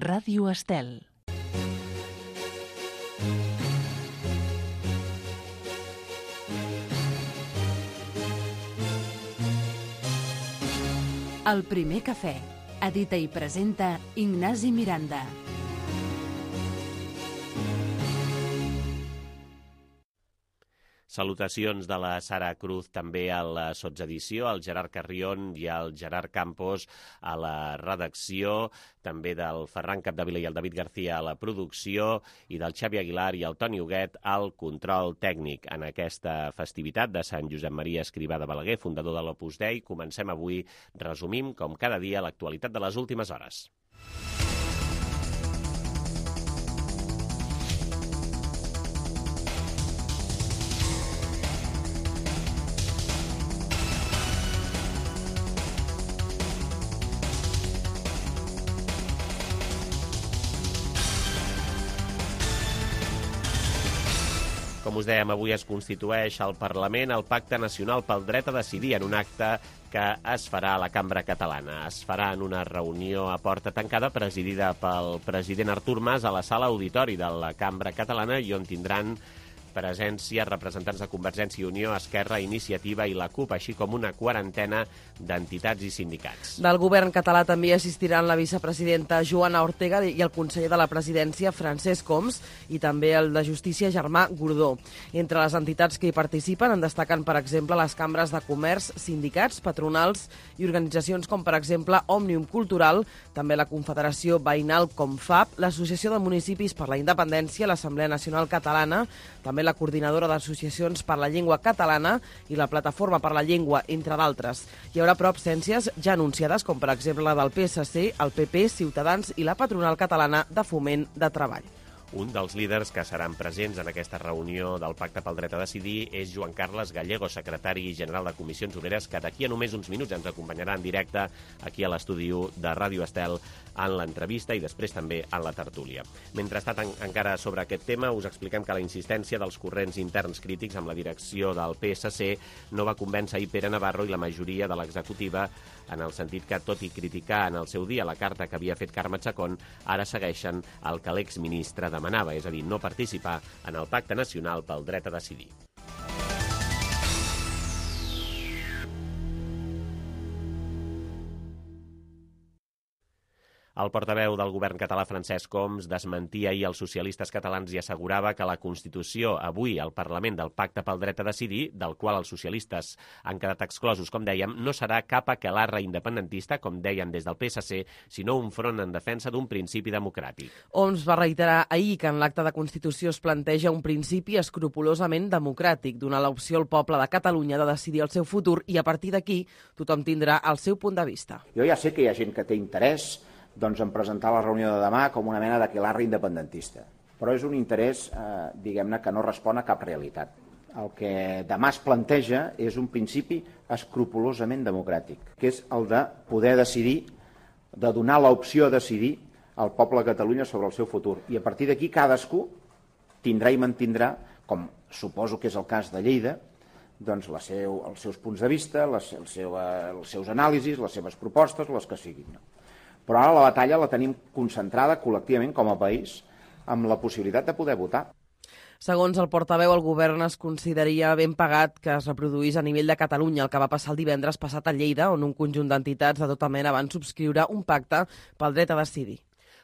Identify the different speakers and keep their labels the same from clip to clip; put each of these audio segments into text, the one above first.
Speaker 1: Ràdio Estel. El primer cafè. Edita i presenta Ignasi Miranda.
Speaker 2: Salutacions de la Sara Cruz també a la sotsedició, al Gerard Carrion i al Gerard Campos a la redacció, també del Ferran Capdevila i el David García a la producció i del Xavi Aguilar i el Toni Huguet al control tècnic. En aquesta festivitat de Sant Josep Maria Escrivà de Balaguer, fundador de l'Opus Dei, comencem avui, resumim, com cada dia, l'actualitat de les últimes hores. Com us dèiem, avui es constitueix al Parlament el Pacte Nacional pel Dret a Decidir en un acte que es farà a la Cambra Catalana. Es farà en una reunió a porta tancada presidida pel president Artur Mas a la sala auditori de la Cambra Catalana i on tindran presència representants de Convergència i Unió, Esquerra, Iniciativa i la CUP, així com una quarantena d'entitats i sindicats.
Speaker 3: Del govern català també assistiran la vicepresidenta Joana Ortega i el conseller de la presidència Francesc Homs i també el de Justícia Germà Gordó. Entre les entitats que hi participen en destaquen, per exemple, les cambres de comerç, sindicats, patronals i organitzacions com, per exemple, Òmnium Cultural, també la Confederació Veïnal Confab, l'Associació de Municipis per la Independència, l'Assemblea Nacional Catalana, també la Coordinadora d'Associacions per la Llengua Catalana i la Plataforma per la Llengua, entre d'altres. Hi haurà però absències ja anunciades, com per exemple la del PSC, el PP, Ciutadans i la Patronal Catalana de Foment de Treball.
Speaker 2: Un dels líders que seran presents en aquesta reunió del Pacte pel Dret a Decidir és Joan Carles Gallego, secretari general de Comissions Obreres, que d'aquí a només uns minuts ens acompanyarà en directe aquí a l'estudi de Ràdio Estel en l'entrevista i després també en la tertúlia. Mentrestant, encara sobre aquest tema, us expliquem que la insistència dels corrents interns crítics amb la direcció del PSC no va convèncer ahir Pere Navarro i la majoria de l'executiva, en el sentit que, tot i criticar en el seu dia la carta que havia fet Carme Chacón, ara segueixen el que l'exministre demanava, és a dir, no participar en el Pacte Nacional pel Dret a Decidir. El portaveu del govern català, Francesc Homs, desmentia ahir els socialistes catalans i assegurava que la Constitució, avui al Parlament del Pacte pel Dret a Decidir, del qual els socialistes han quedat exclosos, com dèiem, no serà cap aquelarre independentista, com deien des del PSC, sinó un front en defensa d'un principi democràtic.
Speaker 3: Homs va reiterar ahir que en l'acte de Constitució es planteja un principi escrupolosament democràtic, donar l'opció al poble de Catalunya de decidir el seu futur i a partir d'aquí tothom tindrà el seu punt de vista.
Speaker 4: Jo ja sé que hi ha gent que té interès en presentar la reunió de demà com una mena d'aquelarre independentista. Però és un interès, diguem-ne, que no respon a cap realitat. El que demà es planteja és un principi escrupolosament democràtic, que és el de poder decidir, de donar l'opció a decidir al poble de Catalunya sobre el seu futur. I a partir d'aquí cadascú tindrà i mantindrà, com suposo que és el cas de Lleida, doncs els seus punts de vista, els seus anàlisis, les seves propostes, les que siguin. Però ara la batalla la tenim concentrada col·lectivament com a país amb la possibilitat de poder votar.
Speaker 3: Segons el portaveu, el govern es consideraria ben pagat que es reproduís a nivell de Catalunya el que va passar el divendres passat a Lleida, on un conjunt d'entitats de tota mena van subscriure un pacte pel dret a decidir.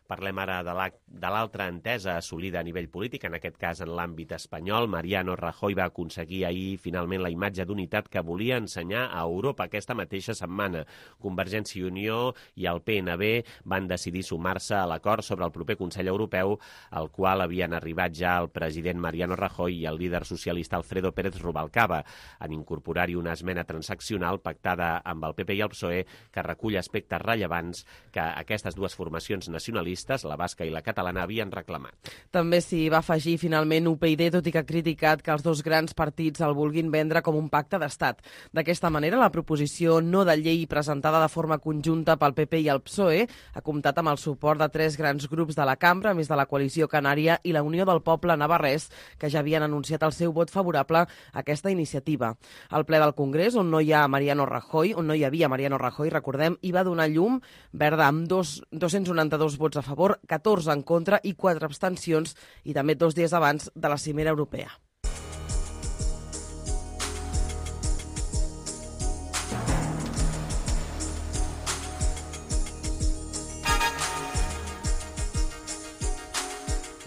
Speaker 2: Parlem ara de l'altra entesa assolida a nivell polític, en aquest cas en l'àmbit espanyol. Mariano Rajoy va aconseguir ahir finalment la imatge d'unitat que volia ensenyar a Europa aquesta mateixa setmana. Convergència i Unió i el PNB van decidir sumar-se a l'acord sobre el proper Consell Europeu, al qual havien arribat ja el president Mariano Rajoy i el líder socialista Alfredo Pérez Rubalcaba, en incorporar-hi una esmena transaccional pactada amb el PP i el PSOE que recull aspectes rellevants que aquestes dues formacions nacionalistes, la basca i la catalana, havien reclamat.
Speaker 3: També s'hi va afegir finalment UPyD, tot i que ha criticat que els dos grans partits el vulguin vendre com un pacte d'estat. D'aquesta manera, la proposició no de llei presentada de forma conjunta pel PP i el PSOE ha comptat amb el suport de 3 grans grups de la cambra, a més de la Coalició Canària i la Unió del Poble Navarrès, que ja havien anunciat el seu vot favorable a aquesta iniciativa. El ple del Congrés, on no hi havia Mariano Rajoy, recordem, hi va donar llum verda amb 292 vots a favor, 14 en contra i 4 abstencions, i també 2 dies abans de la cimera europea.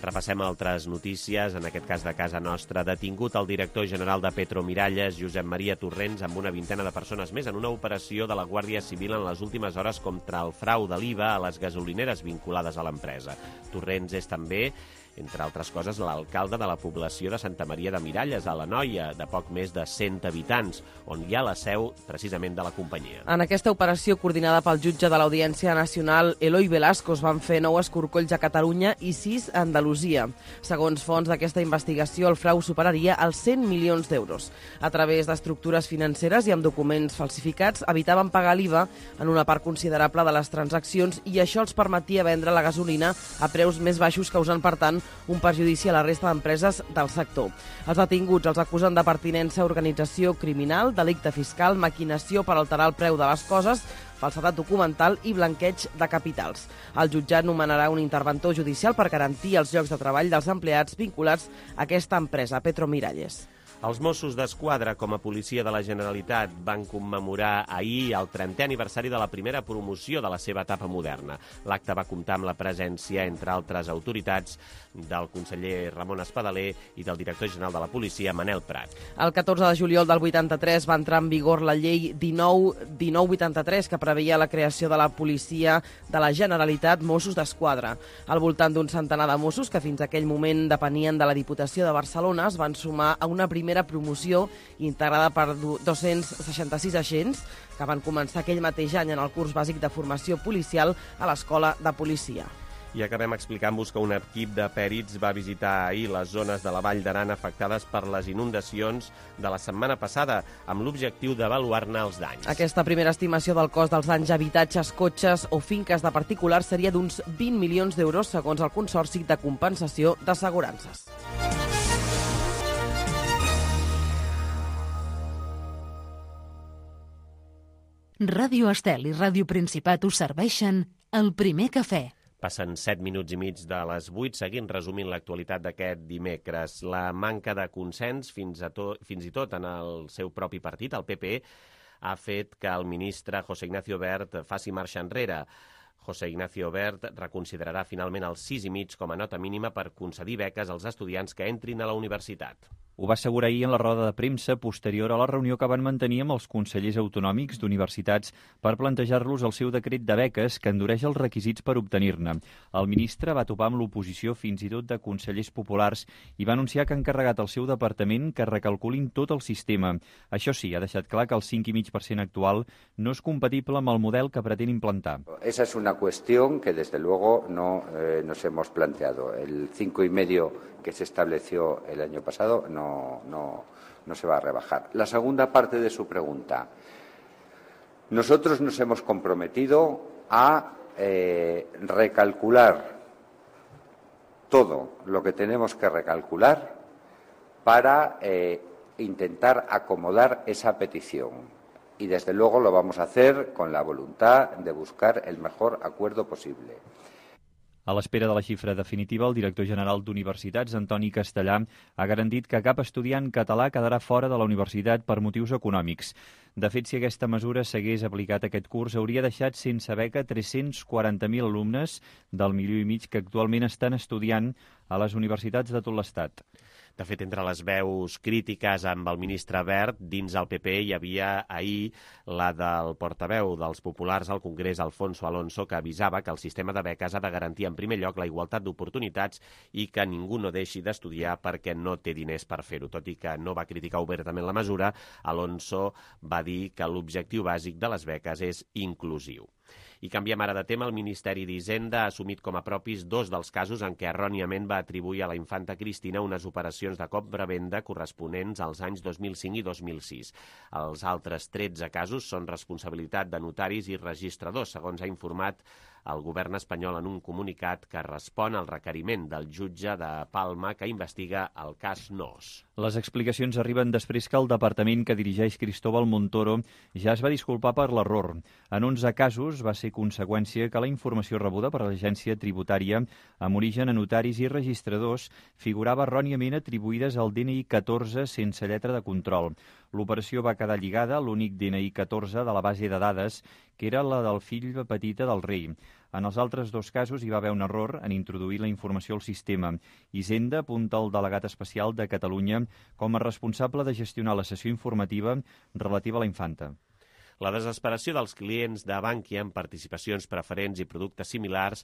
Speaker 2: Repassem altres notícies, en aquest cas de casa nostra. Detingut el director general de Petromiralles, Josep Maria Torrents, amb una vintena de persones més en una operació de la Guàrdia Civil en les últimes hores contra el frau de l'IVA a les gasolineres vinculades a l'empresa. Torrents és també, entre altres coses, l'alcalde de la població de Santa Maria de Miralles, a l'Anoia, de poc més de 100 habitants, on hi ha la seu precisament de la companyia.
Speaker 3: En aquesta operació, coordinada pel jutge de l'Audiència Nacional, Eloi Velasco, es van fer 9 escorcolls a Catalunya i 6 a Andalusia. Segons fonts d'aquesta investigació, el frau superaria els 100 milions d'euros. A través d'estructures financeres i amb documents falsificats, evitaven pagar l'IVA en una part considerable de les transaccions i això els permetia vendre la gasolina a preus més baixos, causant, per tant, un perjudici a la resta d'empreses del sector. Els detinguts els acusen de pertinença a organització criminal, delicte fiscal, maquinació per alterar el preu de les coses, falsedat documental i blanqueig de capitals. El jutjat nomenarà un interventor judicial per garantir els llocs de treball dels empleats vinculats a aquesta empresa, Petromiralles.
Speaker 2: Els Mossos d'Esquadra, com a policia de la Generalitat, van commemorar ahir el 30è aniversari de la primera promoció de la seva etapa moderna. L'acte va comptar amb la presència, entre altres autoritats, del conseller Ramon Espadaler i del director general de la policia, Manel Prat.
Speaker 3: El 14 de juliol del 83 va entrar en vigor la llei 1983, que preveia la creació de la policia de la Generalitat Mossos d'Esquadra. Al voltant d'un centenar de Mossos, que fins a aquell moment depenien de la Diputació de Barcelona, es van sumar a una primera promoció integrada per 266 agents que van començar aquell mateix any en el curs bàsic de formació policial a l'Escola de Policia.
Speaker 2: I acabem explicant-vos que un equip de pèrits va visitar ahir les zones de la Vall d'Aran afectades per les inundacions de la setmana passada, amb l'objectiu d'avaluar-ne els danys.
Speaker 3: Aquesta primera estimació del cost dels danys a habitatges, cotxes o finques de particulars seria d'uns 20 milions d'euros, segons el Consorci de Compensació d'Assegurances.
Speaker 1: Ràdio Estel i Ràdio Principat us serveixen el primer cafè.
Speaker 2: Passen 7 minuts i mig de les 8, seguint resumint l'actualitat d'aquest dimecres. La manca de consens, fins i tot en el seu propi partit, el PP, ha fet que el ministre José Ignacio Wert faci marxa enrere. José Ignacio Wert reconsiderarà finalment el 6,5 com a nota mínima per concedir beques als estudiants que entrin a la universitat.
Speaker 5: Ho va assegurar ahir en la roda de premsa posterior a la reunió que van mantenir amb els consellers autonòmics d'universitats per plantejar-los el seu decret de beques que endureix els requisits per obtenir-ne. El ministre va topar amb l'oposició fins i tot de consellers populars i va anunciar que ha encarregat al seu departament que recalculin tot el sistema. Això sí, ha deixat clar que el 5,5% actual no és compatible amb el model que pretén implantar.
Speaker 6: Esa es una cuestión que desde luego no nos hemos planteado. El 5,5% que se estableció el año pasado no se va a rebajar. La segunda parte de su pregunta. Nosotros nos hemos comprometido a recalcular todo lo que tenemos que recalcular para intentar acomodar esa petición. Y desde luego lo vamos a hacer con la voluntad de buscar el mejor acuerdo posible.
Speaker 5: A l'espera de la xifra definitiva, el director general d'Universitats, Antoni Castellà, ha garantit que cap estudiant català quedarà fora de la universitat per motius econòmics. De fet, si aquesta mesura s'hagués aplicat aquest curs, hauria deixat sense beca 340.000 alumnes del 1,5 milió que actualment estan estudiant a les universitats de tot l'Estat.
Speaker 2: De fet, entre les veus crítiques amb el ministre Wert, dins el PP hi havia ahir la del portaveu dels populars al Congrés, Alfonso Alonso, que avisava que el sistema de beques ha de garantir en primer lloc la igualtat d'oportunitats i que ningú no deixi d'estudiar perquè no té diners per fer-ho. Tot i que no va criticar obertament la mesura, Alonso va dir que l'objectiu bàsic de les beques és inclusiu. I canviem ara de tema. El Ministeri d'Hisenda ha assumit com a propis 2 dels casos en què erròniament va atribuir a la infanta Cristina unes operacions de compra-venda corresponents als anys 2005 i 2006. Els altres 13 casos són responsabilitat de notaris i registradors, segons ha informat el govern espanyol en un comunicat que respon al requeriment del jutge de Palma que investiga el cas Nóos.
Speaker 5: Les explicacions arriben després que el departament que dirigeix Cristóbal Montoro ja es va disculpar per l'error. En 11 casos va ser conseqüència que la informació rebuda per l'agència tributària amb origen a notaris i registradors figurava erròniament atribuïdes al DNI 14 sense lletra de control. L'operació va quedar lligada a l'únic DNI 14 de la base de dades, que era la del fill petita del rei. En els altres 2 casos hi va haver un error en introduir la informació al sistema. Hisenda apunta el delegat especial de Catalunya com a responsable de gestionar la sessió informativa relativa a la infanta.
Speaker 2: La desesperació dels clients de Bankia amb participacions preferents i productes similars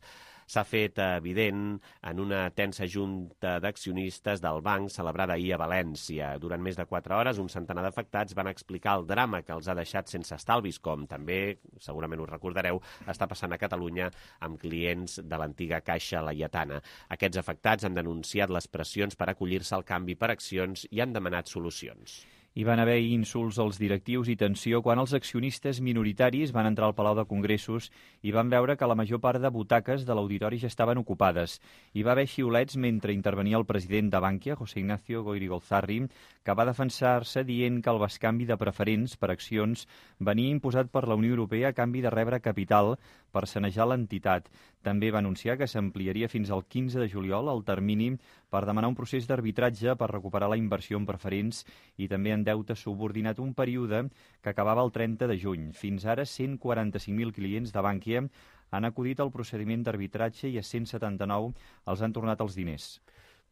Speaker 2: s'ha fet evident en una tensa junta d'accionistes del banc celebrada ahir a València. Durant més de 4 hores, un centenar d'afectats van explicar el drama que els ha deixat sense estalvis, com també, segurament us recordareu, està passant a Catalunya amb clients de l'antiga Caixa Laietana. Aquests afectats han denunciat les pressions per acollir-se al canvi per accions i han demanat solucions.
Speaker 5: Hi van haver insults als directius i tensió quan els accionistes minoritaris van entrar al Palau de Congressos i van veure que la major part de butaques de l'auditori ja estaven ocupades. Hi va haver xiulets mentre intervenia el president de Bankia, José Ignacio Goirigolzarri, que va defensar-se dient que el bescanvi de preferents per accions venia imposat per la Unió Europea a canvi de rebre capital per sanejar l'entitat. També va anunciar que s'ampliaria fins al 15 de juliol el termini per demanar un procés d'arbitratge per recuperar la inversió en preferents i també en deute subordinat, un període que acabava el 30 de juny. Fins ara, 145.000 clients de Bankia han acudit al procediment d'arbitratge i a 179 els han tornat els diners.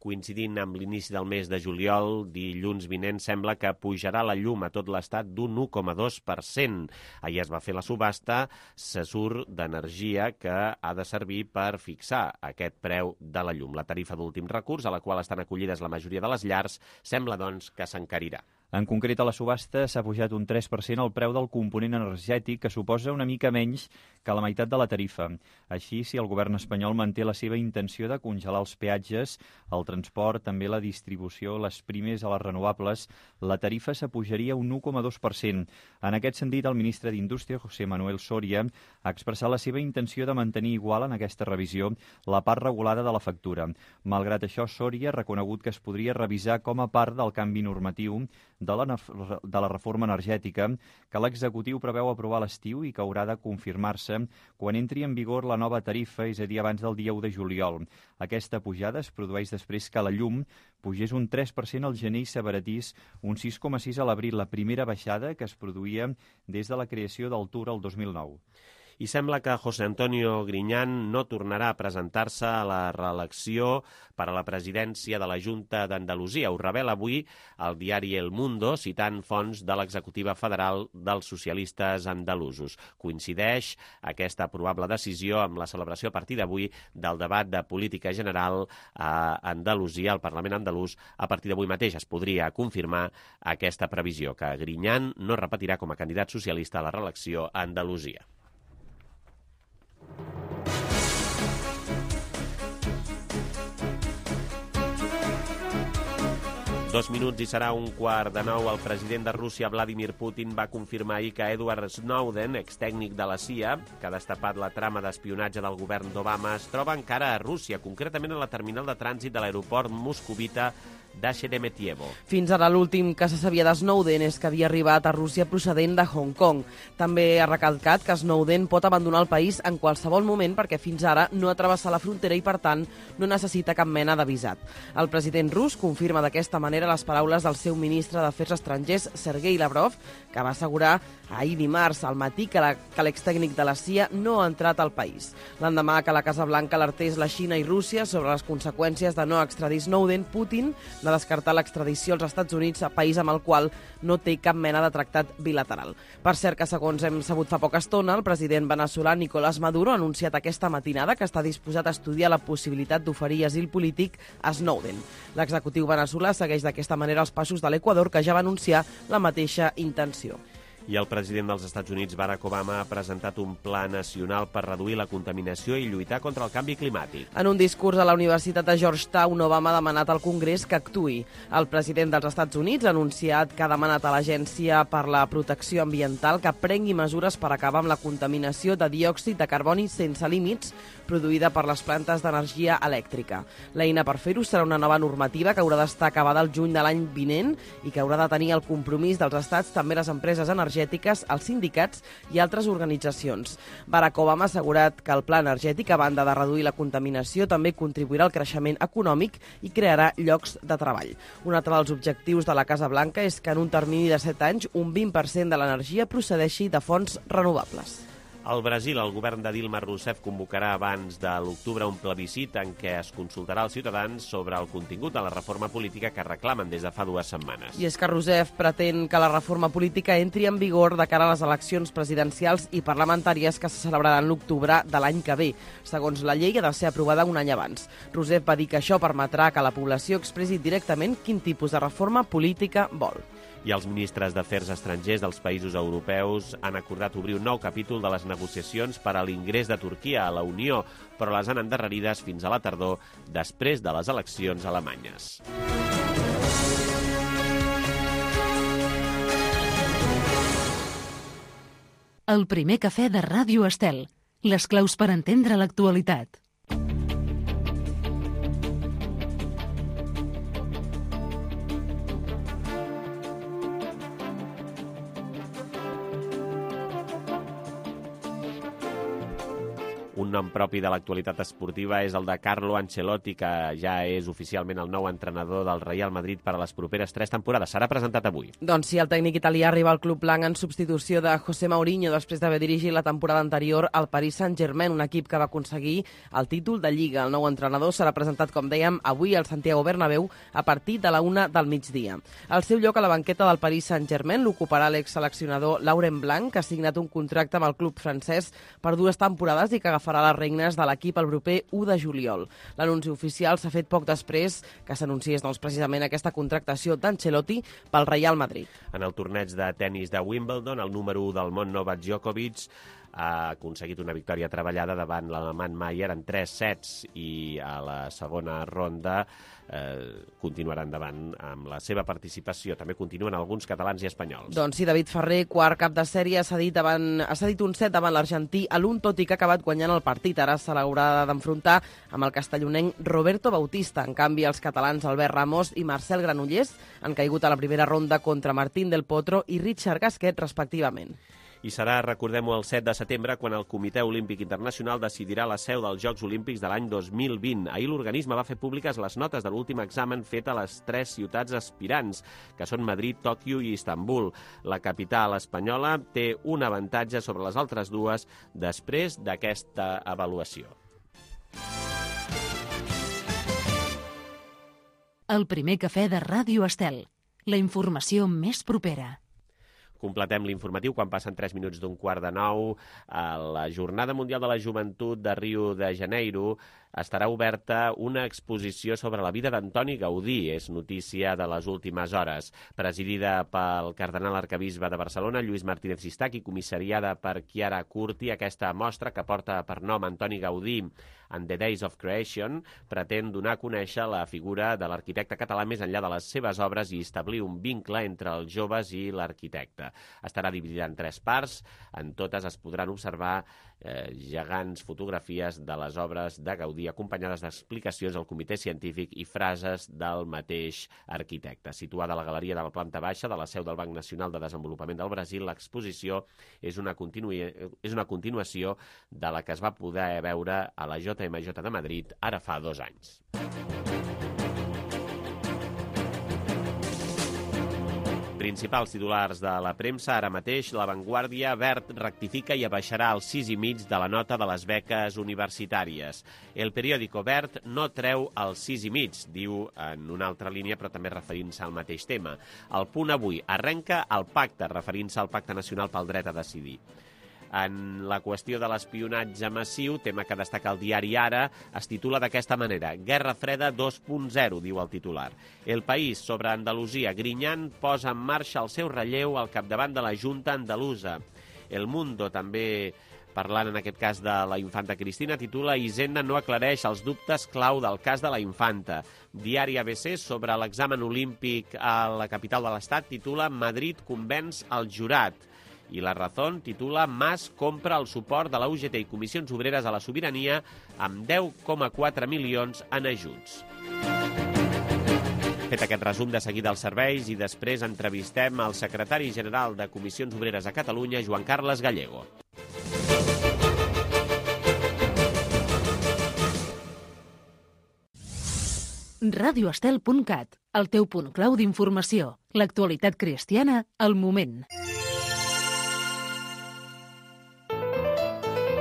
Speaker 2: Coincidint amb l'inici del mes de juliol, dilluns vinent sembla que pujarà la llum a tot l'estat d'un 1,2%. Ahir es va fer la subhasta, se surt d'energia que ha de servir per fixar aquest preu de la llum. La tarifa d'últim recurs, a la qual estan acollides la majoria de les llars, sembla, doncs, que s'encarirà.
Speaker 5: En concret, a la subhasta s'ha pujat un 3% el preu del component energètic, que suposa una mica menys que la meitat de la tarifa. Així, si el govern espanyol manté la seva intenció de congelar els peatges, el transport, també la distribució, les primes a les renovables, la tarifa s'apujaria un 1,2%. En aquest sentit, el ministre d'Indústria, José Manuel Soria, ha expressat la seva intenció de mantenir igual en aquesta revisió la part regulada de la factura. Malgrat això, Soria ha reconegut que es podria revisar com a part del canvi normatiu de la reforma energètica que l'executiu preveu aprovar a l'estiu i que haurà de confirmar-se quan entri en vigor la nova tarifa, és a dir, abans del dia 1 de juliol. Aquesta pujada es produeix després que la llum pugés un 3% al gener i s'abaratís un 6,6% a l'abril, la primera baixada que es produïa des de la creació del TUR el 2009.
Speaker 2: I sembla que José Antonio Griñán no tornarà a presentar-se a la reelecció per a la presidència de la Junta d'Andalusia. Ho revela avui el diari El Mundo, citant fonts de l'executiva federal dels socialistes andalusos. Coincideix aquesta probable decisió amb la celebració a partir d'avui del debat de política general a Andalusia, al Parlament andalús. A partir d'avui mateix es podria confirmar aquesta previsió, que Griñán no repetirà com a candidat socialista a la reelecció a Andalusia. 2 minuts i serà 8:45. El president de Rússia, Vladimir Putin, va confirmar ahir que Edward Snowden, extècnic de la CIA, que ha destapat la trama d'espionatge del govern d'Obama, es troba encara a Rússia, concretament a la terminal de trànsit de l'aeroport moscovita d'Sheremetyevo.
Speaker 3: Fins ara l'últim que se sabia de Snowden és que havia arribat a Rússia procedent de Hong Kong. També ha recalcat que Snowden pot abandonar el país en qualsevol moment perquè fins ara no ha travessat la frontera i, per tant, no necessita cap mena de visat. El president rus confirma d'aquesta manera les paraules del seu ministre d'Afers Estrangers, Sergei Lavrov, que va assegurar ahir dimarts al matí que l'extècnic de la CIA no ha entrat al país. L'endemà que la Casa Blanca alertés la Xina i Rússia sobre les conseqüències de no extradir Snowden, Putin va descartar l'extradició als Estats Units, a país amb el qual no té cap mena de tractat bilateral. Per cert que, segons hem sabut fa poca estona, el president veneçolà Nicolás Maduro ha anunciat aquesta matinada que està disposat a estudiar la possibilitat d'oferir asil polític a Snowden. L'executiu veneçolà segueix d'aquesta manera els passos de l'Equador, que ja va anunciar la mateixa intenció.
Speaker 2: I el president dels Estats Units, Barack Obama, ha presentat un pla nacional per reduir la contaminació i lluitar contra el canvi climàtic.
Speaker 3: En un discurs a la Universitat de Georgetown, Obama ha demanat al Congrés que actuï. El president dels Estats Units ha anunciat que ha demanat a l'Agència per la Protecció Ambiental que prengui mesures per acabar amb la contaminació de diòxid de carboni sense límits produïda per les plantes d'energia elèctrica. L'eina per fer-ho serà una nova normativa que haurà d'estar acabada el juny de l'any vinent i que haurà de tenir el compromís dels estats, també les empreses energètiques, els sindicats i altres organitzacions. Barack Obama ha assegurat que el pla energètic, a banda de reduir la contaminació, també contribuirà al creixement econòmic i crearà llocs de treball. Un altre dels objectius de la Casa Blanca és que en un termini de 7 anys un 20% de l'energia procedeixi de fonts renovables.
Speaker 2: Al Brasil, el govern de Dilma Rousseff convocarà abans de l'octubre un plebiscit en què es consultarà als ciutadans sobre el contingut de la reforma política que reclamen des de fa 2 setmanes.
Speaker 3: I és que Rousseff pretén que la reforma política entri en vigor de cara a les eleccions presidencials i parlamentàries que se celebraran l'octubre de l'any que ve. Segons la llei, ha de ser aprovada un any abans. Rousseff va dir que això permetrà que la població expressi directament quin tipus de reforma política vol.
Speaker 2: I els ministres d'Afers Estrangers dels països europeus han acordat obrir un nou capítol de les negociacions per a l'ingrés de Turquia a la Unió, però les han endarrerides fins a la tardor, després de les eleccions alemanyes.
Speaker 1: El primer cafè de Ràdio Estel. Les claus per entendre l'actualitat.
Speaker 2: Un nom propi de l'actualitat esportiva és el de Carlo Ancelotti, que ja és oficialment el nou entrenador del Real Madrid per a les properes 3 temporades. Serà presentat avui.
Speaker 3: Doncs sí, el tècnic italià arriba al club blanc en substitució de José Mourinho després d'haver dirigit la temporada anterior al Paris Saint-Germain, un equip que va aconseguir el títol de Lliga. El nou entrenador serà presentat, com dèiem, avui al Santiago Bernabéu a partir de la 1 del migdia. El seu lloc a la banqueta del Paris Saint-Germain l'ocuparà l'exseleccionador Laurent Blanc, que ha signat un contracte amb el club francès per 2 temporades i que agafarà les regnes de l'equip el proper 1 de juliol. L'anunci oficial s'ha fet poc després que s'anunciés precisament aquesta contractació d'Ancelotti pel Real Madrid.
Speaker 2: En el torneig de tennis de Wimbledon, el número 1 del món, Novak Djokovic, ha aconseguit una victòria treballada davant l'alemany Mayer en 3 sets i a la segona ronda continuarà endavant amb la seva participació. També continuen alguns catalans i espanyols.
Speaker 3: Doncs sí, David Ferrer, quart cap de sèrie, ha cedit un set davant l'argentí a l'1, tot i que ha acabat guanyant el partit. Ara se l'haurà d'enfrontar amb el castellonenc Roberto Bautista. En canvi, els catalans Albert Ramos i Marcel Granollers han caigut a la primera ronda contra Martín del Potro i Richard Gasquet, respectivament.
Speaker 2: I serà, recordem-ho, el 7 de setembre quan el Comitè Olímpic Internacional decidirà la seu dels Jocs Olímpics de l'any 2020. Ahir l'organisme va fer públiques les notes de l'últim examen fet a les 3 ciutats aspirants, que són Madrid, Tòquio i Istanbul. La capital espanyola té un avantatge sobre les altres dues després d'aquesta avaluació.
Speaker 1: El primer cafè de Ràdio Estel. La informació més propera.
Speaker 2: Completem l'informatiu quan passen 3 minuts d'un 8:45. A la Jornada Mundial de la Joventut de Rio de Janeiro estarà oberta una exposició sobre la vida d'Antoni Gaudí. És notícia de les últimes hores. Presidida pel cardenal arquebisbe de Barcelona, Lluís Martínez Sistach, i comissariada per Chiara Curti, aquesta mostra, que porta per nom Antoni Gaudí and the Days of Creation, pretén donar a conèixer la figura de l'arquitecte català més enllà de les seves obres i establir un vincle entre els joves i l'arquitecte. Estarà dividida en 3 parts. En totes es podran observar gegants fotografies de les obres de Gaudí, acompanyades d'explicacions del comitè científic i frases del mateix arquitecte. Situada a la galeria de la planta baixa de la seu del Banc Nacional de Desenvolupament del Brasil, l'exposició és una continuació de la que es va poder veure a la JMJ de Madrid ara fa 2 anys. Principals titulars de la premsa ara mateix. La Vanguardia: Wert rectifica i abaixarà el 6,5 de la nota de les beques universitàries. El periòdico: Wert no treu el 6,5, diu en una altra línia, però també referint-se al mateix tema. El Punt avui: arrenca el pacte, referint-se al Pacte Nacional pel Dret a Decidir. En la qüestió de l'espionatge massiu, tema que destaca el diari Ara, es titula d'aquesta manera: Guerra Freda 2.0, diu el titular. El País, sobre Andalusia, Griñán posa en marxa el seu relleu al capdavant de la Junta Andalusa. El Mundo, també parlant en aquest cas de la infanta Cristina, titula Hisenda no aclareix els dubtes clau del cas de la infanta. Diari ABC, sobre l'examen olímpic a la capital de l'Estat, titula Madrid convenç el jurat. I La Razón titula Mas compra el suport de la UGT i Comissions Obreres a la Sobirania amb 10,4 milions en ajuts. Fet aquest resum de seguida als serveis i després entrevistem al secretari general de Comissions Obreres a Catalunya, Joan Carles Gallego.
Speaker 1: radioestel.cat, el teu punt clau d'informació. L'actualitat cristiana al moment.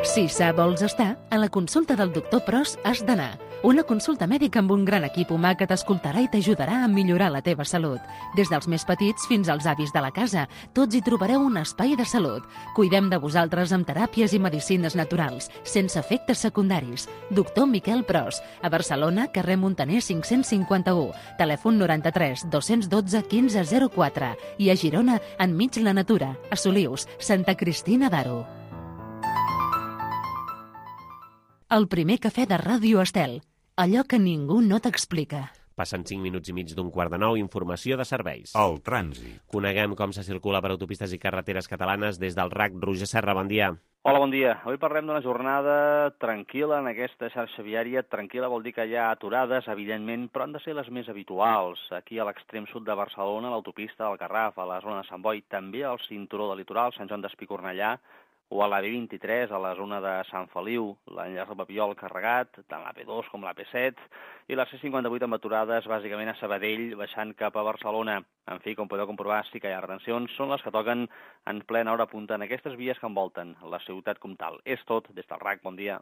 Speaker 1: Si sa vols estar, a la consulta del doctor Pros has d'anar. Una consulta mèdica amb un gran equip humà que t'escoltarà i t'ajudarà a millorar la teva salut. Des dels més petits fins als avis de la casa, tots hi trobareu un espai de salut. Cuidem de vosaltres amb teràpies i medicines naturals, sense efectes secundaris. Doctor Miquel Pros, a Barcelona, carrer Montaner 551, telèfon 93 212 1504 i a Girona, enmig la natura, a Solius, Santa Cristina d'Aro. El primer cafè de Ràdio Estel. Allò que ningú no t'explica.
Speaker 2: Passen 5 minuts i mig d'un quart de 9, informació de serveis.
Speaker 7: El trànsit.
Speaker 2: Coneguem com se circula per autopistes i carreteres catalanes des del RAC. Roger Serra, bon dia.
Speaker 8: Hola, bon dia. Avui parlem d'una jornada tranquil·la en aquesta xarxa viària. Tranquil·la vol dir que hi ha aturades, evidentment, però han de ser les més habituals. Aquí a l'extrem sud de Barcelona, a l'autopista del Garraf, a la zona de Sant Boi, també al cinturó del litoral, Sant Joan d'Espí, Cornellà, o a la B23, a la zona de Sant Feliu, l'enllaç del Papiol carregat, tant la P2 com la P7, i la C58 amb aturades bàsicament a Sabadell, baixant cap a Barcelona. En fi, com podeu comprovar, sí que hi ha retencions, són les que toquen en plena hora punta en aquestes vies que envolten la ciutat com tal. És tot, des del RAC, bon dia.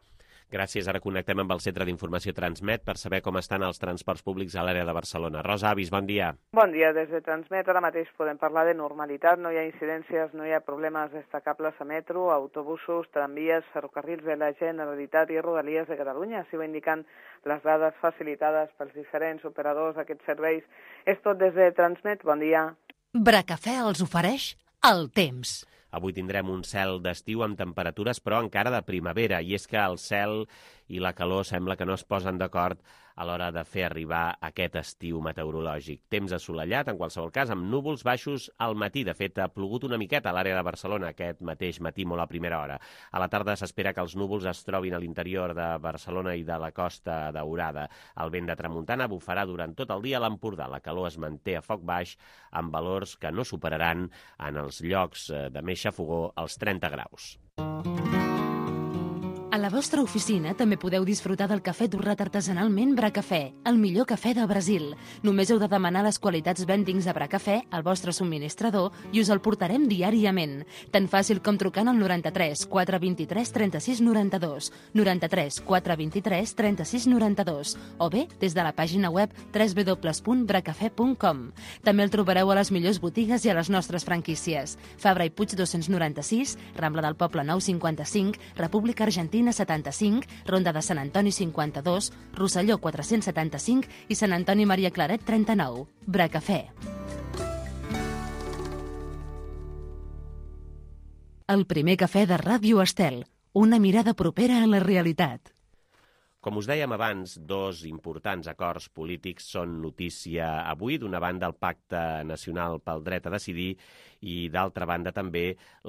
Speaker 2: Gràcies, ara connectem amb el Centre d'Informació Transmet per saber com estan els transports públics a l'àrea de Barcelona. Rosa Avis, bon dia.
Speaker 9: Bon dia, des de Transmet ara mateix podem parlar de normalitat, no hi ha incidències, no hi ha problemes destacables a metro, autobusos, tramvies, ferrocarrils de la Generalitat i Rodalies de Catalunya, així ho indiquen les dades facilitades pels diferents operadors d'aquests serveis. És tot des de Transmet, bon dia.
Speaker 1: Bracafè els ofereix el temps.
Speaker 2: Avui tindrem un cel d'estiu amb temperatures, però encara de primavera, i és que el cel i la calor sembla que no es posen d'acord a l'hora de fer arribar aquest estiu meteorològic. Temps assolellat, en qualsevol cas, amb núvols baixos al matí. De fet, ha plogut una miqueta a l'àrea de Barcelona aquest mateix matí, molt a primera hora. A la tarda s'espera que els núvols es trobin a l'interior de Barcelona i de la Costa Daurada. El vent de tramuntana bufarà durant tot el dia a l'Empordà. La calor es manté a foc baix, amb valors que no superaran en els llocs de més xafogor els 30 graus.
Speaker 1: A la vostra oficina també podeu disfrutar del cafè torrat artesanalment Bracafè, el millor cafè de Brasil. Només heu de demanar les qualitats Bentings de Bracafè al vostre subministrador i us el portarem diàriament. Tan fàcil com trucant al 93 423 36 92, 93 423 36 92, o bé des de la pàgina web www.bracafè.com. També el trobareu a les millors botigues i a les nostres franquícies. Fabra i Puig 296, Rambla del Poble 955, República Argentina 75, Ronda de Sant Antoni 52, Rosselló 475 i Sant Antoni Maria Claret 39. Bracafè. El primer cafè de Ràdio Estel. Una mirada propera a la realitat.
Speaker 2: Com us dèiem abans, dos importants acords polítics són notícia avui. D'una banda, el Pacte Nacional pel Dret a Decidir i, d'altra banda, també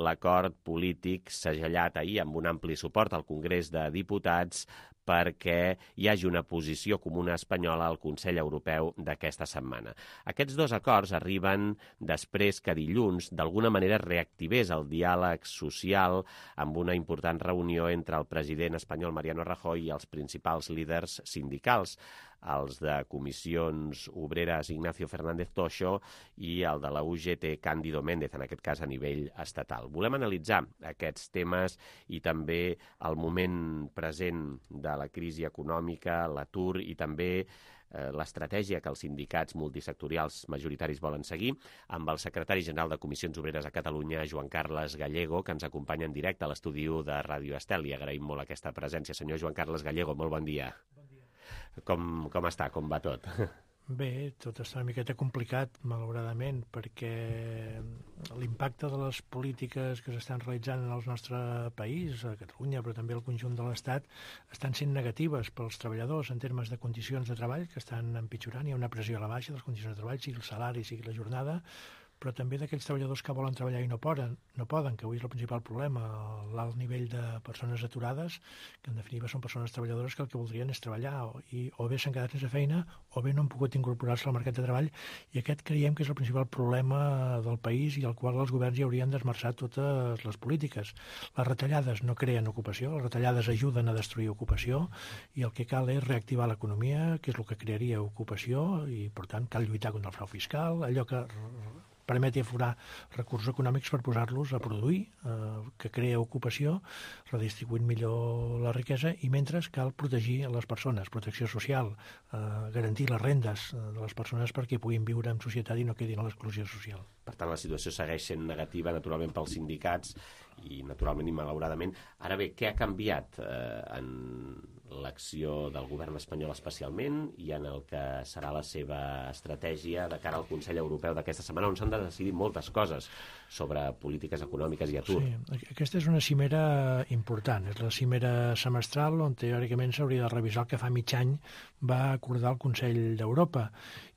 Speaker 2: l'acord polític segellat ahir amb un ampli suport al Congrés de Diputats perquè hi hagi una posició comuna espanyola al Consell Europeu d'aquesta setmana. Aquests dos acords arriben després que dilluns d'alguna manera reactivés el diàleg social amb una important reunió entre el president espanyol Mariano Rajoy i els principals líders sindicals, els de Comissions Obreres Ignacio Fernández Toixo i el de la UGT Cándido Méndez, en aquest cas a nivell estatal. Volem analitzar aquests temes i també el moment present de la crisi econòmica, l'atur i també l'estratègia que els sindicats multisectorials majoritaris volen seguir, amb el secretari general de Comissions Obreres a Catalunya, Joan Carles Gallego, que ens acompanya en directe a l'estudi de Ràdio Estel. Li agraïm molt aquesta presència. Senyor Joan Carles Gallego, molt bon dia. Bon dia. Com està? Com va tot?
Speaker 7: Bé, tot està una miqueta complicat, malauradament, perquè l'impacte de les polítiques que s'estan realitzant en el nostre país, a Catalunya, però també al conjunt de l'Estat, estan sent negatives pels treballadors en termes de condicions de treball, que estan empitjorant. Hi ha una pressió a la baixa de les condicions de treball, sigui el salari, sigui la jornada, però també d'aquells treballadors que volen treballar i no poden, que avui és el principal problema, l'alt nivell de persones aturades, que en definitiva són persones treballadores que el que voldrien és treballar, o bé s'han quedat sense feina, o bé no han pogut incorporar-se al mercat de treball, i aquest creiem que és el principal problema del país i al qual els governs hi haurien d'esmerçar totes les polítiques. Les retallades no creen ocupació, les retallades ajuden a destruir ocupació, i el que cal és reactivar l'economia, que és el que crearia ocupació, i per tant cal lluitar contra el frau fiscal, allò que permeti aforar recursos econòmics per posar-los a produir, que crea ocupació, redistribuint millor la riquesa, i mentre cal protegir les persones, protecció social, garantir les rendes de les persones perquè puguin viure en societat i no quedin a l'exclusió social.
Speaker 2: Per tant, la situació segueix sent negativa, naturalment, pels sindicats i, naturalment, i malauradament. Ara bé, què ha canviat en l'acció del govern espanyol especialment i en el que serà la seva estratègia de cara al Consell Europeu d'aquesta setmana, on s'han de decidir moltes coses sobre polítiques econòmiques i atur?
Speaker 7: Sí, aquesta és una cimera important. És la cimera semestral on teòricament s'hauria de revisar el que fa mig any va acordar el Consell d'Europa.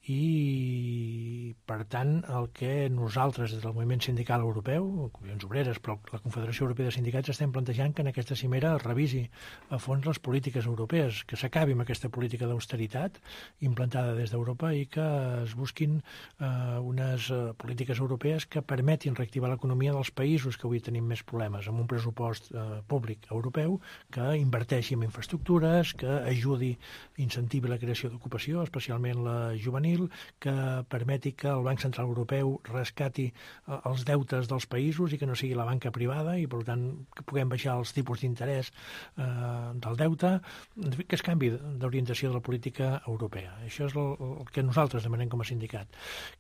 Speaker 7: I, per tant, el que nosaltres, des del moviment sindical europeu, Comissions Obreres, però la Confederació Europea de Sindicats, estem plantejant que en aquesta cimera es revisi a fons les polítiques europees, que s'acabi amb aquesta política d'austeritat implantada des d'Europa i que es busquin unes polítiques europees que permetin reactivar l'economia dels països que avui tenim més problemes, amb un pressupost públic europeu que inverteixi en infraestructures, que ajudi, incentivi la creació d'ocupació, especialment la juvenil, que permeti que el Banc Central Europeu rescati els deutes dels països i que no sigui la banca privada i, per tant, que puguem baixar els tipus d'interès del deute, que es canvi d'orientació de la política europea. Això és el que nosaltres demanem com a sindicat.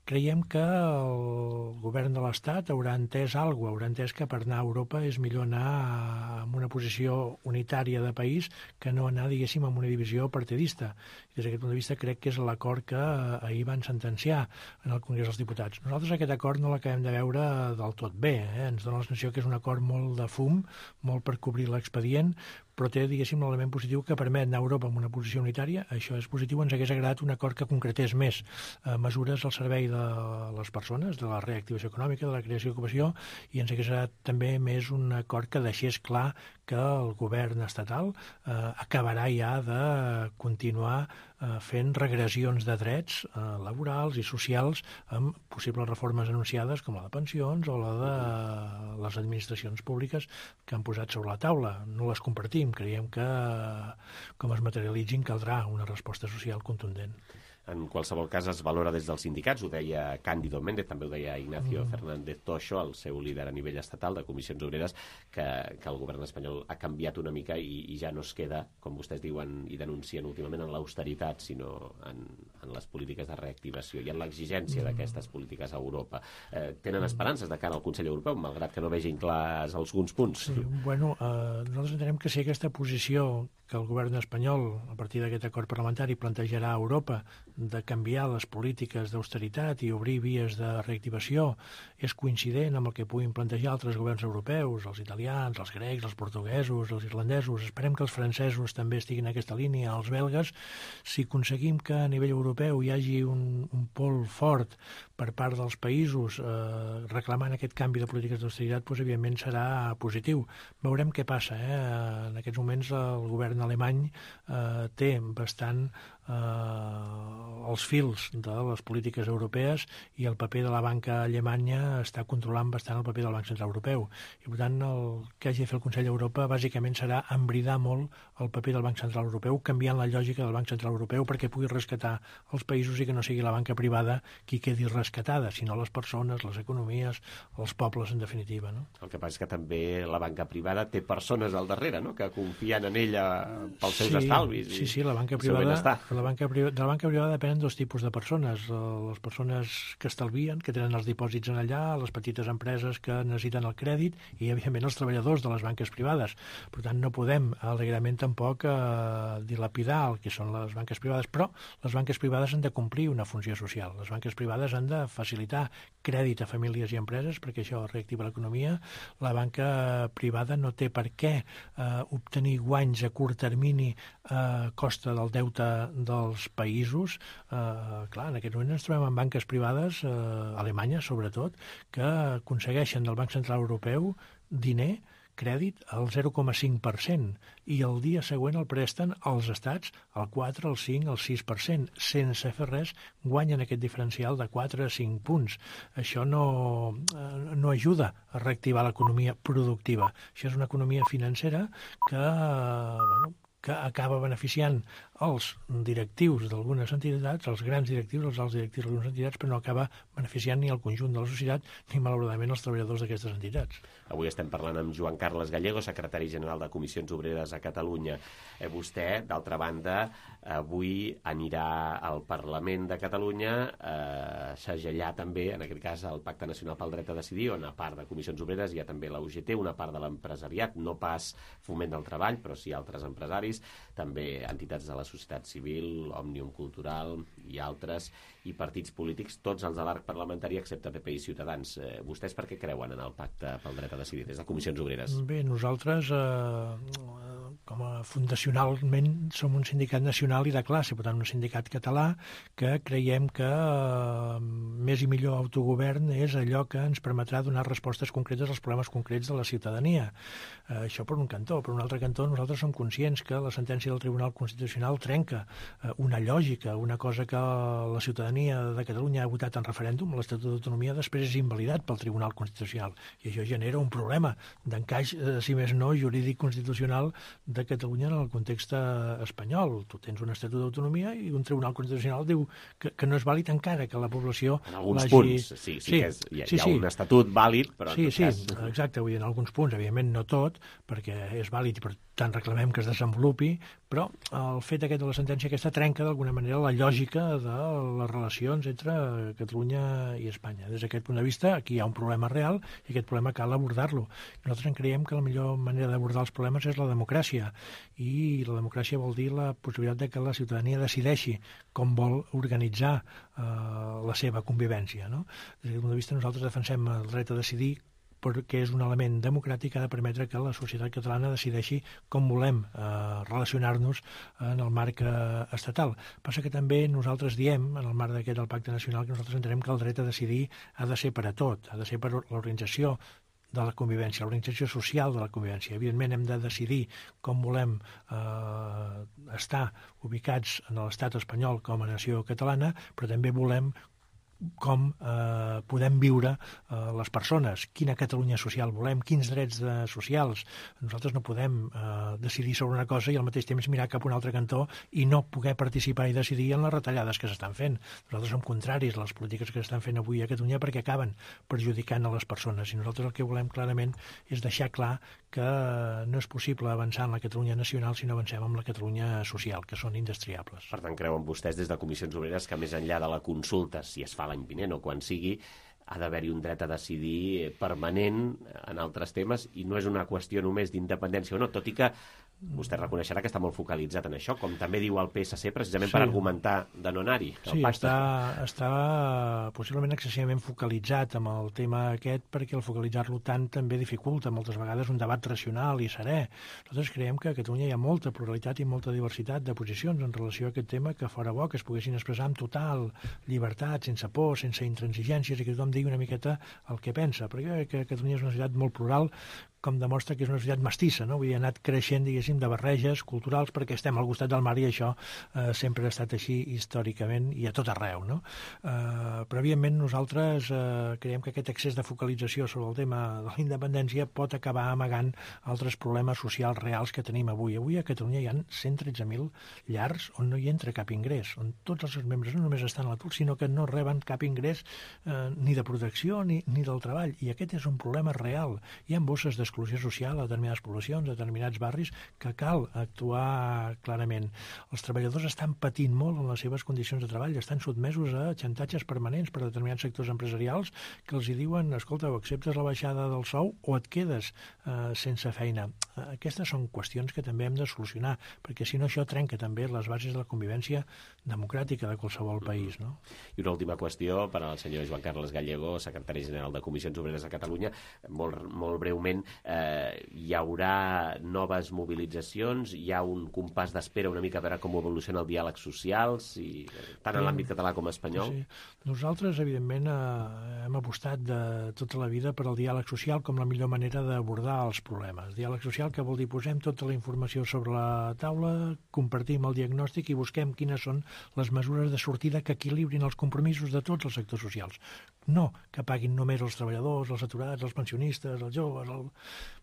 Speaker 7: Creiem que el govern de l'Estat haurà entès alguna cosa, haurà entès que per anar a Europa és millor anar amb una posició unitària de país que no anar, diguéssim, amb una divisió partidista. Des d'aquest punt de vista crec que és l'acord que ahir van sentenciar en el Congrés dels Diputats. Nosaltres aquest acord no l'acabem de veure del tot bé. Ens dona la sensació que és un acord molt de fum, molt per cobrir l'expedient, però té, diguéssim, l'element positiu que permet anar a Europa amb una posició unitària. Això és positiu. Ens hagués agradat un acord que concretés més mesures al servei de les persones, de la reactivació econòmica, de la creació d'ocupació, i ens hagués agradat també més un acord que deixés clar que el govern estatal acabarà ja de continuar fent regressions de drets laborals i socials amb possibles reformes anunciades com la de pensions o la de les administracions públiques que han posat sobre la taula. No les compartim. Creiem que, com es materialitzin, caldrà una resposta social contundent.
Speaker 2: En qualsevol cas, es valora des dels sindicats, ho deia Cándido Méndez, també ho deia Ignacio Fernández Toixo, el seu líder a nivell estatal de Comissions Obreres, que el govern espanyol ha canviat una mica i ja no es queda, com vostès diuen i denuncien últimament, en l'austeritat, sinó en les polítiques de reactivació i en l'exigència d'aquestes polítiques a Europa. Tenen esperances de cara al Consell Europeu, malgrat que no vegin clars alguns punts?
Speaker 7: Sí, bueno, nosaltres entenem que si aquesta posició que el govern espanyol, a partir d'aquest acord parlamentari, plantejarà a Europa de canviar les polítiques d'austeritat i obrir vies de reactivació és coincident amb el que puguin plantejar altres governs europeus, els italians, els grecs, els portuguesos, els irlandesos. Esperem que els francesos també estiguin en aquesta línia, els belgues. Si aconseguim que a nivell europeu hi hagi un pol fort per part dels països reclamant aquest canvi de polítiques d'austeritat, doncs, evidentment serà positiu. Veurem què passa. En aquests moments el govern alemany té bastant els fils de les polítiques europees i el paper de la banca alemanya està controlant bastant el paper del Banc Central Europeu. I, per tant, el que hagi de fer el Consell d'Europa bàsicament serà embridar molt el paper del Banc Central Europeu, canviant la lògica del Banc Central Europeu perquè pugui rescatar els països i que no sigui la banca privada qui quedi rescatada, sinó les persones, les economies, els pobles, en definitiva. No?
Speaker 2: El que passa és que també la banca privada té persones al darrere, no?, que confien en ella pels seus estalvis.
Speaker 7: Sí, la banca privada, de la banca privada depenen dos tipus de persones. Les persones que estalvien, que tenen els dipòsits en allà, les petites empreses que necessiten el crèdit i, evidentment, els treballadors de les banques privades. Per tant, no podem alegrament tampoc dilapidar el que són les banques privades, però les banques privades han de complir una funció social. Les banques privades han de facilitar crèdit a famílies i empreses perquè això reactiva l'economia. La banca privada no té per què obtenir guanys a curt termini a costa del deute dels països. Clar, en aquest moment ens trobem amb banques privades, alemanyes sobretot, que aconsegueixen del Banc Central Europeu diner, crèdit al 0,5% i el dia següent el presten als estats al 4, al 5, al 6%. Sense fer res, guanyen aquest diferencial de 4 a 5 punts. Això no ajuda a reactivar l'economia productiva. Això és una economia financera que acaba beneficiant els directius d'algunes entitats, els grans directius, els alts directius d'algunes entitats, però no acaba beneficiant ni el conjunt de la societat ni, malauradament, els treballadors d'aquestes entitats.
Speaker 2: Avui estem parlant amb Joan Carles Gallego, secretari general de Comissions Obreres a Catalunya. Vostè, d'altra banda, avui anirà al Parlament de Catalunya a segellar també, en aquest cas, el Pacte Nacional pel Dret a Decidir, on a part de Comissions Obreres hi ha també la UGT, una part de l'empresariat, no pas Foment del Treball, però sí altres empresaris, també entitats de la societat civil, Òmnium Cultural i altres, i partits polítics, tots els de l'arc parlamentari excepte PP i Ciutadans. Vostès per què creuen en el Pacte pel Dret a Decidir des de Comissions Obreres?
Speaker 7: Bé, nosaltres, com a fundacionalment, som un sindicat nacional i de classe, per tant, un sindicat català que creiem que més i millor autogovern és allò que ens permetrà donar respostes concretes als problemes concrets de la ciutadania. Això per un cantó. Per un altre cantó, nosaltres som conscients que la sentència del Tribunal Constitucional trenca una lògica, una cosa que la ciutadania de Catalunya ha votat en referèndum, l'Estatut d'Autonomia, després és invalidat pel Tribunal Constitucional. I això genera un problema d'encaix, si més no, jurídic constitucional de Catalunya en el context espanyol. Tu tens un Estatut d'Autonomia i un Tribunal Constitucional diu que no és vàlid encara que la població
Speaker 2: en alguns punts, sí, hi ha un estatut vàlid, però en tot cas...
Speaker 7: Sí, exacte, vull dir, en alguns punts, evidentment no tot, perquè és vàlid i per tant reclamem que es desenvolupi, però el fet aquest de la sentència aquesta trenca d'alguna manera la lògica de les relacions entre Catalunya i Espanya. Des d'aquest punt de vista, aquí hi ha un problema real i aquest problema cal abordar-lo. Nosaltres creiem que la millor manera d'abordar els problemes és la democràcia, i la democràcia vol dir la possibilitat de que la ciutadania decideixi com vol organitzar la seva convivència. No? Des d'aquest punt de vista nosaltres defensem el dret a decidir perquè és un element democràtic que ha de permetre que la societat catalana decideixi com volem relacionar-nos en el marc estatal. Passa que també nosaltres diem, en el marc d'aquest del Pacte Nacional, que nosaltres entenem que el dret a decidir ha de ser per a tot, ha de ser per a l'organització de la convivència, l'organització social de la convivència. Evidentment hem de decidir com volem estar ubicats en l'estat espanyol com a nació catalana, però també volem com podem viure les persones, quina Catalunya social volem, quins drets socials. Nosaltres no podem decidir sobre una cosa i al mateix temps mirar cap a un altre cantó i no poder participar i decidir en les retallades que s'estan fent. Nosaltres som contraris a les polítiques que s'estan fent avui a Catalunya perquè acaben perjudicant a les persones, i nosaltres el que volem clarament és deixar clar que no és possible avançar en la Catalunya nacional si no avancem en la Catalunya social, que són indestriables.
Speaker 2: Per tant, creuen vostès des de Comissions Obreres que més enllà de la consulta, si es fa l'any vinent o quan sigui, ha d'haver-hi un dret a decidir permanent en altres temes i no és una qüestió només d'independència o no, tot i que vostè reconeixerà que està molt focalitzat en això, com també diu el PSC, precisament per argumentar de no anar-hi.
Speaker 7: Sí, està possiblement excessivament focalitzat amb el tema aquest, perquè el focalitzar-lo tant també dificulta moltes vegades un debat racional i serè. Nosaltres creiem que a Catalunya hi ha molta pluralitat i molta diversitat de posicions en relació a aquest tema, que fora bo que es poguessin expressar amb total llibertat, sense por, sense intransigències, i que tothom digui una miqueta el que pensa, perquè que Catalunya és una societat molt plural, com demostra que és una societat mestissa, no? Vull dir, ha anat creixent, diguéssim, de barreges culturals perquè estem al costat del mar i això sempre ha estat així històricament i a tot arreu, no? Però, evidentment, nosaltres creiem que aquest excés de focalització sobre el tema de la independència pot acabar amagant altres problemes socials reals que tenim avui. Avui a Catalunya hi ha 113.000 llars on no hi entra cap ingrés, on tots els seus membres no només estan a l'atur, sinó que no reben cap ingrés ni de protecció ni del treball. I aquest és un problema real. Hi ha bosses d'exclusió social a determinades poblacions, a determinats barris, que cal actuar clarament. Els treballadors estan patint molt en les seves condicions de treball, estan sotmesos a xantatges permanents per determinats sectors empresarials que els hi diuen, escolta, o acceptes la baixada del sou o et quedes sense feina. Aquestes són qüestions que també hem de solucionar, perquè si no això trenca també les bases de la convivència democràtica de qualsevol país, no?
Speaker 2: I una última qüestió per al senyor Joan Carles Gallego, secretari general de Comissions Obreres de Catalunya. Molt breument, hi haurà noves mobilitzacions, hi ha un compàs d'espera una mica a veure com evoluciona el diàleg social, tant en l'àmbit català com espanyol?
Speaker 7: Sí. Nosaltres, evidentment, hem apostat de tota la vida per al diàleg social com la millor manera d'abordar els problemes. Diàleg social que vol dir posem tota la informació sobre la taula, compartim el diagnòstic i busquem quines són les mesures de sortida que equilibrin els compromisos de tots els sectors socials. No que paguin només els treballadors, els aturats, els pensionistes, els joves...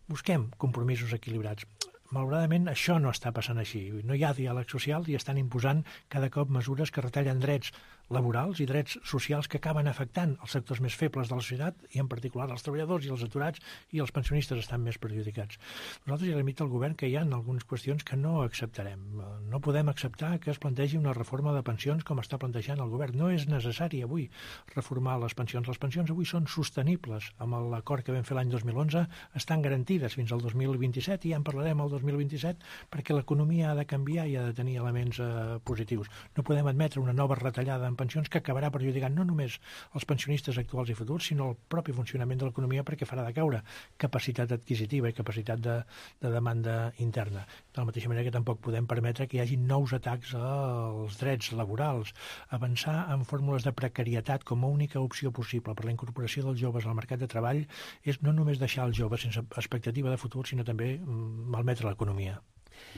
Speaker 7: Busquem compromisos equilibrats. Malauradament, això no està passant així. No hi ha diàleg social i estan imposant cada cop mesures que retallen drets laborals i drets socials que acaben afectant els sectors més febles de la societat i en particular els treballadors i els aturats i els pensionistes estan més perjudicats. Nosaltres ja limita al govern que hi ha algunes qüestions que no acceptarem. No podem acceptar que es plantegi una reforma de pensions com està plantejant el govern. No és necessari avui reformar les pensions. Les pensions avui són sostenibles. Amb l'acord que vam fer l'any 2011 estan garantides fins al 2027 i ja en parlarem el 2027 perquè l'economia ha de canviar i ha de tenir elements positius. No podem admetre una nova retallada en pensions que acabarà perjudicant no només els pensionistes actuals i futurs, sinó el propi funcionament de l'economia perquè farà decaure capacitat adquisitiva i capacitat de demanda interna. De la mateixa manera que tampoc podem permetre que hi hagi nous atacs als drets laborals. Avançar en fórmules de precarietat com a única opció possible per la incorporació dels joves al mercat de treball és no només deixar els joves sense expectativa de futur, sinó també malmetre l'economia.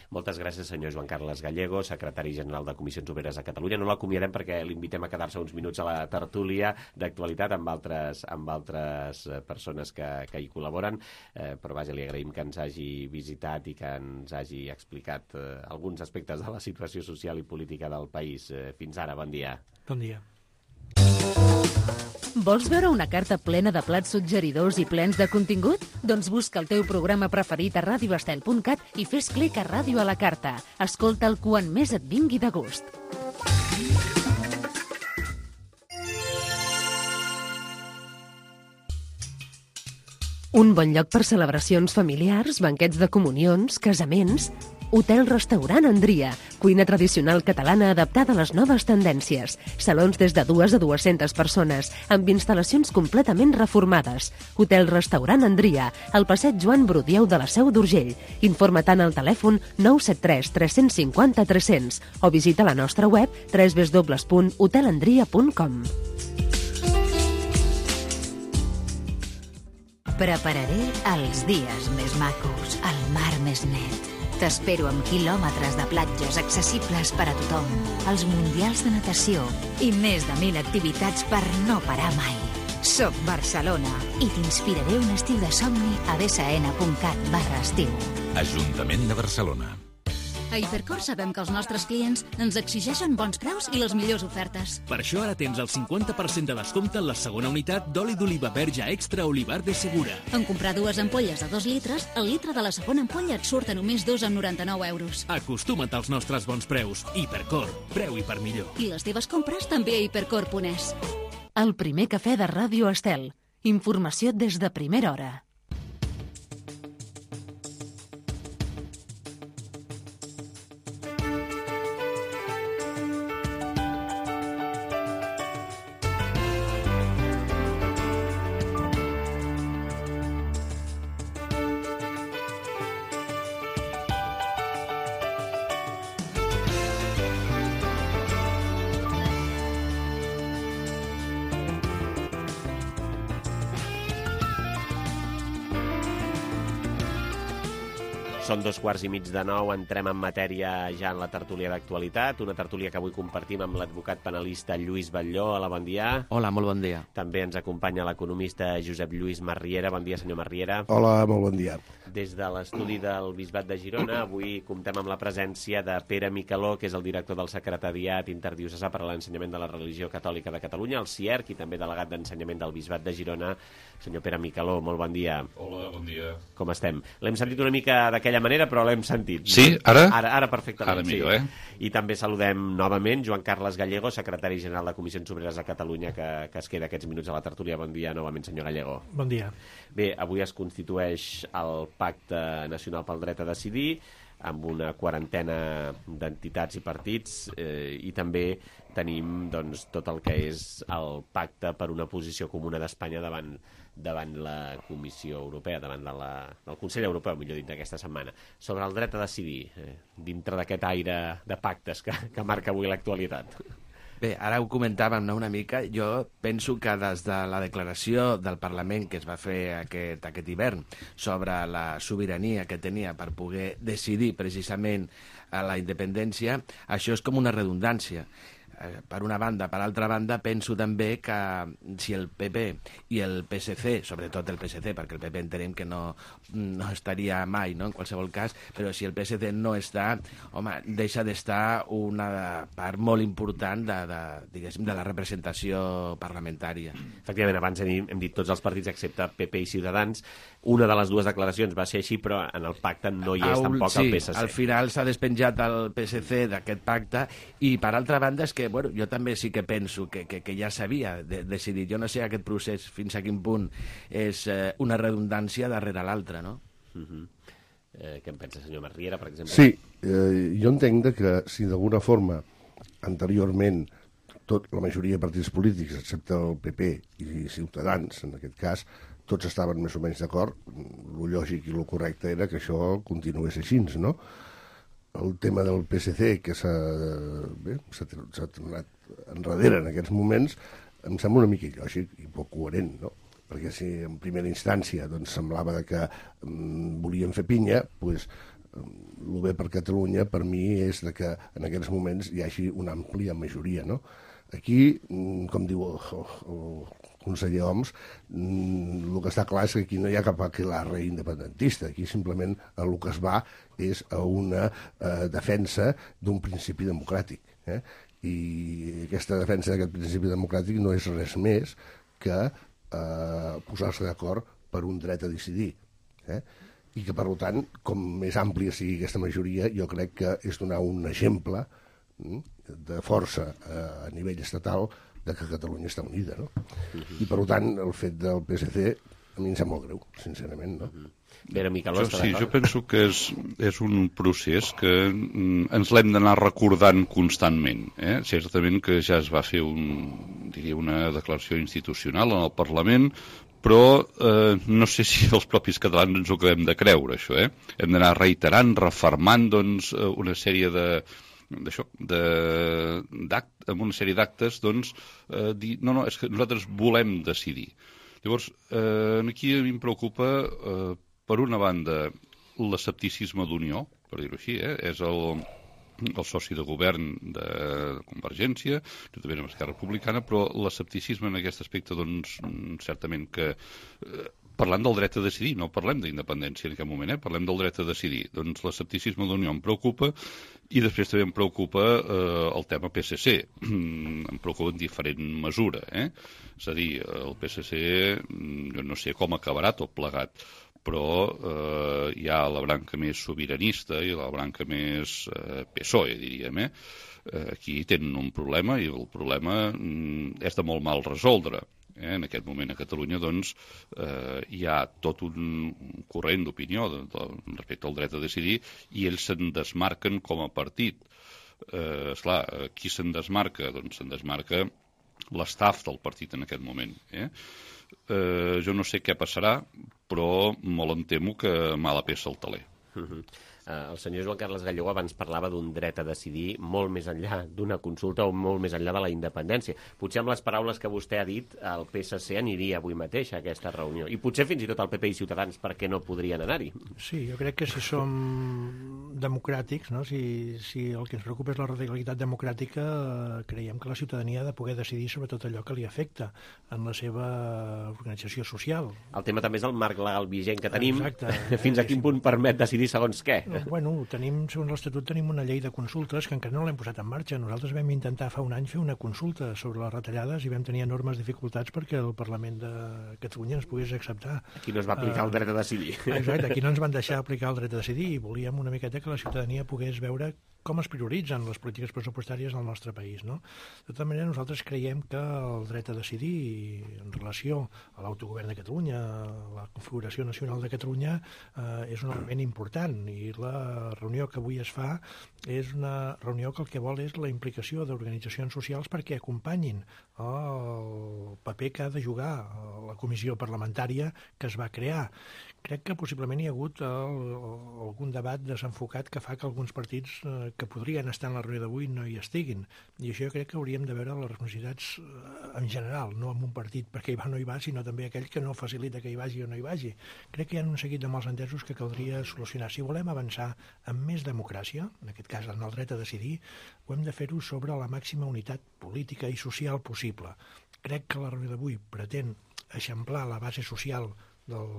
Speaker 2: Moltes gràcies, senyor Joan Carles Gallego, secretari general de Comissions Obreres a Catalunya. No l'acomiadem perquè l'invitem a quedar-se uns minuts a la tertúlia d'actualitat amb altres persones que hi col·laboren, però vaja, li agraïm que ens hagi visitat i que ens hagi explicat alguns aspectes de la situació social i política del país. Fins ara, bon dia.
Speaker 7: Bon dia.
Speaker 1: Vols veure una carta plena de plats suggeridors i plens de contingut? Doncs busca el teu programa preferit a radioestel.cat i fes clic a Ràdio a la Carta. Escolta'l quan més et vingui de gust. Un bon lloc per celebracions familiars, banquets de comunions, casaments... Hotel-restaurant Andria, cuina tradicional catalana adaptada a les noves tendències. Salons des de 2 a 200 persones, amb instal·lacions completament reformades. Hotel-restaurant Andria, al passeig Joan Brudieu de la Seu d'Urgell. Informa-te'n al telèfon 973 350 300 o visita la nostra web www.hotelandria.com.
Speaker 10: Prepararé els dies més macos, el mar més net. T'espero amb quilòmetres de platges accessibles per a tothom, els mundials de natació i més de 1.000 activitats per no parar mai. Soc Barcelona i t'inspiraré un estiu de somni a bsn.cat/estiu.
Speaker 11: Ajuntament de Barcelona.
Speaker 12: A Hipercor sabem que els nostres clients ens exigeixen bons preus i les millors ofertes.
Speaker 13: Per això ara tens el 50% de descompte en la segona unitat d'oli d'oliva verge extra Olivar de Segura.
Speaker 12: En comprar 2 ampolles de 2 litres, el litre de la segona ampolla et surt a només 2,99 euros.
Speaker 13: Acostuma't als nostres bons preus. Hipercor, preu i per millor.
Speaker 12: I les teves compres també a hipercor.es.
Speaker 1: El primer cafè de Ràdio Estel. Informació des de primera hora.
Speaker 2: Són 8:15, entrem en matèria ja en la tertúlia d'actualitat, una tertúlia que avui compartim amb l'advocat penalista Lluís Batlló. Hola, bon dia.
Speaker 14: Hola, molt bon dia.
Speaker 2: També ens acompanya l'economista Josep Lluís Marriera. Bon dia, senyor Marriera.
Speaker 15: Hola, molt bon dia.
Speaker 2: Des de l'estudi del Bisbat de Girona, avui comptem amb la presència de Pere Micaló, que és el director del Secretariat Interdiocesà per a l'Ensenyament de la Religió Catòlica de Catalunya, el CIERC, i també delegat d'Ensenyament del Bisbat de Girona. Senyor Pere Micaló, molt bon dia.
Speaker 16: Hola, bon dia.
Speaker 2: Com estem? L'hem sentit una mica d'aquella manera, però l'hem sentit.
Speaker 16: Sí? Ara?
Speaker 2: Ara perfectament.
Speaker 16: Ara millor,
Speaker 2: I també saludem novament Joan Carles Gallego, secretari general de Comissions Obreres de Catalunya, que es queda aquests minuts a la tertúlia. Bon dia novament, senyor Gallego.
Speaker 7: Bon dia.
Speaker 2: Bé, avui es constitueix el Pacte Nacional pel Dret a Decidir, amb una quarantena d'entitats i partits, i també tenim tot el que és el pacte per una posició comuna d'Espanya davant la Comissió Europea, davant del Consell Europeu, millor dit, d'aquesta setmana. Sobre el dret a decidir, dintre d'aquest aire de pactes que marca avui l'actualitat.
Speaker 14: Bé, ara ho comentàvem una mica. Jo penso que des de la declaració del Parlament que es va fer aquest hivern sobre la sobirania que tenia per poder decidir precisament a la independència, això és com una redundància. Per una banda. Per altra banda, penso també que si el PP i el PSC, sobretot el PSC, perquè el PP entenem que no estaria mai, no?, en qualsevol cas, però si el PSC no està, home, deixa d'estar una part molt important de la representació parlamentària.
Speaker 2: Efectivament, abans hem dit tots els partits excepte PP i Ciutadans. Una de les dues declaracions va ser així, però en el pacte no hi és tampoc el PSC.
Speaker 14: Sí, al final s'ha despenjat el PSC d'aquest pacte, i per altra banda és que jo també sí que penso que ja s'havia decidit. Jo no sé aquest procés fins a quin punt és una redundància darrere l'altra, no?
Speaker 2: Què en pensa, senyor Marriera, per exemple?
Speaker 15: Sí, jo entenc que si d'alguna forma anteriorment la majoria de partits polítics, excepte el PP i Ciutadans, en aquest cas, tots estaven més o menys d'acord, el lògic i el correcte era que això continués així, no? El tema del PSC, que s'ha tornat enrere en aquests moments, em sembla una mica il·lògic i poc coherent, no? Perquè si en primera instància semblava que volien fer pinya, doncs el bé per Catalunya per mi és que en aquests moments hi hagi una àmplia majoria, no? Aquí, com diu el conseller Homs, el que està clar és que aquí no hi ha cap aquelarre independentista. Aquí simplement el que es va és a una defensa d'un principi democràtic. I aquesta defensa d'aquest principi democràtic no és res més que posar-se d'acord per un dret a decidir. I que, per tant, com més àmplia sigui aquesta majoria, jo crec que és donar un exemple de força a nivell estatal de que Catalunya està unida, no? I, per tant, el fet del PSC a mi em sembla molt greu, sincerament, no?
Speaker 2: Pere Micaló, està d'acord?
Speaker 16: Sí, jo penso que és un procés que ens l'hem d'anar recordant constantment. Certament que ja es va fer una declaració institucional en el Parlament, però no sé si els propis catalans ens ho acabem de creure, això. Hem d'anar reiterant, refermant, doncs, una sèrie amb una sèrie d'actes, doncs, dir, no, és que nosaltres volem decidir. Llavors, aquí a mi em preocupa, per una banda, l'escepticisme d'Unió, per dir-ho així, és el soci de govern de Convergència, juntament amb Esquerra Republicana, però l'escepticisme en aquest aspecte, doncs, certament que... Parlant del dret a decidir, no parlem d'independència en aquest moment, parlem del dret a decidir. Doncs l'escepticisme d'Unió em preocupa, i després també em preocupa el tema PSC. Em preocupa en diferent mesura. És a dir, el PSC, jo no sé com acabarà tot plegat, però hi ha la branca més sobiranista i la branca més PSOE, diríem. Aquí tenen un problema, i el problema és de molt mal resoldre. En aquest moment a Catalunya, doncs, hi ha tot un corrent d'opinió respecte al dret a decidir, i ells se'n desmarquen com a partit. Esclar, qui se'n desmarca? Doncs se'n desmarca l'estaf del partit en aquest moment. Jo no sé què passarà, però molt em temo que mala peça al teler.
Speaker 2: El senyor Joan Carles Gallego abans parlava d'un dret a decidir molt més enllà d'una consulta o molt més enllà de la independència. Potser amb les paraules que vostè ha dit, el PSC aniria avui mateix a aquesta reunió. I potser fins i tot el PP i Ciutadans, per què no podrien anar-hi?
Speaker 7: Sí, jo crec que si som democràtics, no? si el que ens preocupa és la radicalitat democràtica, creiem que la ciutadania ha de poder decidir sobre tot allò que li afecta en la seva organització social.
Speaker 2: El tema també és el marc legal vigent que tenim.
Speaker 7: Exacte.
Speaker 2: Fins a quin punt permet decidir segons què?
Speaker 7: Bueno, segons l'Estatut tenim una llei de consultes que encara no l'hem posat en marxa. Nosaltres vam intentar fa un any fer una consulta sobre les retallades i vam tenir enormes dificultats perquè el Parlament de Catalunya ens pogués acceptar.
Speaker 2: Aquí no es va aplicar el dret a decidir.
Speaker 7: Exacte, aquí no ens van deixar aplicar el dret a decidir i volíem una miqueta que la ciutadania pogués veure com es prioritzen les polítiques pressupostàries al nostre país, no? De tota manera, nosaltres creiem que el dret a decidir en relació a l'autogovern de Catalunya, a la configuració nacional de Catalunya, és un element important i la reunió que avui es fa és una reunió que el que vol és la implicació d'organitzacions socials perquè acompanyin el paper que ha de jugar la comissió parlamentària que es va crear. Crec que possiblement hi ha hagut algun debat desenfocat que fa que alguns partits que podrien estar en la reunió d'avui no hi estiguin. I això jo crec que hauríem de veure les responsabilitats en general, no en un partit perquè hi va o no hi va, sinó també aquell que no facilita que hi vagi o no hi vagi. Crec que hi ha un seguit de malentesos que caldria solucionar. Si volem avançar amb més democràcia, en aquest cas en el dret a decidir, ho hem de fer-ho sobre la màxima unitat política i social possible. Crec que la reunió d'avui pretén eixamplar la base social del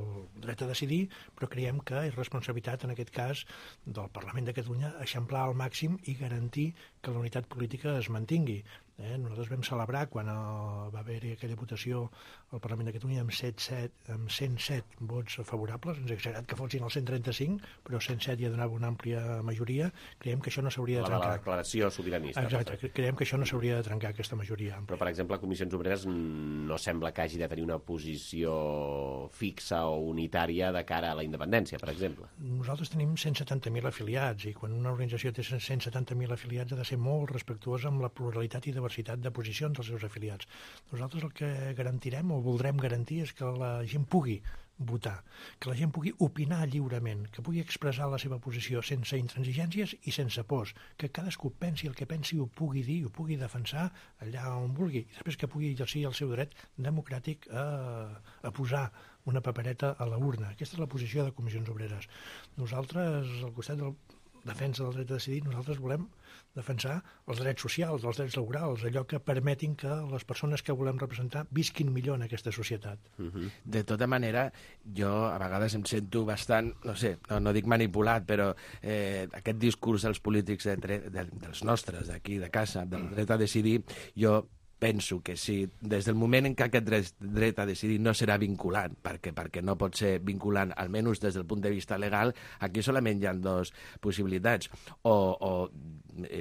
Speaker 7: dret a decidir, però creiem que és responsabilitat, en aquest cas, del Parlament de Catalunya eixamplar al màxim i garantir que la unitat política es mantingui. Nosaltres vam celebrar quan va haver-hi aquella votació al Parlament de Catalunya amb 107 vots favorables. Ens ha agradat que fossin els 135, però 107 ja donava una àmplia majoria. Creiem que això no s'hauria de trencar.
Speaker 2: La declaració sobiranista.
Speaker 7: Exacte, creiem que això no s'hauria de trencar, aquesta majoria.
Speaker 2: Però, per exemple, Comissions Obreres no sembla que hagi de tenir una posició fixa o unitària de cara a la independència, per exemple.
Speaker 7: Nosaltres tenim 170.000 afiliats i quan una organització té 170.000 afiliats ha de ser molt respectuosa amb la pluralitat i diversitat de posicions dels seus afiliats. Nosaltres el que garantirem o voldrem garantir és que la gent pugui votar, que la gent pugui opinar lliurement, que pugui expressar la seva posició sense intransigències i sense pors, que cadascú pensi el que pensi, ho pugui dir, ho pugui defensar allà on vulgui, i després que pugui exercir el seu dret democràtic a posar una papereta a la urna. Aquesta és la posició de Comissions Obreres. Nosaltres, al costat de la defensa del dret a decidir, nosaltres volem defensar els drets socials, els drets laborals, allò que permetin que les persones que volem representar visquin millor en aquesta societat.
Speaker 14: De tota manera, jo a vegades em sento bastant, no sé, no dic manipulat, però aquest discurs dels polítics dels nostres, d'aquí, de casa, del dret a decidir, jo penso que si des del moment en què aquest dret a decidir no serà vinculant, perquè no pot ser vinculant, almenys des del punt de vista legal, aquí solament hi ha dues possibilitats. O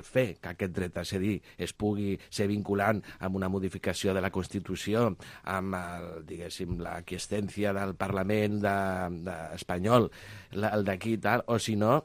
Speaker 14: fer que aquest dret a decidir es pugui ser vinculant amb una modificació de la Constitució, amb, diguéssim, la quiescencia del Parlament espanyol, el d'aquí i tal, o si no,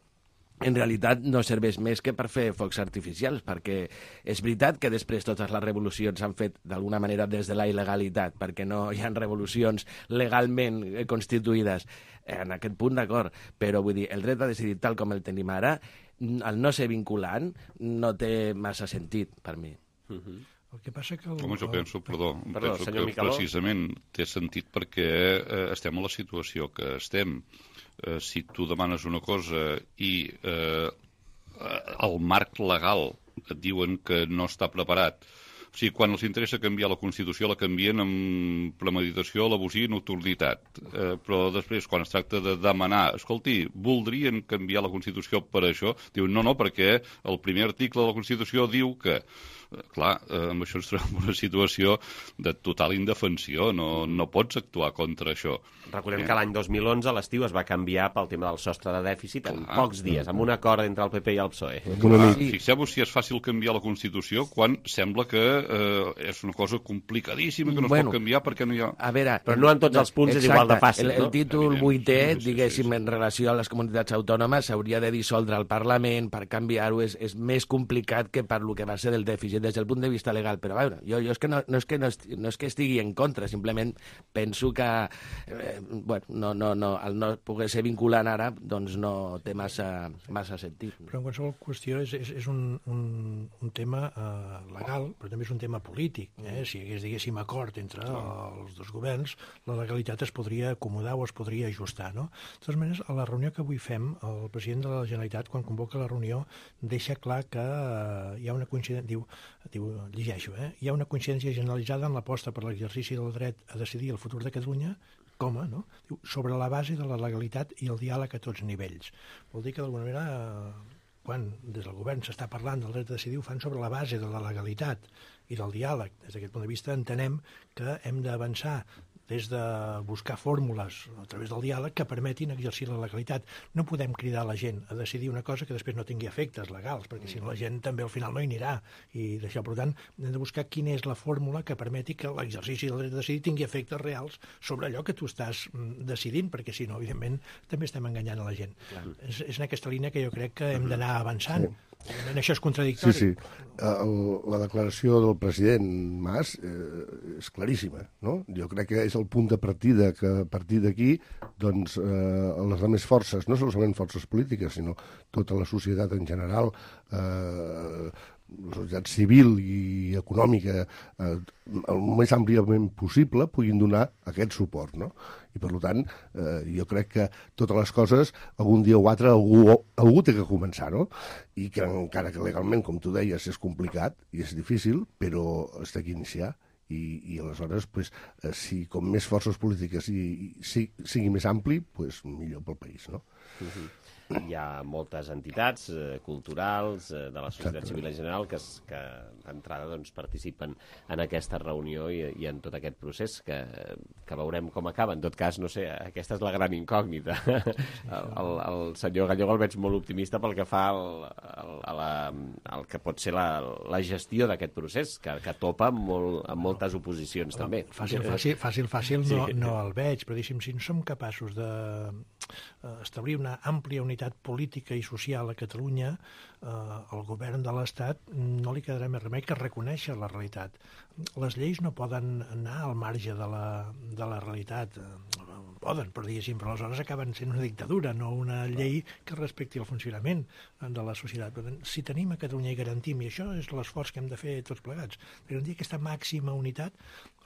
Speaker 14: en realitat no serveix més que per fer focs artificials, perquè és veritat que després totes les revolucions s'han fet d'alguna manera des de la il·legalitat, perquè no hi ha revolucions legalment constituïdes. En aquest punt, d'acord, però vull dir, el dret a decidir tal com el tenim ara, al no ser vinculant, no té massa sentit per mi.
Speaker 7: El que passa que...
Speaker 16: Home, jo penso que precisament té sentit perquè estem en la situació que estem. Si tu demanes una cosa i el marc legal et diuen que no està preparat, o sigui, quan els interessa canviar la Constitució la canvien amb premeditació, alevosía i nocturnitat, però després quan es tracta de demanar, escolti, voldrien canviar la Constitució per això, diuen no, perquè el primer article de la Constitució diu que... Clar, amb això ens trobem una situació de total indefensió, no pots actuar contra això.
Speaker 2: Recordem que l'any 2011 a l'estiu es va canviar pel tema del sostre de dèficit en pocs dies, amb un acord entre el PP i el PSOE.
Speaker 16: Fixeu-vos si és fàcil canviar la Constitució quan sembla que és una cosa complicadíssima, que no es pot canviar perquè no hi ha...
Speaker 14: A veure,
Speaker 2: però no en tots els punts és igual de fàcil,
Speaker 14: no? El títol 8è, diguéssim, en relació a les comunitats autònomes, s'hauria de dissoldre al Parlament per canviar-ho, és més complicat que per lo que va ser del dèficit des del punt de vista legal, però a veure, jo és que no és que estigui en contra, simplement penso que bueno, el no poder ser vinculant ara doncs no té massa sentit.
Speaker 7: Però en qualsevol qüestió és un tema legal, però també és un tema polític. Si hi hagués, diguéssim, acord entre els dos governs, la legalitat es podria acomodar o es podria ajustar, no? De totes maneres, a la reunió que avui fem, el president de la Generalitat, quan convoca la reunió, deixa clar que hi ha una coincidència, llegeixo, hi ha una coincidència generalitzada en l'aposta per l'exercici del dret a decidir el futur de Catalunya, no? Diu, sobre la base de la legalitat i el diàleg a tots nivells. Vol dir que, d'alguna manera, quan des del govern s'està parlant del dret a decidir, ho fan sobre la base de la legalitat i del diàleg. Des d'aquest punt de vista entenem que hem d'avançar des de buscar fórmules a través del diàleg que permetin exercir la legalitat. No podem cridar la gent a decidir una cosa que després no tingui efectes legals, perquè si no la gent també al final no hi anirà. I d'això, per tant, hem de buscar quina és la fórmula que permeti que l'exercici del dret a decidir tingui efectes reals sobre allò que tu estàs decidint, perquè si no, evidentment, també estem enganyant a la gent. És en aquesta línia que jo crec que hem d'anar avançant. En això és contradictori.
Speaker 15: Sí. La declaració del president Mas és claríssima, no? Jo crec que és el punt de partida que a partir d'aquí doncs, les altres forces, no solament forces polítiques, sinó tota la societat en general, la societat civil i econòmica el més àmpliament possible puguin donar aquest suport, no? I per tant, jo crec que totes les coses, algun dia o altre, algú té que començar, no? I que encara que legalment, com tu deies, és complicat i és difícil, però es té que iniciar. I aleshores, si com més forces polítiques sigui més ampli, millor pel país, no?
Speaker 2: Hi ha moltes entitats culturals de la societat civil en general que d'entrada participen en aquesta reunió i en tot aquest procés que veurem com acaba. En tot cas, no sé, aquesta és la gran incògnita. El senyor Gallego el veig molt optimista pel que fa al que pot ser la gestió d'aquest procés, que topa amb moltes oposicions també.
Speaker 7: Fàcil no el veig, però si no som capaços d'establir una àmplia unitat política i social a Catalunya, el govern de l'Estat no li quedarà més remei que reconèixer la realitat. Les lleis no poden anar al marge de la realitat. Poden, però aleshores acaben sent una dictadura, no una llei que respecti el funcionament de la societat. Per tant, si tenim a Catalunya i garantim, i això és l'esforç que hem de fer tots plegats, garantir aquesta màxima unitat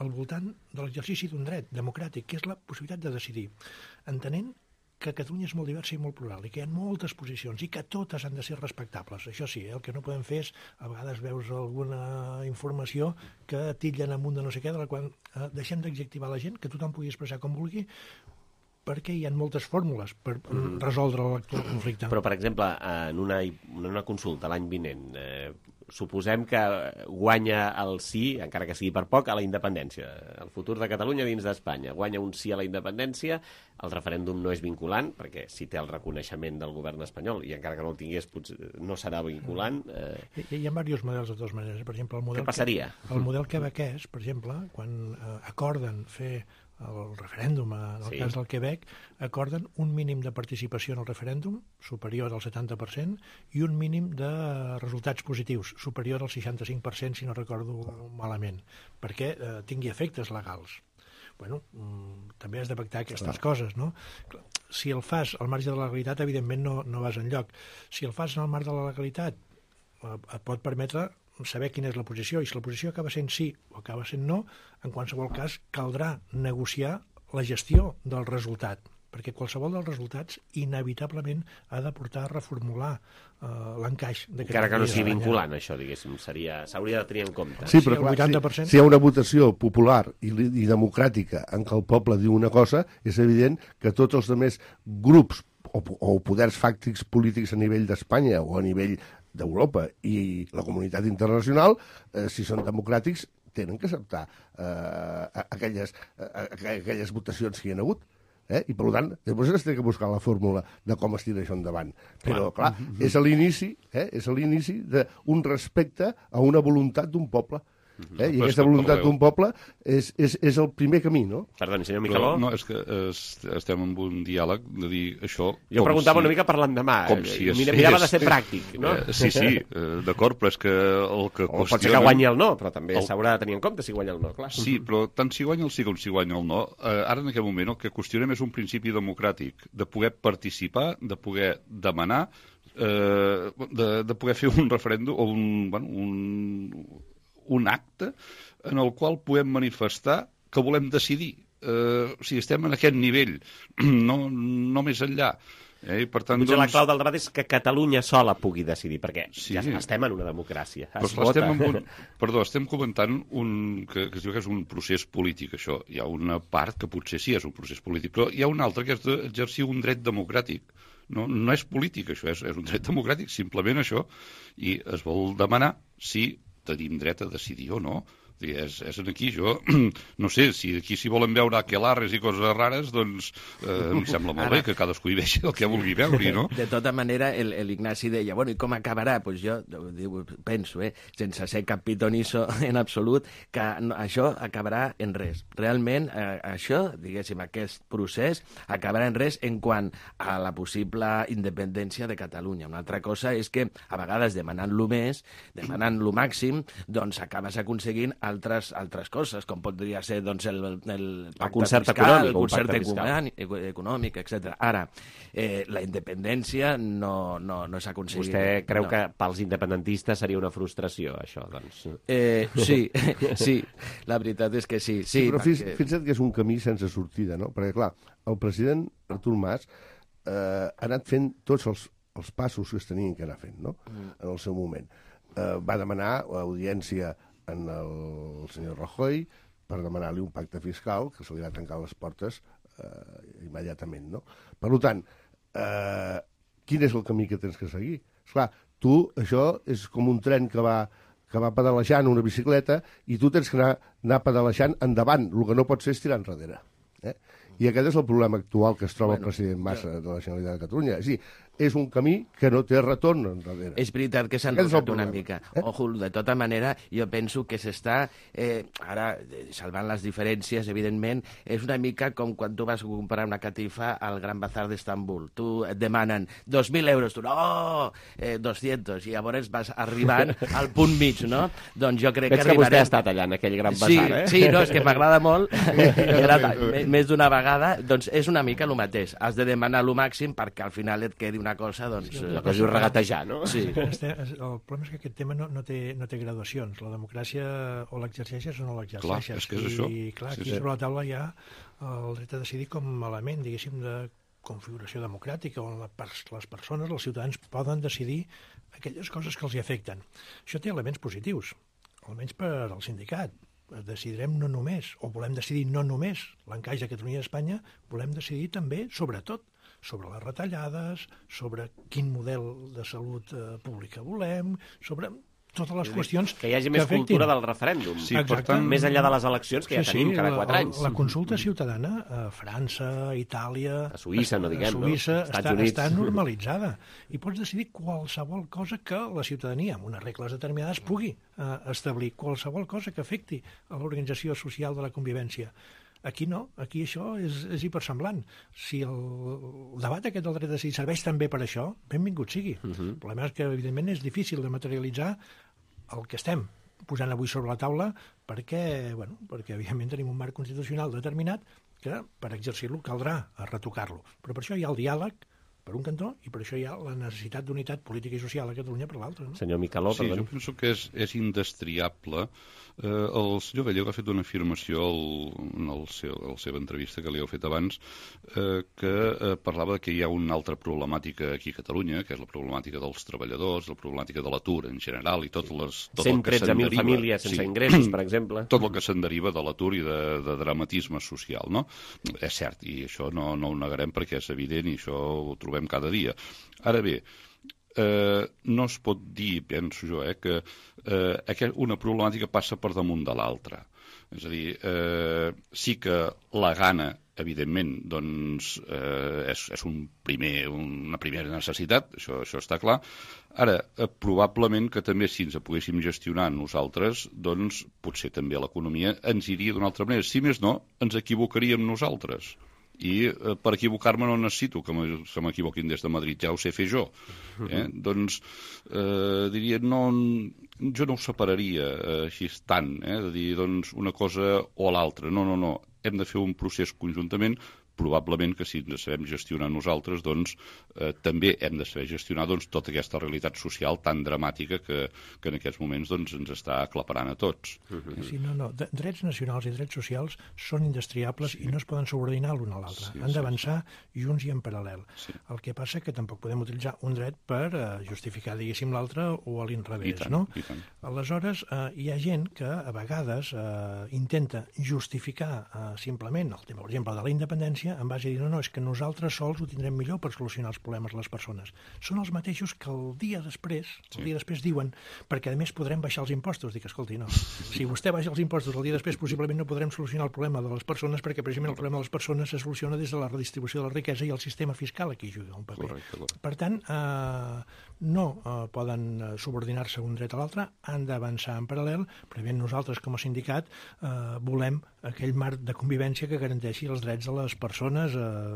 Speaker 7: al voltant de l'exercici d'un dret democràtic, que és la possibilitat de decidir, entenent que Catalunya és molt diversa i molt plural i que hi ha moltes posicions i que totes han de ser respectables. Això sí, el que no podem fer és, a vegades veus alguna informació que titllen amunt de no sé què, de la qual deixem d'adjectivar la gent, que tothom pugui expressar com vulgui, perquè hi ha moltes fórmules per resoldre l'actual conflicte.
Speaker 2: Però, per exemple, en una consulta l'any vinent, suposem que guanya el sí, encara que sigui per poc, a la independència. El futur de Catalunya dins d'Espanya. Guanya un sí a la independència, el referèndum no és vinculant, perquè si té el reconeixement del govern espanyol, i encara que no el tingués, potser no serà vinculant.
Speaker 7: Hi ha diversos models, de totes maneres. Per exemple,
Speaker 2: què passaria?
Speaker 7: El model quebequès, per exemple, quan acorden fer el referèndum, en el cas del Quebec, acorden un mínim de participació en el referèndum superior al 70% i un mínim de resultats positius superior al 65%, si no recordo malament, perquè tingui efectes legals. Bueno, també has de pactar aquestes coses, no? Si el fas al marge de la legalitat, evidentment no vas enlloc. Si el fas al marge de la legalitat, et pot permetre saber quina és la posició, i si la posició acaba sent sí o acaba sent no, en qualsevol cas caldrà negociar la gestió del resultat, perquè qualsevol dels resultats inevitablement ha de portar a reformular l'encaix.
Speaker 2: Encara que no sigui vinculant, això, diguéssim, s'hauria de tenir en compte.
Speaker 15: Sí, però clar, si hi ha una votació popular i democràtica en què el poble diu una cosa, és evident que tots els altres grups o poders fàctics polítics a nivell d'Espanya o a nivell d'Europa i la comunitat internacional, si són democràtics, tenen que acceptar aquelles votacions que hi ha hagut. I, per tant, després es té que buscar la fórmula de com es tira això endavant. Però, clar, és l'inici d'un respecte a una voluntat d'un poble. I aquesta voluntat d'un poble és el primer camí, no?
Speaker 2: Perdoni, senyor Micheló.
Speaker 16: No, és que estem en un diàleg de dir això...
Speaker 2: Jo preguntava una mica per l'endemà. Mirava de ser pràctic, no?
Speaker 16: Sí, d'acord, però és que el que
Speaker 2: o pot ser que guanyi el no, però també s'haurà de tenir en compte si guanya el no, clar.
Speaker 16: Sí, però tant si guanya el sí com si guanya el no, ara en aquest moment el que qüestionem és un principi democràtic, de poder participar, de poder demanar, de poder fer un referèndum o un acte en el qual podem manifestar que volem decidir. Si estem en aquest nivell, no més enllà. I per tant,
Speaker 2: la clau del debat és que Catalunya sola pugui decidir, perquè ja estem en una democràcia.
Speaker 16: Estem comentant que es diu que és un procés polític, això. Hi ha una part que potser sí és un procés polític, però hi ha una altra que és d'exercir un dret democràtic. No és polític, això, és un dret democràtic, simplement això, i es vol demanar si tenim dret a decidir o no. És aquí, jo no sé, si aquí s'hi volen veure aquelarres i coses rares, doncs em sembla molt bé que cadascú hi vegi el que vulgui veure, no?
Speaker 14: De tota manera, l'Ignasi deia, bueno, i com acabarà? Doncs jo penso, sense ser cap pitonisso en absolut, que això acabarà en res. Realment, això, diguéssim, aquest procés acabarà en res en quant a la possible independència de Catalunya. Una altra cosa és que, a vegades, demanant-lo més, demanant-lo màxim, doncs acabes aconseguint altres coses, com podria ser doncs, el
Speaker 2: concert
Speaker 14: fiscal, el concert econòmic, etc. Ara, la independència no s'ha aconseguit.
Speaker 2: Vostè creu que pels independentistes seria una frustració, això, doncs?
Speaker 14: Sí, la veritat és que sí.
Speaker 15: Però fixa't que és un camí sense sortida, no? Perquè, clar, el president Artur Mas ha anat fent tots els passos que es tenien que anar fent, no?, en el seu moment. Va demanar audiència en el senyor Rajoy per demanar-li un pacte fiscal que se li va tancar les portes immediatament, no? Per tant, quin és el camí que tens que seguir? Esclar, tu, això és com un tren que va pedalejant una bicicleta i tu tens que anar pedalejant endavant, el que no pot ser és tirar enrere. I aquest és el problema actual que es troba el president Mas de la Generalitat de Catalunya. És a dir, és un camí que no té retorn enrere.
Speaker 14: És veritat que s'ha enrotat una mica. Ojo, de tota manera, jo penso que s'està, ara, salvant les diferències, evidentment, és una mica com quan tu vas comprar una catifa al Gran Bazar d'Istanbul. Tu et demanen 2.000 euros, tu, no, 200, i llavors vas arribant al punt mig, no? Doncs jo crec que
Speaker 2: arribarem... Veig que vostè ha estat allà en aquell Gran Bazar,
Speaker 14: Sí, no, és que m'agrada molt, més d'una vegada, doncs és una mica el mateix. Has de demanar el màxim perquè al final et quedi una cosa, doncs...
Speaker 2: La cosa és regatejar, no?
Speaker 14: Sí.
Speaker 7: El problema és que aquest tema no té graduacions. La democràcia o l'exerceixes o no l'exerceixes.
Speaker 16: Clar, és que és això.
Speaker 7: I clar, aquí sobre la taula hi ha el dret a decidir com a element, diguéssim, de configuració democràtica, on les persones, els ciutadans, poden decidir aquelles coses que els hi afecten. Això té elements positius, almenys per al sindicat. Decidirem no només, o volem decidir no només l'encaix de Catalunya i Espanya, volem decidir també, sobretot, sobre les retallades, sobre quin model de salut pública volem, sobre totes les qüestions
Speaker 2: que hi hagi més cultura del referèndum.
Speaker 7: Sí, per tant,
Speaker 2: més enllà de les eleccions que ja tenim cada 4 anys.
Speaker 7: La consulta ciutadana a França, a Itàlia,
Speaker 2: a Suïssa, no diguem,
Speaker 7: a Suïssa, està normalitzada. I pots decidir qualsevol cosa que la ciutadania, amb unes regles determinades, pugui establir. Qualsevol cosa que afecti a l'organització social de la convivència. Aquí no, aquí això és hipersemblant. Si el debat aquest del dret a decidir serveix també per això, benvingut sigui. El problema és que, evidentment, és difícil de materialitzar el que estem posant avui sobre la taula perquè, evidentment, tenim un marc constitucional determinat que, per exercir-lo, caldrà retocar-lo. Però per això hi ha el diàleg per un cantó, i per això hi ha la necessitat d'unitat política i social a Catalunya per l'altre. No?
Speaker 2: Senyor Micheló,
Speaker 16: sí, jo penso que és indestriable. El senyor Gallego ha fet una afirmació en la seva entrevista que li heu fet abans, que parlava que hi ha una altra problemàtica aquí a Catalunya, que és la problemàtica dels treballadors, la problemàtica de l'atur en general, i tot el que se'n deriva...
Speaker 2: 113.000 famílies sense ingressos, per exemple.
Speaker 16: Tot el que se'n deriva de l'atur i de dramatisme social, no? És cert, i això no ho negarem perquè és evident i això ho trobem cada dia. Ara bé, no es pot dir, penso jo, que una problemàtica passa per damunt de l'altra. És a dir, sí que la gana, evidentment, doncs, és una primera necessitat, això està clar. Ara, probablement que també si ens poguéssim gestionar nosaltres, doncs potser també l'economia ens iria d'una altra manera. Si més no, ens equivocaríem nosaltres. I per equivocar-me no necessito que se m'equivoquin des de Madrid, ja ho sé fer jo. Doncs diria, jo no ho separaria així tant, de dir doncs, una cosa o l'altra. No, hem de fer un procés conjuntament. Probablement que si ens sabem gestionar nosaltres, doncs també hem de saber gestionar tota aquesta realitat social tan dramàtica que en aquests moments ens està aclaparant a tots.
Speaker 7: Sí, no. Drets nacionals i drets socials són indestriables i no es poden subordinar l'un a l'altre. Han d'avançar junts i en paral·lel. El que passa que tampoc podem utilitzar un dret per justificar, diguéssim, l'altre o a l'inrevés, no? Aleshores, hi ha gent que a vegades intenta justificar simplement el tema, per exemple, de la independència en base a dir, no, és que nosaltres sols ho tindrem millor per solucionar els problemes de les persones. Són els mateixos que el dia després diuen, perquè a més podrem baixar els impostos. Dic, escolti, no, si vostè baixa els impostos el dia després, possiblement no podrem solucionar el problema de les persones, perquè precisament el problema de les persones se soluciona des de la redistribució de la riquesa i el sistema fiscal aquí juga un paper. Per tant, no poden subordinar-se un dret a l'altre, han d'avançar en paral·lel, però nosaltres com a sindicat volem aquell marc de convivència que garanteixi els drets de les persones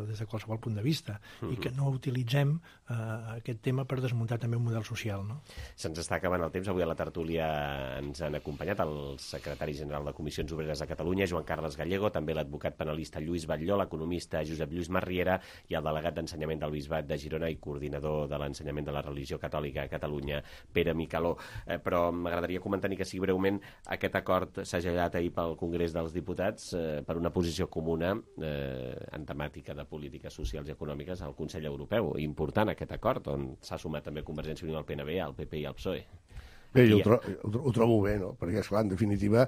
Speaker 7: des de qualsevol punt de vista i que no utilitzem aquest tema per desmuntar també un model social. No?
Speaker 2: Se'ns està acabant el temps. Avui a la tertúlia ens han acompanyat el secretari general de Comissions Obreres de Catalunya, Joan Carles Gallego, també l'advocat penalista Lluís Batlló, l'economista Josep Lluís Marriera i el delegat d'Ensenyament del Bisbat de Girona i coordinador de l'ensenyament de la religió catòlica a Catalunya, Pere Micaló. Però m'agradaria comentar ni que sigui breument aquest acord segellat ahir pel Congrés dels Diputats per una posició comuna en temàtica de polítiques socials i econòmiques al Consell Europeu. Important aquest acord, on s'ha sumat també Convergència i Unió, el PNB, el PP i el PSOE.
Speaker 15: Bé, jo ho trobo bé, no? Perquè, esclar, en definitiva,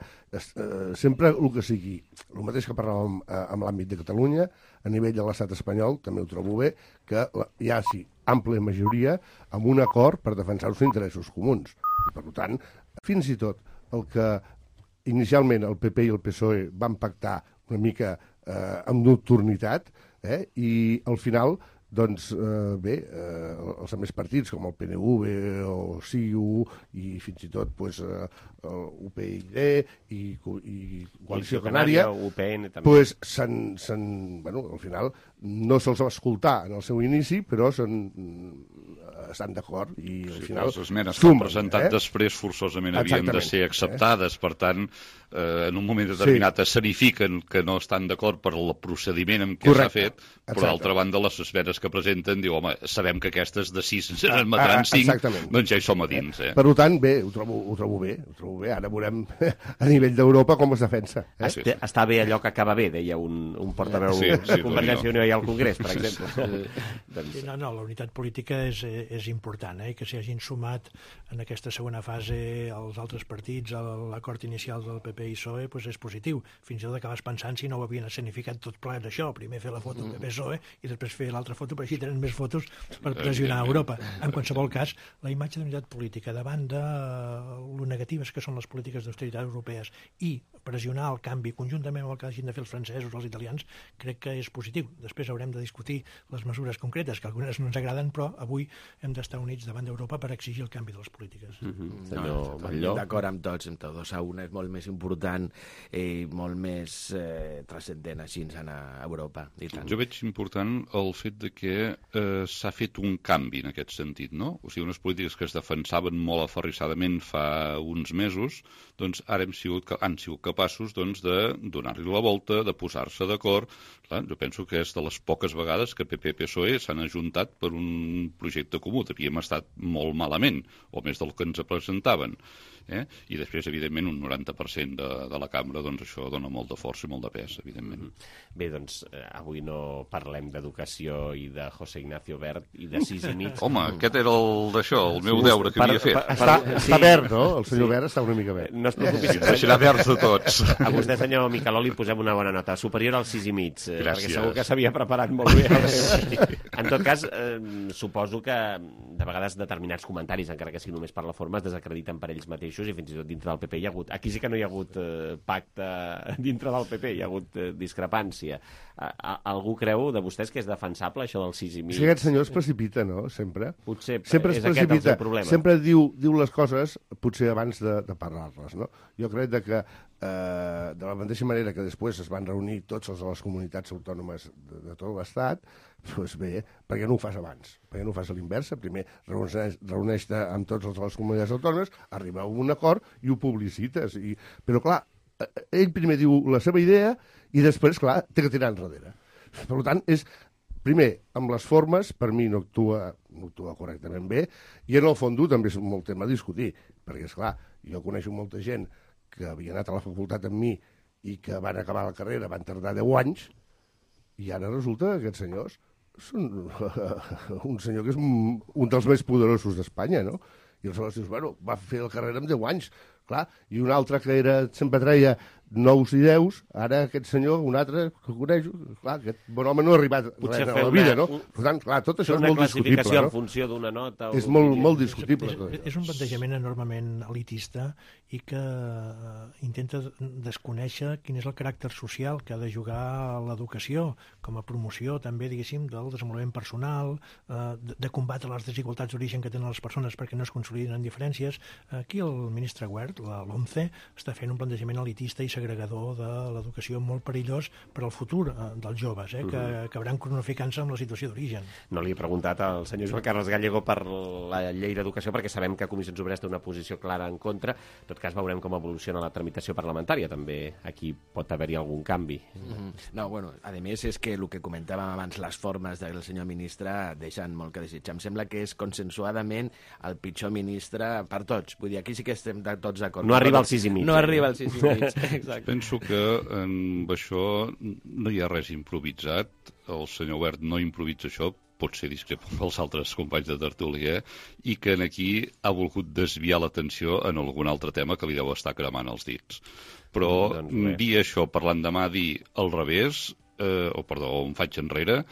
Speaker 15: sempre el que sigui, el mateix que parlàvem amb l'àmbit de Catalunya, a nivell de l'estat espanyol, també ho trobo bé, que hi ha, sí, àmplia majoria amb un acord per defensar els interessos comuns. I, per tant, fins i tot el que inicialment el PP i el PSOE van pactar una mica amb nocturnitat, i al final, doncs, bé, els altres partits, com el PNV o CiU, i fins i tot UPyD i Coalició Canària, doncs, al final no se'ls va escoltar en el seu inici, però estan d'acord i al final
Speaker 16: les esmenes que han presentat després forçosament havien de ser acceptades, per tant en un moment determinat escenifiquen que no estan d'acord per el procediment en què s'ha fet, però d'altra banda les esmenes que presenten diu, home, sabem que aquestes de 6 ens admetran 5, doncs ja hi som a dins.
Speaker 15: Per tant, bé, ho trobo bé, ara veurem a nivell d'Europa com es defensa.
Speaker 2: Està bé allò que acaba bé, deia un portaveu de Convergència i Unió al Congrés, per exemple.
Speaker 7: No, la unitat política és important, i que s'hi hagin sumat en aquesta segona fase els altres partits a l'acord inicial del PP i PSOE, és positiu. Fins i tot acabes pensant si no ho havien escenificat tot plegat d'això, primer fer la foto del PP-PSOE i després fer l'altra foto, però així tenen més fotos per pressionar Europa. En qualsevol cas, la imatge d'unitat política davant de lo negatives que són les polítiques d'austeritat europees i pressionar el canvi conjuntament amb el que hagin de fer els francesos o els italians, crec que és positiu. Després haurem de discutir les mesures concretes, que algunes no ens agraden, però avui hem d'estar units davant d'Europa per exigir el canvi de les polítiques.
Speaker 14: D'acord amb tots, a una és molt més important i molt més transcendent així a Europa.
Speaker 16: Jo veig important el fet de que s'ha fet un canvi en aquest sentit, no? O sigui, unes polítiques que es defensaven molt aferrissadament fa uns mesos, doncs ara han sigut capaços de donar-li la volta, de posar-se d'acord. Jo penso que és de les poques vegades que PP i PSOE s'han ajuntat per un projecte comú. Havíem estat molt malament, o més del que ens presentaven. I després, evidentment, un 90% de la cambra, doncs això dona molt de força i molt de pes, evidentment.
Speaker 2: Bé, doncs avui no parlem d'educació i de José Ignacio Wert i de 6,5.
Speaker 16: Home, aquest era el meu deure que havia fet.
Speaker 15: Està verd, no? El senyor Wert està una mica verd.
Speaker 2: No es preocupi.
Speaker 16: Deixarà verds de tots.
Speaker 2: A vostè, senyor Micaló, li posem una bona nota, superior al 6,5,
Speaker 16: Gràcies.
Speaker 2: perquè segur que s'havia preparat molt bé. En tot cas, suposo que de vegades determinats comentaris, encara que sigui només per la forma, es desacrediten per ells mateixos i fins i tot dintre del PP hi ha hagut... Aquí sí que no hi ha hagut pacte dintre del PP, hi ha hagut discrepància. Algú creu de vostès que és defensable això del 6,5?
Speaker 15: Sí, aquest senyor es precipita, no?, sempre.
Speaker 2: Potser
Speaker 15: sempre
Speaker 2: és aquest el seu problema.
Speaker 15: Sempre diu les coses potser abans de parlar-les, no? Jo crec que de la mateixa manera que després es van reunir tots els de les comunitats autònomes de tot l'Estat, doncs bé, per què no ho fas abans? Per què no ho fas a l'inversa? Primer reuneix-te amb tots els de les comunitats autònomes, arribeu a un acord i ho publicites. Però, clar, ell primer diu la seva idea i després, clar, té que tirar enrere. Per tant, primer, amb les formes, per mi no actua correctament bé, i en el fons també és molt tema a discutir, perquè, esclar, jo coneixo molta gent que havia anat a la facultat amb mi i que van acabar la carrera, van tardar 10 anys, i ara resulta que aquests senyors són un senyor que és un dels més poderosos d'Espanya, no? I aleshores dius, bueno, va fer la carrera amb 10 anys, clar, i un altre que sempre treia 9 i 10, ara aquest senyor, un altre que coneix, clar, aquest bon home no ha arribat res a la vida, no? Per tant, clar, tot això és molt discutible, no?
Speaker 2: Una classificació en funció d'una nota...
Speaker 15: És molt discutible.
Speaker 7: És un plantejament enormement elitista i que intenta desconèixer quin és el caràcter social que ha de jugar l'educació com a promoció també, diguéssim, del desenvolupament personal, de combatre les desigualtats d'origen que tenen les persones perquè no es consoliden en diferències. Aquí el ministre Wert, l'OMCE, està fent un plantejament elitista i segregador de l'educació molt perillós per al futur dels joves, que acabaran cronificant-se amb la situació d'origen.
Speaker 2: No li he preguntat al senyor Joan Carles Gallego per la llei d'educació, perquè sabem que Comissions Obreres té una posició clara en contra. En tot cas, veurem com evoluciona la tramitació parlamentària. També aquí pot haver-hi algun canvi.
Speaker 14: No, bueno, a més és que el que comentàvem abans, les formes del senyor ministre deixen molt que desitjar. Em sembla que és consensuadament el pitjor ministre per tots. Vull dir, aquí sí que estem tots d'acord.
Speaker 2: No arriba al 6,5.
Speaker 14: No arriba al 6,5. Exacte.
Speaker 16: Penso que en això no hi ha res improvisat. El senyor Wert no improvisa això, pot ser discrep amb els altres companys de tertúlia, i que aquí ha volgut desviar l'atenció en algun altre tema que li deu estar cremant els dits. Però dir això per l'endemà dir al revés, em faig enrere,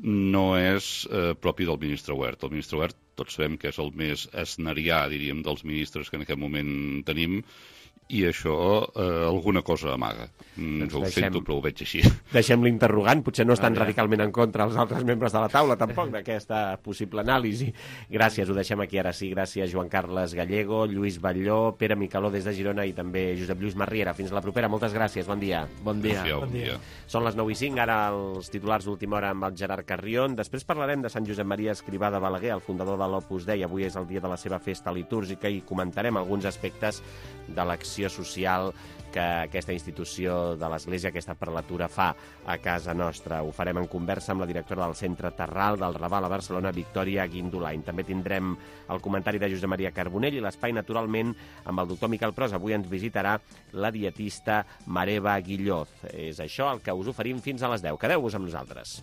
Speaker 16: no és propi del ministre Wert. El ministre Wert, tots sabem que és el més esnerià, diríem, dels ministres que en aquest moment tenim, i això alguna cosa amaga. Ho sento, però ho veig així.
Speaker 2: Deixem l'interrogant, potser no estan radicalment en contra els altres membres de la taula, tampoc, d'aquesta possible anàlisi. Gràcies, ho deixem aquí ara sí. Gràcies, Joan Carles Gallego, Lluís Batlló, Pere Micaló des de Girona i també Josep Lluís Marriera. Fins la propera, moltes gràcies, bon dia.
Speaker 14: Bon dia.
Speaker 2: Són les 9:05, ara els titulars d'última hora amb el Gerard Carrion. Després parlarem de Sant Josep Maria Escrivà de Balaguer, el fundador de l'Opus Dei. Avui és el dia de la seva festa litúrgica i comentarem alguns aspectes de l'acció social que aquesta institució de l'Església, aquesta prelatura, fa a casa nostra. Ho farem en conversa amb la directora del Centre Terral del Raval a Barcelona, Victòria Guindolain. També tindrem el comentari de Josep Maria Carbonell i l'espai, naturalment, amb el doctor Miquel Pros. Avui ens visitarà la dietista Mareva Guilloz. És això el que us oferim fins a les 10. Quedeu-vos amb nosaltres.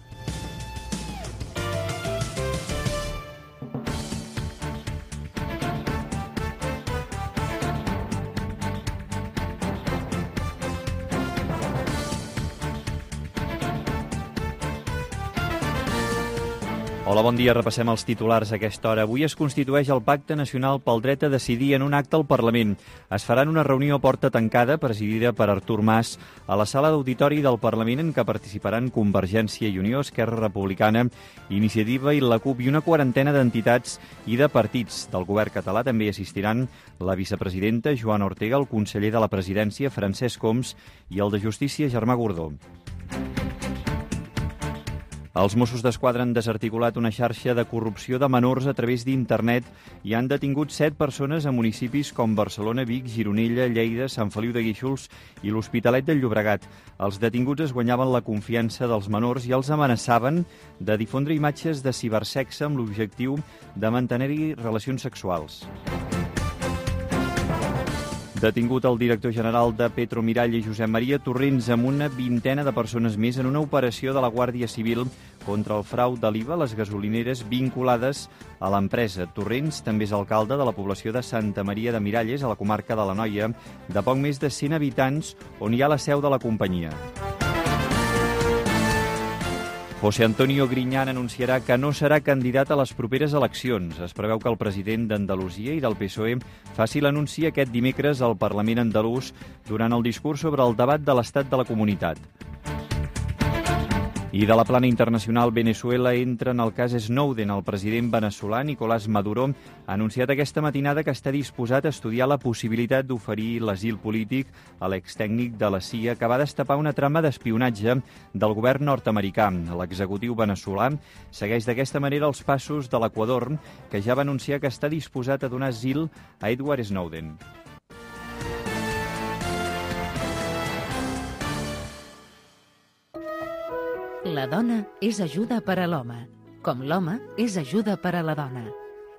Speaker 5: Hola, bon dia. Repassem els titulars a aquesta hora. Avui es constitueix el Pacte Nacional pel Dret a Decidir en un acte al Parlament. Es farà en una reunió a porta tancada presidida per Artur Mas a la sala d'auditori del Parlament en què participaran Convergència i Unió, Esquerra Republicana, Iniciativa i la CUP i una quarantena d'entitats i de partits. Del govern català també hi assistiran la vicepresidenta Joana Ortega, el conseller de la Presidència Francesc Homs i el de Justícia Germà Gordó. Els Mossos d'Esquadra han desarticulat una xarxa de corrupció de menors a través d'internet i han detingut 7 persones a municipis com Barcelona, Vic, Gironella, Lleida, Sant Feliu de Guíxols i l'Hospitalet del Llobregat. Els detinguts es guanyaven la confiança dels menors i els amenaçaven de difondre imatges de cibersexe amb l'objectiu de mantenir-hi relacions sexuals. Detingut el director general de Petromiralla, Josep Maria Torrents, amb una vintena de persones més en una operació de la Guàrdia Civil contra el frau de l'IVA a les gasolineres vinculades a l'empresa. Torrents també és alcalde de la població de Santa Maria de Miralles, a la comarca de l'Anoia, de poc més de 100 habitants, on hi ha la seu de la companyia. José Antonio Griñán anunciarà que no serà candidat a les properes eleccions. Es preveu que el president d'Andalusia i del PSOE faci l'anunci aquest dimecres al Parlament andalús durant el discurs sobre el debat de l'estat de la comunitat. I de la plana internacional, Venezuela entra en el cas Snowden. El president veneçolà Nicolás Maduro ha anunciat aquesta matinada que està disposat a estudiar la possibilitat d'oferir l'asil polític a l'extècnic de la CIA que va destapar una trama d'espionatge del govern nord-americà. L'executiu veneçolà segueix d'aquesta manera els passos de l'Equador, que ja va anunciar que està disposat a donar asil a Edward Snowden.
Speaker 1: La dona és ajuda per a l'home, com l'home és ajuda per a la dona.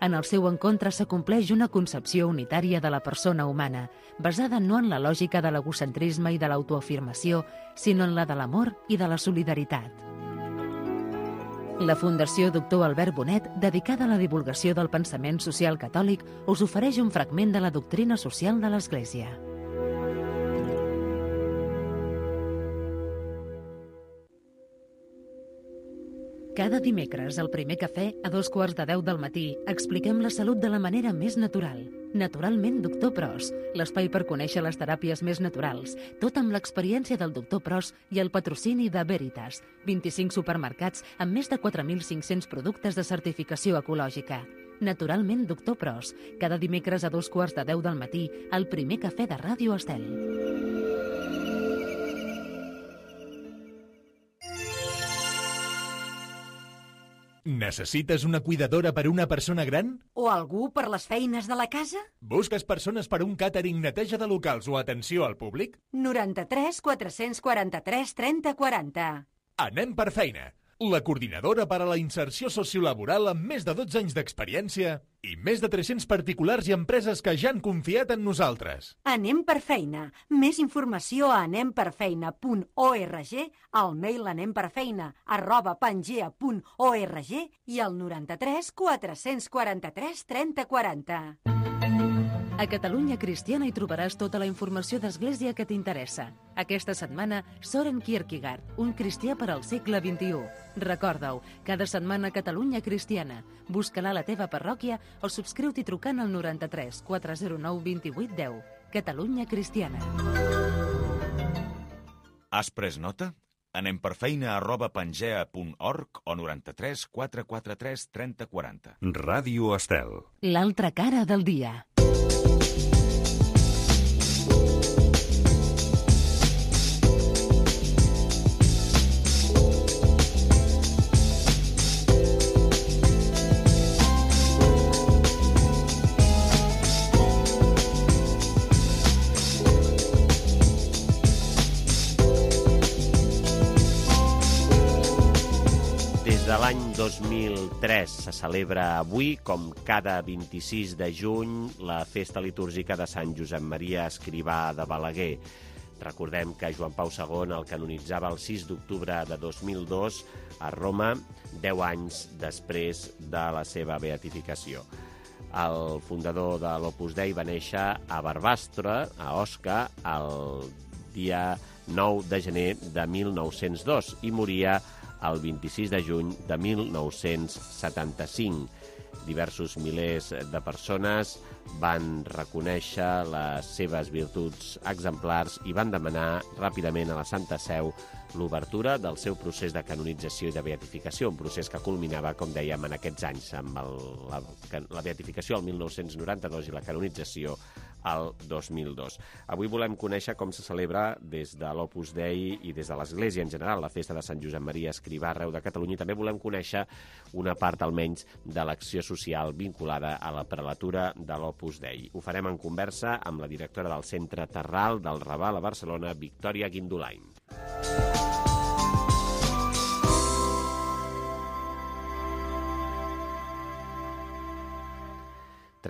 Speaker 1: En el seu encontre s'acompleix una concepció unitària de la persona humana, basada no en la lògica de l'egocentrisme i de l'autoafirmació, sinó en la de l'amor i de la solidaritat. La Fundació Doctor Albert Bonet, dedicada a la divulgació del pensament social catòlic, us ofereix un fragment de la doctrina social de l'Església. Cada dimecres, al primer cafè, a 9:15 del matí, expliquem la salut de la manera més natural. Naturalment, Doctor Pros, l'espai per conèixer les teràpies més naturals, tot amb l'experiència del Doctor Pros i el patrocini de Veritas, 25 supermercats amb més de 4.500 productes de certificació ecològica. Naturalment, Doctor Pros, cada dimecres a 9:15 del matí, al primer cafè de Ràdio Estel.
Speaker 17: Necessites una cuidadora per a una persona gran?
Speaker 18: O algú per les feines de la casa?
Speaker 17: Busques persones per a un càtering, neteja de locals o atenció al públic?
Speaker 18: 93 443 30 40.
Speaker 17: Anem per feina. La coordinadora per a la inserció sociolaboral amb més de 12 anys d'experiència i més de 300 particulars i empreses que ja han confiat en nosaltres.
Speaker 18: Anem per feina. Més informació a anemperfeina.org, al mail anemperfeina@pangea.org i al 93 443 30 40.
Speaker 1: A Catalunya Cristiana hi trobaràs tota la informació d'Església que t'interessa. Aquesta setmana, Soren Kierkegaard, un cristià per al segle XXI. Recorda-ho, cada setmana a Catalunya Cristiana. Busca-la a la teva parròquia o subscriu-t'hi trucant al 93 409 28 10. Catalunya Cristiana.
Speaker 11: Has pres nota? anemperfeina@pangea.org o 93 443 30 40. Ràdio Estel.
Speaker 1: L'altra cara del dia.
Speaker 2: De l'any 2003 se celebra avui, com cada 26 de juny, la festa litúrgica de Sant Josep Maria Escrivà de Balaguer. Recordem que Joan Pau II el canonitzava el 6 d'octubre de 2002 a Roma, 10 anys després de la seva beatificació. El fundador de l'Opus Dei va néixer a Barbastre, a Osca, el dia 9 de gener de 1902 i moria el 26 de juny de 1975. Diversos milers de persones van reconèixer les seves virtuts exemplars i van demanar ràpidament a la Santa Seu l'obertura del seu procés de canonització i de beatificació, un procés que culminava, com dèiem, en aquests anys, amb la beatificació el 1992 i la canonització al 2002. Avui volem conèixer com se celebra des de l'Opus Dei i des de l'Església en general la festa de Sant Josep Maria Escrivà arreu de Catalunya, i també volem conèixer una part almenys de l'acció social vinculada a la prelatura de l'Opus Dei. Ho farem en conversa amb la directora del Centre Terral del Raval a Barcelona, Victòria Guindolain.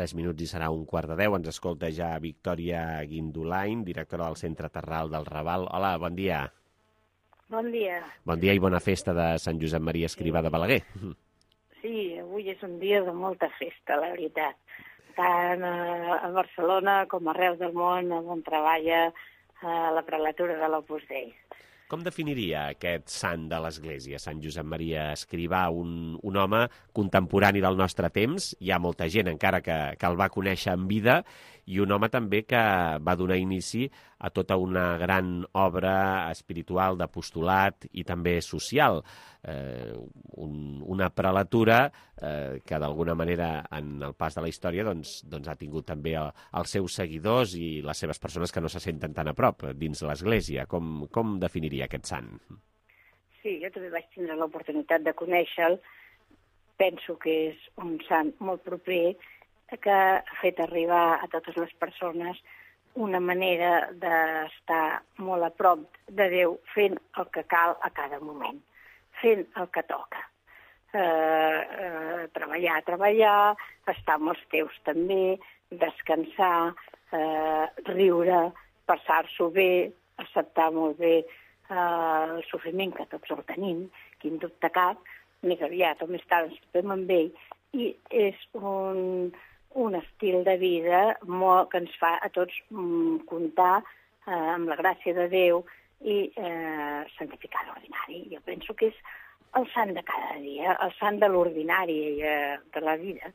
Speaker 2: 3 minuts i serà 11:45. Ens escolta ja Victòria Guindolain, directora del Centre Terral del Raval. Hola, bon dia.
Speaker 19: Bon dia.
Speaker 2: Bon dia i bona festa de Sant Josep Maria Escrivà de Balaguer.
Speaker 19: Sí, avui és un dia de molta festa, la veritat. Tant a Barcelona com arreu del món, on treballa la prelatura de l'Opus Dei.
Speaker 2: Com definiria aquest sant de l'Església, Sant Josep Maria Escrivà, un home contemporani del nostre temps? Hi ha molta gent encara que el va conèixer en vida, i un home també que va donar inici a tota una gran obra espiritual, d'apostolat i també social. Una prelatura que d'alguna manera en el pas de la història doncs ha tingut també els seus seguidors i les seves persones que no se senten tan a prop dins l'Església. Com definiria aquest sant?
Speaker 19: Sí, jo també vaig tindre l'oportunitat de conèixer-lo. Penso que és un sant molt proper que ha fet arribar a totes les persones una manera d'estar molt a prop de Déu fent el que cal a cada moment, fent el que toca. Treballar, estar amb els teus també, descansar, riure, passar-s'ho bé, acceptar molt bé el sofriment que tots el tenim, quin dubte cap, més aviat o més tard ens trobem amb ell, i és un estil de vida que ens fa a tots comptar amb la gràcia de Déu i santificar l'ordinari. Jo penso que és el sant de cada dia, el sant de l'ordinari de la vida.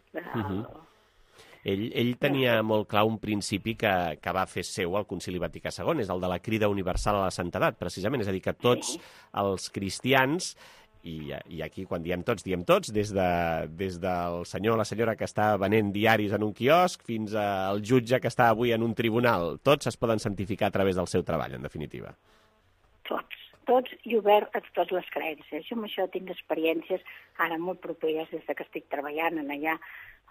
Speaker 2: Ell tenia molt clar un principi que va fer seu al Concili Vaticà II, és el de la crida universal a la santedat, precisament. És a dir, que tots els cristians, i aquí quan diem tots, des del senyor o la senyora que està venent diaris en un quiosc fins al jutge que està avui en un tribunal, tots es poden santificar a través del seu treball, en definitiva.
Speaker 19: Tots i obert a totes les creences. Jo amb això tinc experiències ara molt properes des que estic treballant allà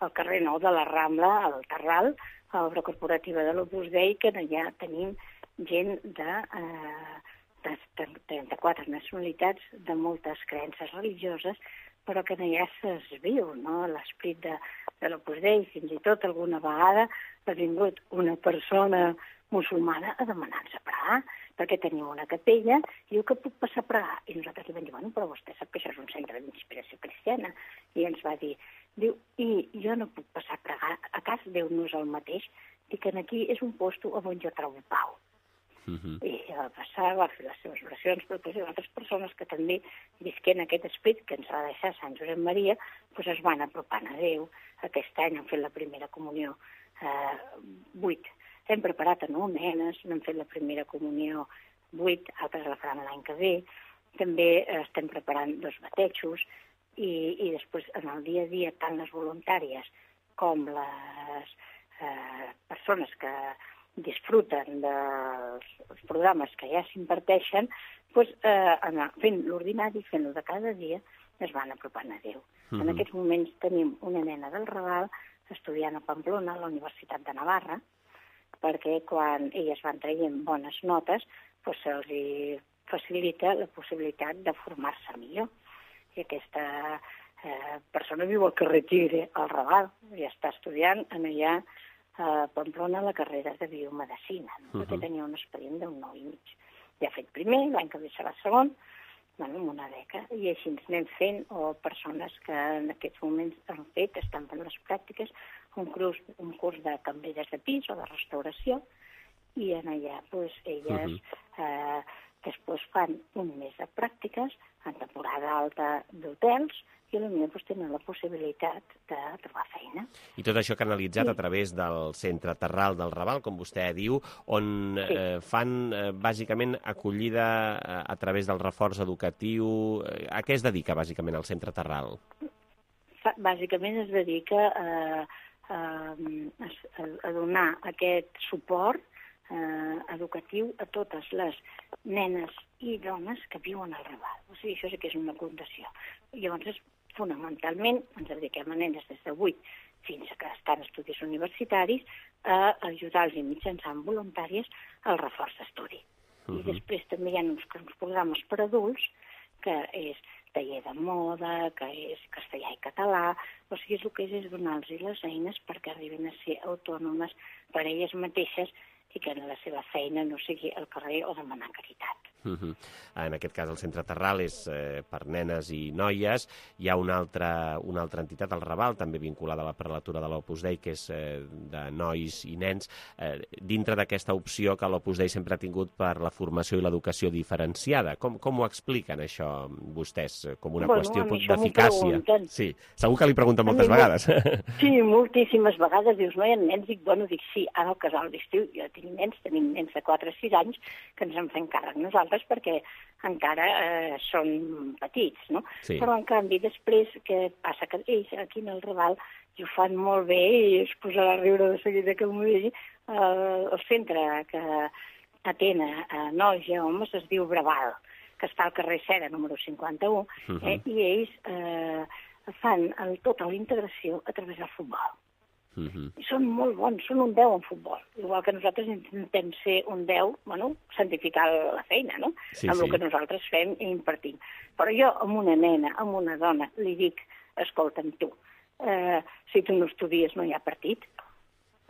Speaker 19: al carrer Nou de la Rambla, al Terral, a l'obra corporativa de l'Opus Dei, que allà tenim gent de 34 nacionalitats, de moltes creences religioses, però que allà es viu, no?, l'esperit de l'Opus Dei. Fins i tot alguna vegada ha vingut una persona musulmana a demanar-nos a pregar, perquè teniu una capella, i diu que puc passar a pregar. I nosaltres li vam dir, bueno, però vostè sap que això és un centre d'inspiració cristiana. I ens va dir, diu, i jo no puc passar a pregar, a casa Déu no és el mateix, dic que aquí és un lloc on jo trobo pau. I va passar, va fer les seves oracions, però hi ha altres persones que també visquent aquest esperit que ens va deixar Sant Josep Maria, doncs es van apropant a Déu. Aquest any han fet la primera comunió 8. Hem preparat a 9 nenes, n'han fet la primera comunió 8, altres la faran l'any que ve. També estem preparant 2 batejos i després en el dia a dia tant les voluntàries com les persones que disfruten dels programes que ja s'imparteixen, anar fent l'ordinari, fent-lo de cada dia, es van apropant a Déu. En aquests moments tenim una nena del Raval estudiant a Pamplona, a la Universitat de Navarra, perquè quan elles van traient bones notes, se'ls facilita la possibilitat de formar-se millor. I aquesta persona viu al carrer Tigre, al Raval, i està estudiant allà a Pamplona la carrera de biomedicina, perquè tenia un expedient d'un 9 i mig. Ja ha fet primer, l'any que ve serà segon, amb una beca, i així ens anem fent, o persones que en aquests moments han fet, estan fent les pràctiques, un curs de cambreres de pis o de restauració, i en allà elles després fan un mes de pràctiques en temporada alta d'hotels, i potser tenen la possibilitat de trobar feina.
Speaker 2: I tot això canalitzat a través del Centre Terral del Raval, com vostè diu, on fan bàsicament acollida a través del reforç educatiu. A què es dedica bàsicament el Centre Terral?
Speaker 19: Bàsicament es dedica a donar aquest suport educatiu a totes les nenes i dones que viuen al Raval. O sigui, això sí que és una fundació. Llavors, fonamentalment, ens dediquem a nenes des de 8 fins que estan en estudis universitaris a ajudar-los mitjançant voluntàries al reforç d'estudi. I després també hi ha uns programes per adults que és taller de moda, que és castellà i català, o sigui, el que és donar-los les eines perquè arribin a ser autònomes per elles mateixes i que la seva feina no sigui al carrer o demanar caritat.
Speaker 2: En aquest cas el Centre Terral és per nenes i noies. Hi ha una altra entitat, el Raval, també vinculada a la prelatura de l'Opus Dei, que és de nois i nens, dintre d'aquesta opció que l'Opus Dei sempre ha tingut per la formació i l'educació diferenciada. Com ho expliquen això vostès? Com una qüestió d'eficàcia? Sí, segur que li pregunten moltes vegades.
Speaker 19: Sí, moltíssimes vegades. Dius, no hi ha nens? Dic sí, ara al casal d'estiu jo tenim nens de 4 o 6 anys que ens en fem càrrec nosaltres perquè encara són petits, no? Sí. Però, en canvi, després, què passa? Que ells, aquí en el Raval, ho fan molt bé i es posarà a riure de seguida que m'ho digui. El centre que atén a nois i homes es diu Braval, que està al carrer Cera, número 51, i ells fan tota la integració a través del futbol. I són molt bons, són un 10 en futbol. Igual que nosaltres intentem ser un 10, santificar la feina, no? Amb el que nosaltres fem i impartim. Però jo, amb una nena, amb una dona, li dic, escolta'm tu, si tu no estudies no hi ha partit,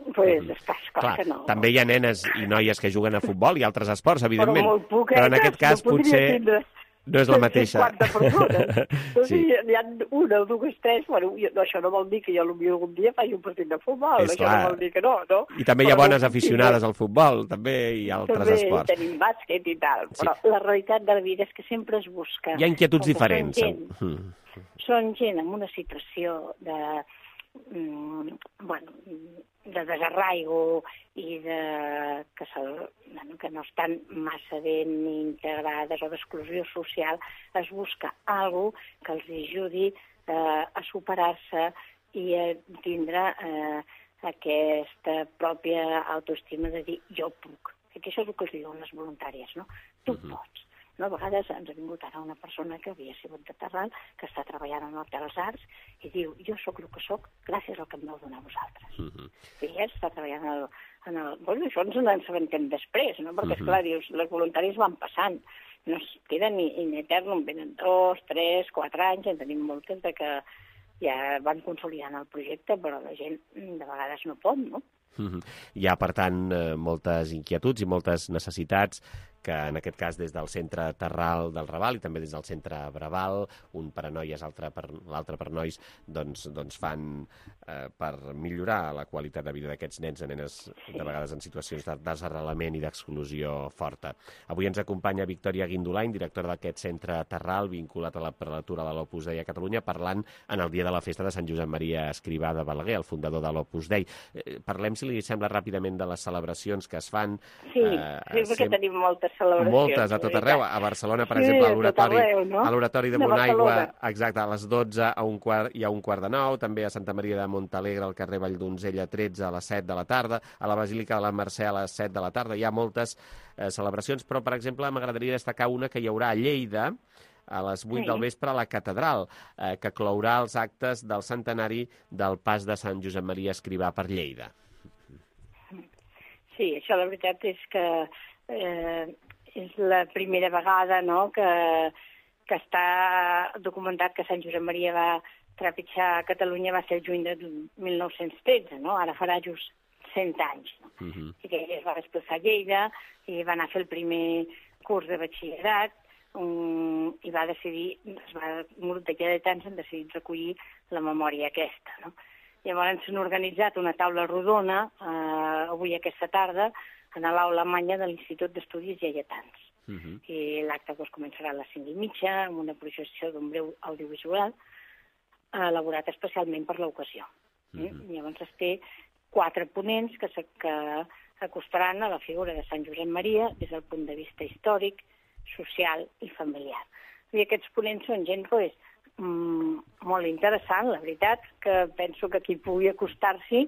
Speaker 19: doncs estàs clar que no.
Speaker 2: També hi ha nenes i noies que juguen a futbol i altres esports, evidentment. Però en aquest cas potser no és la mateixa.
Speaker 19: 50 persones. Hi ha una o dues, tres. Això no vol dir que jo algun dia faci un partit de futbol. Això no vol dir que no.
Speaker 2: I també hi ha bones aficionades al futbol, també hi ha altres esports.
Speaker 19: També tenim bàsquet i tal. Però la realitat de la vida és que sempre es busca.
Speaker 2: Hi ha inquietuds diferents.
Speaker 19: Són gent amb una situació de desarraigo i que no estan massa ben integrades o d'exclusió social, es busca alguna cosa que els ajudi a superar-se i a tindre aquesta pròpia autoestima de dir jo puc. Que això és el que els diuen les voluntàries, no? Tu pots. A vegades ens ha vingut ara una persona que havia sigut de Terral, que està treballant en l'Hotel dels Arts, i diu, jo sóc el que sóc gràcies al que em vau donar vosaltres. I ella està treballant en el... Això ens n'assabentem després, no? Perquè, esclar, dius, les voluntàries van passant, no es queden ni etern, venen 2, 3, 4 anys, en tenim moltes de que ja van consolidant el projecte, però la gent de vegades no pot, no?
Speaker 2: Hi ha, per tant, moltes inquietuds i moltes necessitats que en aquest cas des del Centre Terral del Raval i també des del Centre Braval, un per a noies, l'altre per nois, doncs fan per millorar la qualitat de vida d'aquests nens i nenes, de vegades en situacions de desarrelament i d'exclusió forta. Avui ens acompanya Victòria Guindolain, directora d'aquest Centre Terral, vinculat a la prelatura de l'Opus Dei a Catalunya, parlant en el dia de la festa de Sant Josep Maria Escrivà de Balaguer, el fundador de l'Opus Dei. Parlem, si li sembla, ràpidament de les celebracions que es fan.
Speaker 19: Sí, perquè tenim moltes celebracions.
Speaker 2: Moltes, a tot arreu. A Barcelona, per exemple, a l'Oratori de Bonaigua, exacte, a les 12 i a un quart de 9, també a Santa Maria de Montalegre, al carrer Valldonzella 13, a les 7 de la tarda, a la Basílica de la Mercè a les 7 de la tarda. Hi ha moltes celebracions, però, per exemple, m'agradaria destacar una que hi haurà a Lleida, a les 8 del vespre a la Catedral, que clourà els actes del centenari del pas de Sant Josep Maria Escrivà per Lleida.
Speaker 19: Sí, això la veritat és que és la primera vegada, no?, que està documentat que Sant Josep Maria va trepitjar a Catalunya, va ser el juny de 1913, no? Ara farà just 100 anys. No? I que ell es va desplaçar a Lleida i va anar a fer el primer curs de batxillerat i va decidir, un grup de lleidatans han decidit recollir la memòria aquesta, no? Llavors s'han organitzat una taula rodona avui aquesta tarda a l'aula magna de l'Institut d'Estudis Lleidatans. I l'acte començarà a les 5:30 amb una projecció d'un breu audiovisual elaborat especialment per l'ocasió. Llavors es té 4 ponents que s'acostaran a la figura de Sant Josep Maria des del punt de vista històric, social i familiar. I aquests ponents són gent molt interessant, la veritat, que penso que qui pugui acostar-s'hi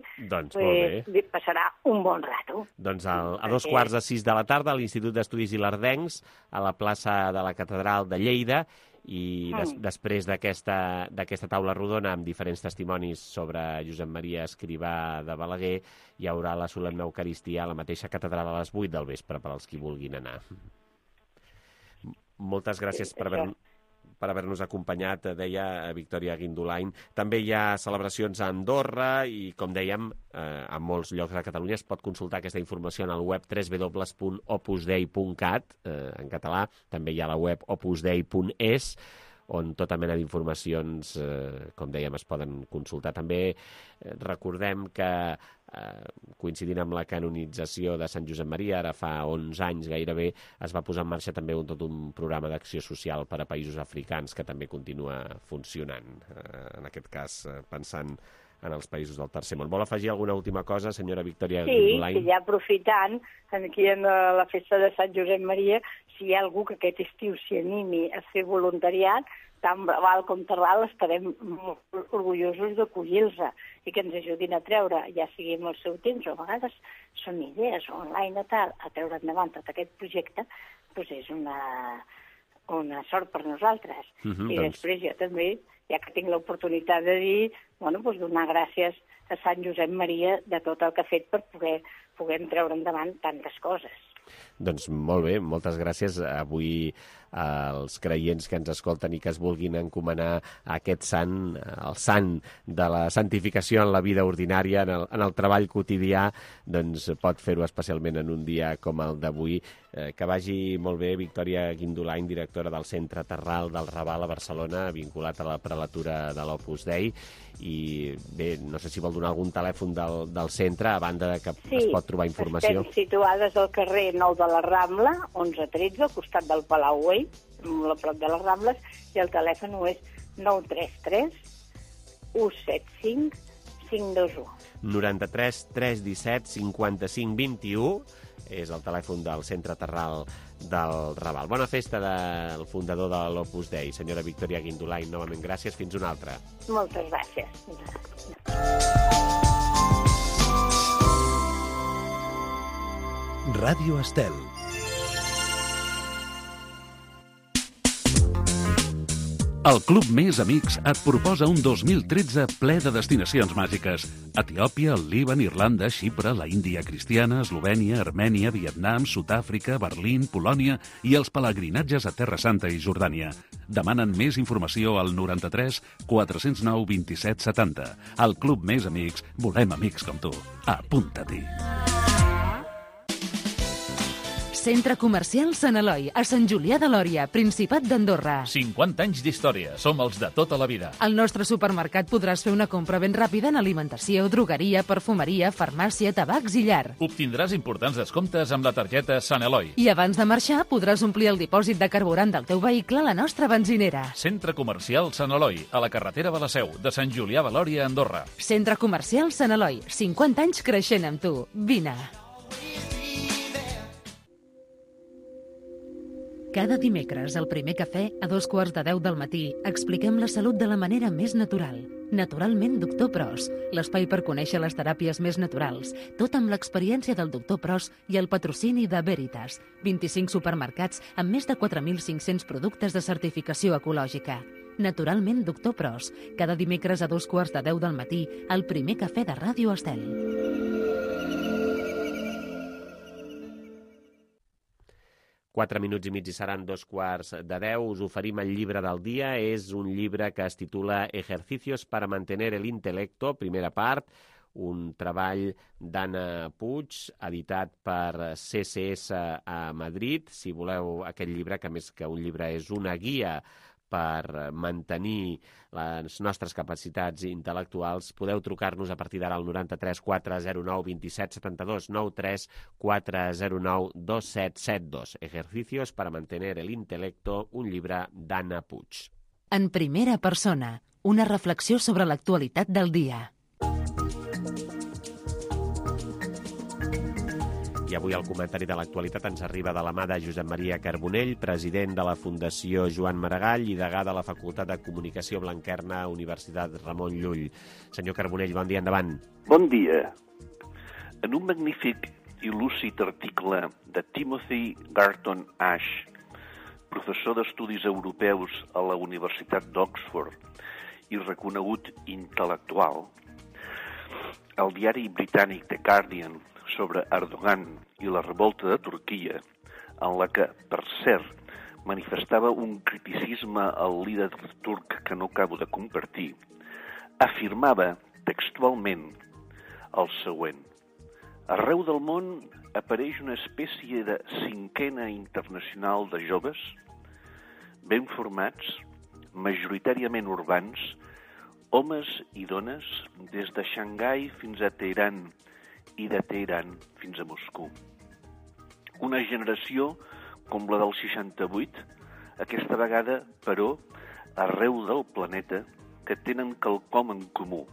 Speaker 19: passarà un bon rato.
Speaker 2: Doncs a 5:15 de la tarda a l'Institut d'Estudis Ilerdencs, a la plaça de la Catedral de Lleida, i després d'aquesta taula rodona amb diferents testimonis sobre Josep Maria Escrivà de Balaguer, hi haurà la solemne Eucaristia a la mateixa catedral a les 8 del vespre per als qui vulguin anar. Moltes gràcies per haver... per haver-nos acompanyat, deia Victòria Guindolain. També hi ha celebracions a Andorra i, com dèiem, en molts llocs de Catalunya es pot consultar aquesta informació en el web www.opusdei.cat, en català. També hi ha la web opusdei.es, on tota mena d'informacions, com dèiem, es poden consultar. També recordem que, coincidint amb la canonització de Sant Josep Maria, ara fa 11 anys gairebé, es va posar en marxa també tot un programa d'acció social per a països africans que també continua funcionant, en aquest cas pensant en els països del tercer món. Vol afegir alguna última cosa, senyora Victòria Guindolain?
Speaker 19: Sí, ja aprofitant, aquí en la festa de Sant Josep Maria, si hi ha algú que aquest estiu s'hi animi a fer voluntariat, tant Raval com Terral estarem molt orgullosos d'acollir-los i que ens ajudin a treure, ja sigui amb el seu temps, o a vegades són idees online o tal, a treure endavant tot aquest projecte, doncs és una sort per nosaltres. I després jo també, ja que tinc l'oportunitat de dir, donar gràcies a Sant Josep Maria de tot el que ha fet per poder treure endavant tantes coses.
Speaker 2: Doncs molt bé, moltes gràcies. Avui als creients que ens escolten i que es vulguin encomanar a aquest sant, el sant de la santificació en la vida ordinària, en el treball quotidià, doncs pot fer-ho especialment en un dia com el d'avui. Que vagi molt bé, Victòria Guindolain, directora del Centre Terral del Raval a Barcelona, vinculat a la prelatura de l'Opus Dei. I bé, no sé si vol donar algun telèfon del centre, a banda de que es pot trobar informació.
Speaker 19: Sí, estem situades al carrer Nou de la Rambla, 1113, al costat del Palau Güell, a prop de les Rambles, i el telèfon és 933 175 521. 93 317 55 21 és el telèfon del Centre Terral del Raval. Bona festa del fundador de l'Opus Dei, senyora Victòria Guindolain. Novament gràcies, fins una altra. Moltes gràcies.
Speaker 13: Ràdio Estel. El Club Més Amics et proposa un 2013 ple de destinacions màgiques. Etiòpia, el Líban, Irlanda, Xipre, la Índia cristiana, Eslovènia, Armènia, Vietnam, Sud-àfrica, Berlín, Polònia i els pelegrinatges a Terra Santa i Jordània. Demanen més informació al 93 409 27 70. Al Club Més Amics volem amics com tu. Apunta-t'hi.
Speaker 1: Centre Comercial Sant Eloi, a Sant Julià de Lòria, Principat d'Andorra.
Speaker 20: 50 anys d'història, som els de tota la vida.
Speaker 1: Al nostre supermercat podràs fer una compra ben ràpida en alimentació, drogueria, perfumeria, farmàcia, tabacs i llar.
Speaker 20: Obtindràs importants descomptes amb la targeta Sant Eloi.
Speaker 1: I abans de marxar podràs omplir el dipòsit de carburant del teu vehicle a la nostra benzinera.
Speaker 20: Centre Comercial Sant Eloi, a la carretera de la Seu, de Sant Julià de Lòria, Andorra.
Speaker 1: Centre Comercial Sant Eloi, 50 anys creixent amb tu. Vine. Cada dimecres, al primer cafè, a 2:15 del matí, expliquem la salut de la manera més natural. Naturalment, Doctor Pros, l'espai per conèixer les teràpies més naturals, tot amb l'experiència del Doctor Pros i el patrocini de Veritas, 25 supermercats amb més de 4.500 productes de certificació ecològica. Naturalment, Doctor Pros, cada dimecres a 2:15 del matí, al primer cafè de Ràdio Estel.
Speaker 2: 4 minuts i mig i seran 2:15. Us oferim el llibre del dia. És un llibre que es titula Ejercicios para mantener el intelecto, primera part, un treball d'Anna Puig, editat per CSS a Madrid. Si voleu aquest llibre, que més que un llibre és una guia per mantenir les nostres capacitats intel·lectuals, podeu trucar-nos a partir d'ara al 93 409 27 72, 93 409 2772. Ejercicios para mantener el intelecto, un llibre d'Anna Puig.
Speaker 1: En primera persona, una reflexió sobre l'actualitat del dia.
Speaker 2: I avui el comentari de l'actualitat ens arriba de la mà de Josep Maria Carbonell, president de la Fundació Joan Maragall i degà de la Facultat de Comunicació Blanquerna, Universitat Ramon Llull. Senyor Carbonell, bon dia, endavant.
Speaker 21: Bon dia. En un magnífic i lúcid article de Timothy Garton Ash, professor d'Estudis Europeus a la Universitat d'Oxford i reconegut intel·lectual, el diari britànic The Guardian sobre Erdogan i la revolta de Turquia, en la que, per cert, manifestava un criticisme al líder turc que no acabo de compartir, afirmava textualment el següent: arreu del món apareix una espècie de cinquena internacional de joves ben formats, majoritàriament urbans, homes i dones, des de Xangai fins a Teheran i de Teheran fins a Moscou. Una generació com la del 68, aquesta vegada, però, arreu del planeta, que tenen quelcom en comú.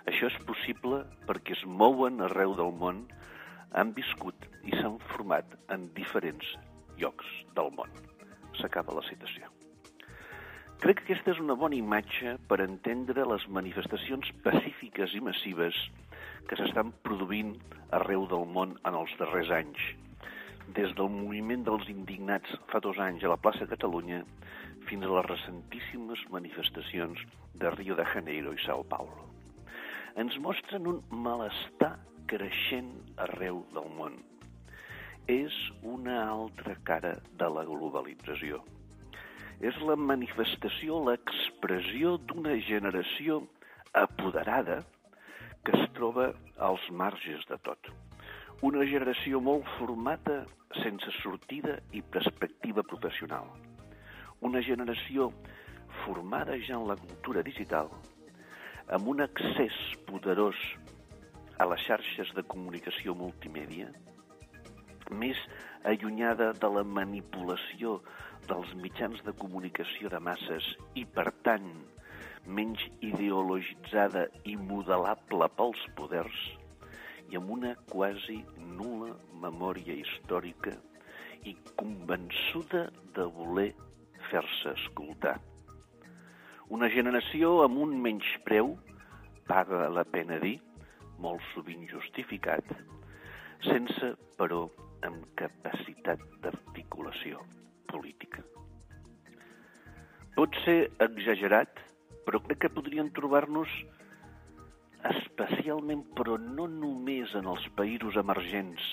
Speaker 21: Això és possible perquè es mouen arreu del món, han viscut i s'han format en diferents llocs del món. S'acaba la citació. Crec que aquesta és una bona imatge per entendre les manifestacions pacífiques i massives que s'estan produint arreu del món en els darrers anys, des del moviment dels indignats fa 2 anys a la plaça Catalunya fins a les recentíssimes manifestacions de Rio de Janeiro i Sao Paulo. Ens mostren un malestar creixent arreu del món. És una altra cara de la globalització. És la manifestació, l'expressió d'una generació apoderada que es troba als marges de tot. Una generació molt formada sense sortida i perspectiva professional. Una generació formada ja en la cultura digital, amb un accés poderós a les xarxes de comunicació multimèdia, més allunyada de la manipulació dels mitjans de comunicació de masses i, per tant, menys ideologitzada i modelable pels poders, i amb una quasi nul·la memòria històrica i convençuda de voler fer-se escoltar. Una generació amb un menyspreu, paga la pena dir, molt sovint justificat, sense, però, amb capacitat d'articulació política. Pot ser exagerat, però crec que podrien trobar-nos especialment, però no només en els països emergents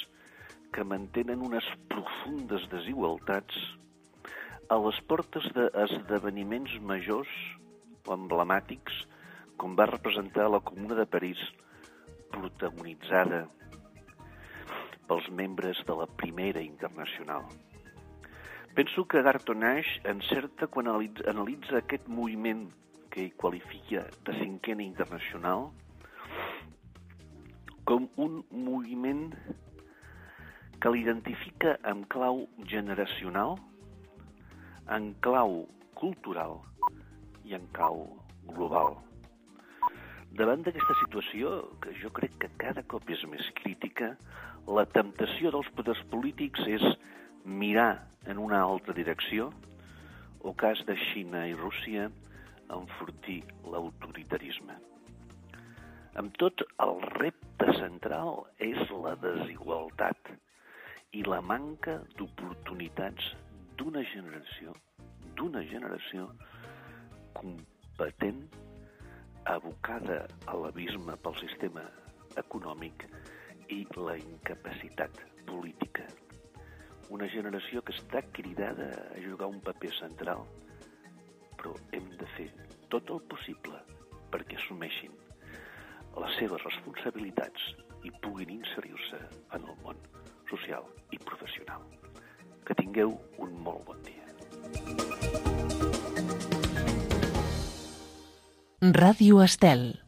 Speaker 21: que mantenen unes profundes desigualtats, a les portes d'esdeveniments majors o emblemàtics, com va representar la Comuna de París, protagonitzada pels membres de la Primera Internacional. Penso que Garton Ash encerta quan analitza aquest moviment que ell qualifica de cinquena internacional com un moviment que l'identifica en clau generacional, en clau cultural i en clau global. Davant d'aquesta situació, que jo crec que cada cop és més crítica, la temptació dels poders polítics és mirar en una altra direcció, o cas de Xina i Rússia, enfortir l'autoritarisme. Amb tot, el repte central és la desigualtat i la manca d'oportunitats d'una generació competent, abocada a l'abisme pel sistema econòmic i la incapacitat política. Una generació que està cridada a jugar un paper central, però hem de fer tot el possible perquè assumeixin les seves responsabilitats i puguin inserir-se en el món social i professional. Que tingueu un molt bon dia.
Speaker 1: Ràdio Estel.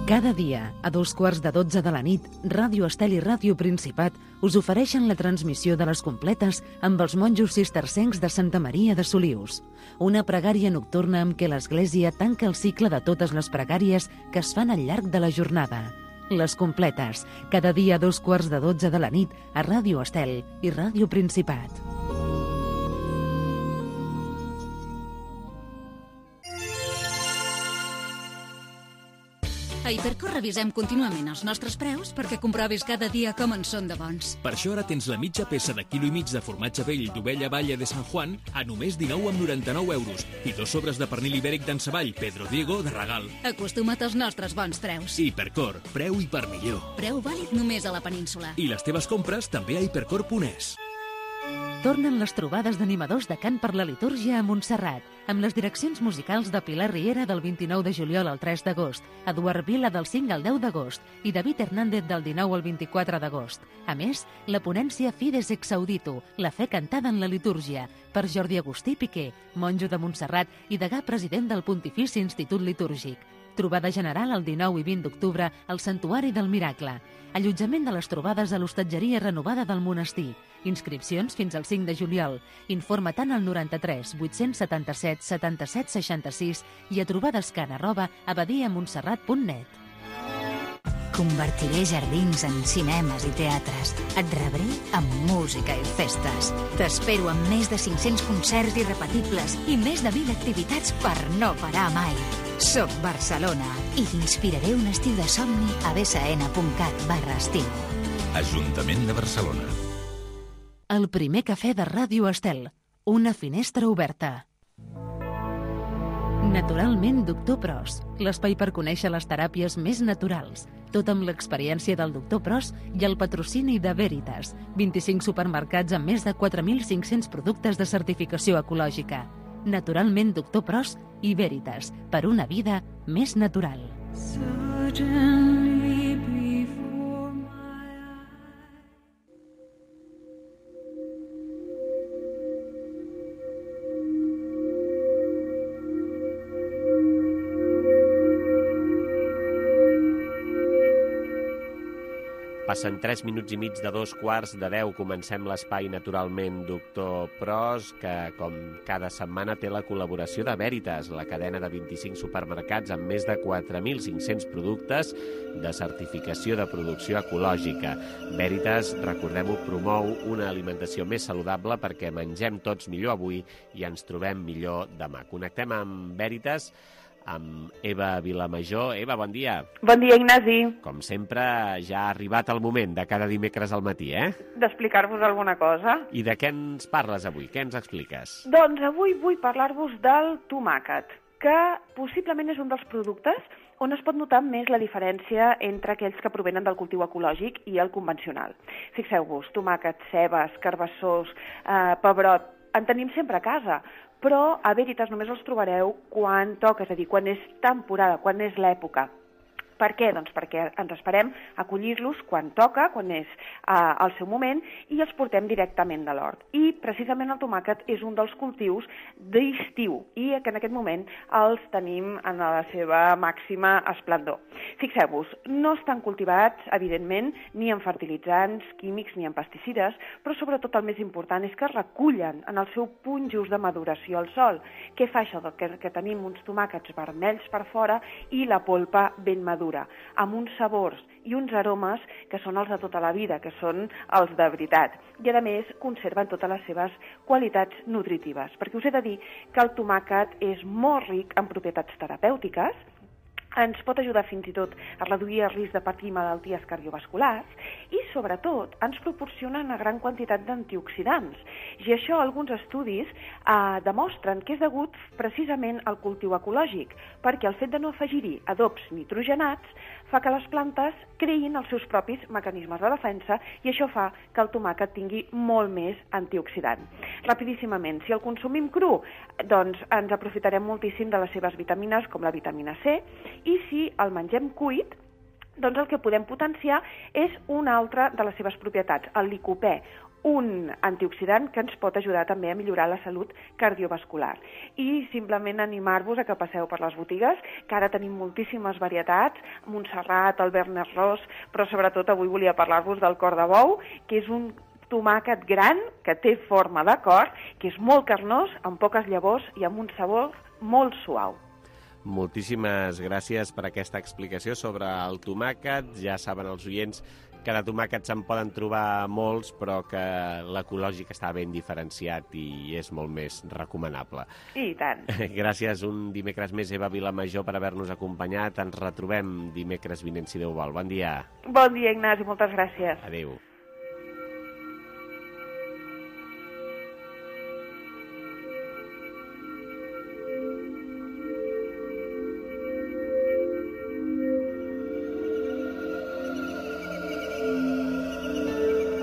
Speaker 1: Cada dia, a 12:15 de la nit, Ràdio Estel i Ràdio Principat us ofereixen la transmissió de les completes amb els monjos cistercencs de Santa Maria de Solius. Una pregària nocturna amb què l'Església tanca el cicle de totes les pregàries que es fan al llarg de la jornada. Les completes, cada dia a 12:15 de la nit a Ràdio Estel i Ràdio Principat.
Speaker 12: A Hipercor revisem contínuament els nostres preus perquè comprovis cada dia com en són de bons.
Speaker 4: Per això ara tens la mitja peça de quilo i mig de formatge vell d'ovella Valle de San Juan a només 19,99 € i 2 sobres de pernil ibèric d'en Savall Pedro Diego de regal.
Speaker 12: Acostuma't als nostres bons preus.
Speaker 4: Hipercor, preu i per millor.
Speaker 12: Preu vàlid només a la península.
Speaker 4: I les teves compres també a hipercor.es.
Speaker 1: Tornen les trobades d'animadors de cant per la litúrgia a Montserrat, amb les direccions musicals de Pilar Riera del 29 de juliol al 3 d'agost, Eduard Vila del 5 al 10 d'agost i David Hernández del 19 al 24 d'agost. A més, la ponència Fides ex audito, la fe cantada en la litúrgia, per Jordi Agustí Piqué, monjo de Montserrat i degà president del Pontifici Institut Litúrgic. Trobada general el 19 i 20 d'octubre al Santuari del Miracle. Allotjament de les trobades a l'hostatgeria renovada del monestir. Inscripcions fins al 5 de juliol. Informa tant al 93 877 77 66 i a trobadescan@abadiamontserrat.net.
Speaker 10: Convertiré jardins en cinemes i teatres. Et rebré amb música i festes. T'espero amb més de 500 concerts irrepetibles i més de 1.000 activitats per no parar mai. Soc Barcelona i t'inspiraré un estiu de somni a bsn.cat/estiu.
Speaker 11: Ajuntament de Barcelona.
Speaker 1: El primer cafè de Ràdio Estel. Una finestra oberta. Naturalment, Doctor Pros. L'espai per conèixer les teràpies més naturals. Tot amb l'experiència del Doctor Pros i el patrocini de Veritas. 25 supermercats amb més de 4.500 productes de certificació ecològica. Naturalment, Doctor Pros i Veritas. Per una vida més natural.
Speaker 2: Passen 3 minuts i mig de 2:15 comencem l'espai Naturalment Doctor Pros, que com cada setmana té la col·laboració de Veritas, la cadena de 25 supermercats amb més de 4.500 productes de certificació de producció ecològica. Veritas, recordem-ho, promou una alimentació més saludable perquè mengem tots millor avui i ens trobem millor demà. Connectem amb Veritas, amb Eva Vilamajor. Eva, bon dia.
Speaker 6: Bon dia, Ignasi.
Speaker 2: Com sempre, ja ha arribat el moment de cada dimecres al matí,
Speaker 6: d'explicar-vos alguna cosa.
Speaker 2: I de què ens parles avui? Què ens expliques?
Speaker 6: Doncs avui vull parlar-vos del tomàquet, que possiblement és un dels productes on es pot notar més la diferència entre aquells que provenen del cultiu ecològic i el convencional. Fixeu-vos, tomàquets, cebes, carbassors, pebrot, en tenim sempre a casa, però a Veritas només els trobareu quan toca, és a dir, quan és temporada, quan és l'època. Per què? Doncs perquè ens esperem a collir-los quan toca, quan és el seu moment, i els portem directament de l'hort. I precisament el tomàquet és un dels cultius d'estiu, i que en aquest moment els tenim en la seva màxima esplendor. Fixeu-vos, no estan cultivats, evidentment, ni en fertilitzants químics ni en pesticides, però sobretot el més important és que es recullen en el seu punt just de maduració al sol. Què fa això? Que tenim uns tomàquets vermells per fora i la polpa ben madura, amb uns sabors i uns aromes que són els de tota la vida, que són els de veritat. I, a més, conserven totes les seves qualitats nutritives, perquè us he de dir que el tomàquet és molt ric en propietats terapèutiques, ens pot ajudar fins i tot a reduir el risc de patir malalties cardiovasculars i, sobretot, ens proporciona una gran quantitat d'antioxidants. I això alguns estudis demostren que és degut precisament al cultiu ecològic, perquè el fet de no afegir-hi adobs nitrogenats fa que les plantes creïn els seus propis mecanismes de defensa i això fa que el tomàquet tingui molt més antioxidant. Rapidíssimament, si el consumim cru, doncs ens aprofitarem moltíssim de les seves vitamines, com la vitamina C, i si el mengem cuit, doncs el que podem potenciar és una altra de les seves propietats, el licopè, un antioxidant que ens pot ajudar també a millorar la salut cardiovascular. I simplement animar-vos a que passeu per les botigues, que ara tenim moltíssimes varietats, Montserrat, el Bernet Ros, però sobretot avui volia parlar-vos del cor de bou, que és un tomàquet gran, que té forma de cor, que és molt carnós, amb poques llavors i amb un sabor molt suau.
Speaker 2: Moltíssimes gràcies per aquesta explicació sobre el tomàquet. Ja saben els oients que de tomàquet se'n poden trobar molts, però que l'ecològic està ben diferenciat i és molt més recomanable.
Speaker 6: I tant.
Speaker 2: Gràcies un dimecres més, Eva Vilamajor, per haver-nos acompanyat. Ens retrobem dimecres vinent, si Déu vol. Bon dia.
Speaker 6: Bon dia, Ignasi, moltes gràcies.
Speaker 2: Adéu.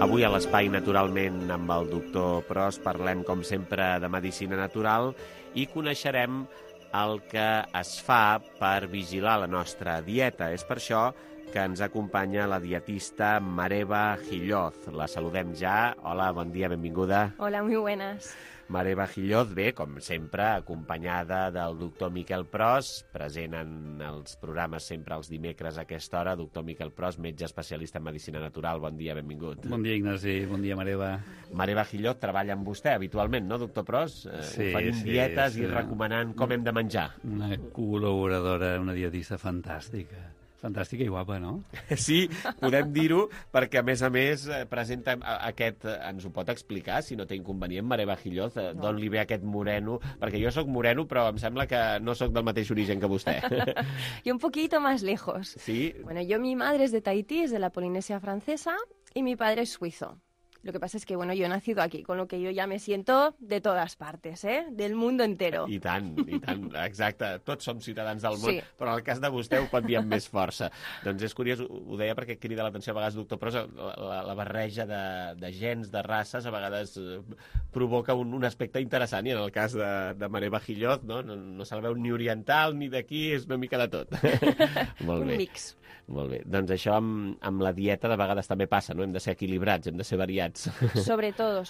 Speaker 2: Avui a l'Espai, naturalment, amb el doctor Pros, parlem, com sempre, de medicina natural i coneixerem el que es fa per vigilar la nostra dieta. És per això que ens acompanya la dietista Mareva Gilloz. La saludem ja. Hola, bon dia, benvinguda.
Speaker 3: Hola, muy buenas.
Speaker 2: Mareva Gilloz, bé, com sempre, acompanyada del doctor Miquel Pros, present en els programes sempre els dimecres a aquesta hora. Doctor Miquel Pros, metge especialista en medicina natural. Bon dia, benvingut.
Speaker 22: Bon dia, Ignasi. Bon dia, Mareva.
Speaker 2: Mareva Gilloz treballa amb vostè habitualment, no, doctor Pros? Oferint dietes i recomanant com hem de menjar.
Speaker 22: Una col·laboradora, una dietista fantàstica. Fantàstica i guapa, no?
Speaker 2: Sí, podem dir-ho, perquè a més presenta aquest... Ens ho pot explicar, si no té inconvenient, Mareva Gilloz, d'on li ve aquest moreno? Perquè jo sóc moreno, però em sembla que no sóc del mateix origen que vostè.
Speaker 3: Y un poquito más lejos.
Speaker 2: Sí.
Speaker 3: Bueno, mi madre es de Tahití, es de la Polinesia Francesa, y mi padre es suizo. Lo que pasa es que, yo he nacido aquí, con lo que yo ya me siento de todas partes, del mundo entero.
Speaker 2: I tant, exacte. Tots som ciutadans del món,
Speaker 3: sí.
Speaker 2: Però en el cas de vostè ho pot dir amb més força. Doncs és curiós, ho deia perquè crida l'atenció a vegades, doctor Pros, la barreja de gens, de races, a vegades provoca un aspecte interessant, i en el cas de Mareva Gilloz, no se la veu ni oriental ni d'aquí, és una mica de tot. Molt bé.
Speaker 3: Un mix.
Speaker 2: Molt bé. Doncs això amb la dieta de vegades també passa, no? Hem de ser equilibrats, hem de ser variats.
Speaker 3: Sobre todo,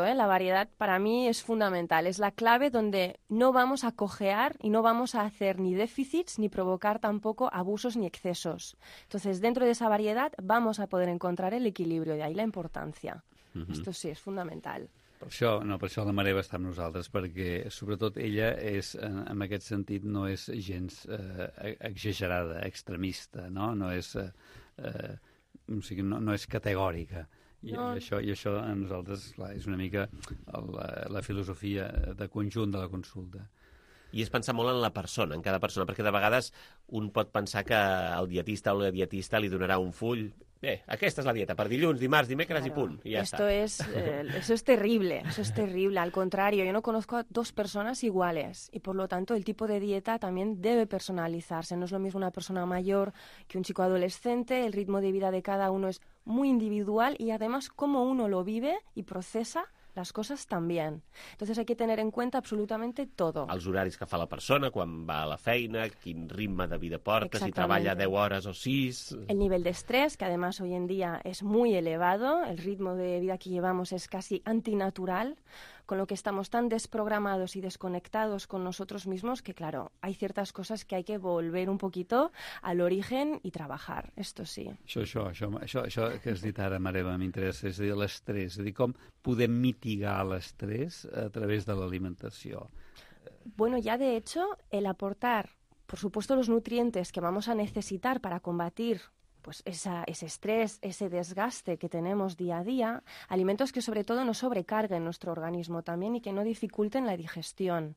Speaker 3: la variedad para mí es fundamental. Es la clave donde no vamos a cojear y no vamos a hacer ni déficits ni provocar tampoco abusos ni excesos. Entonces, dentro de esa variedad vamos a poder encontrar el equilibrio, de ahí la importancia. Esto sí, es fundamental.
Speaker 22: Per això la Mareva està amb nosaltres, perquè sobretot ella en aquest sentit no és gens exagerada, extremista, no és categòrica. No. I això a nosaltres, clar, és una mica la filosofia de conjunt de la consulta.
Speaker 2: I és pensar molt en la persona, en cada persona, perquè de vegades un pot pensar que el dietista o la dietista li donarà un full. Bé, aquesta és la dieta, per dilluns, dimarts, dimecres, claro, i punt, i ja
Speaker 3: está. Eso es terrible, Al contrario, yo no conozco a dos personas iguales y por lo tanto el tipo de dieta también debe personalizarse. No es lo mismo una persona mayor que un chico adolescente, el ritmo de vida de cada uno es muy individual y además cómo uno lo vive y procesa las cosas también. Entonces hay que tener en cuenta absolutamente todo.
Speaker 2: Els horaris que fa la persona, quan va a la feina, quin ritme de vida porta, si treballa 10 hores o 6...
Speaker 3: El nivel de estrés, que además hoy en día es muy elevado, el ritmo de vida que llevamos es casi antinatural, con lo que estamos tan desprogramados y desconectados con nosotros mismos que, claro, hay ciertas cosas que hay que volver un poquito al origen y trabajar, esto sí.
Speaker 22: Això que has dit ara, Mareva, m'interessa, és a dir, l'estrès, és a dir, com podem mitigar l'estrès a través de l'alimentació.
Speaker 3: Bueno, ya de hecho, el aportar, por supuesto, los nutrientes que vamos a necesitar para combatir pues ese estrés, ese desgaste que tenemos día a día, alimentos que sobre todo no sobrecarguen nuestro organismo también y que no dificulten la digestión.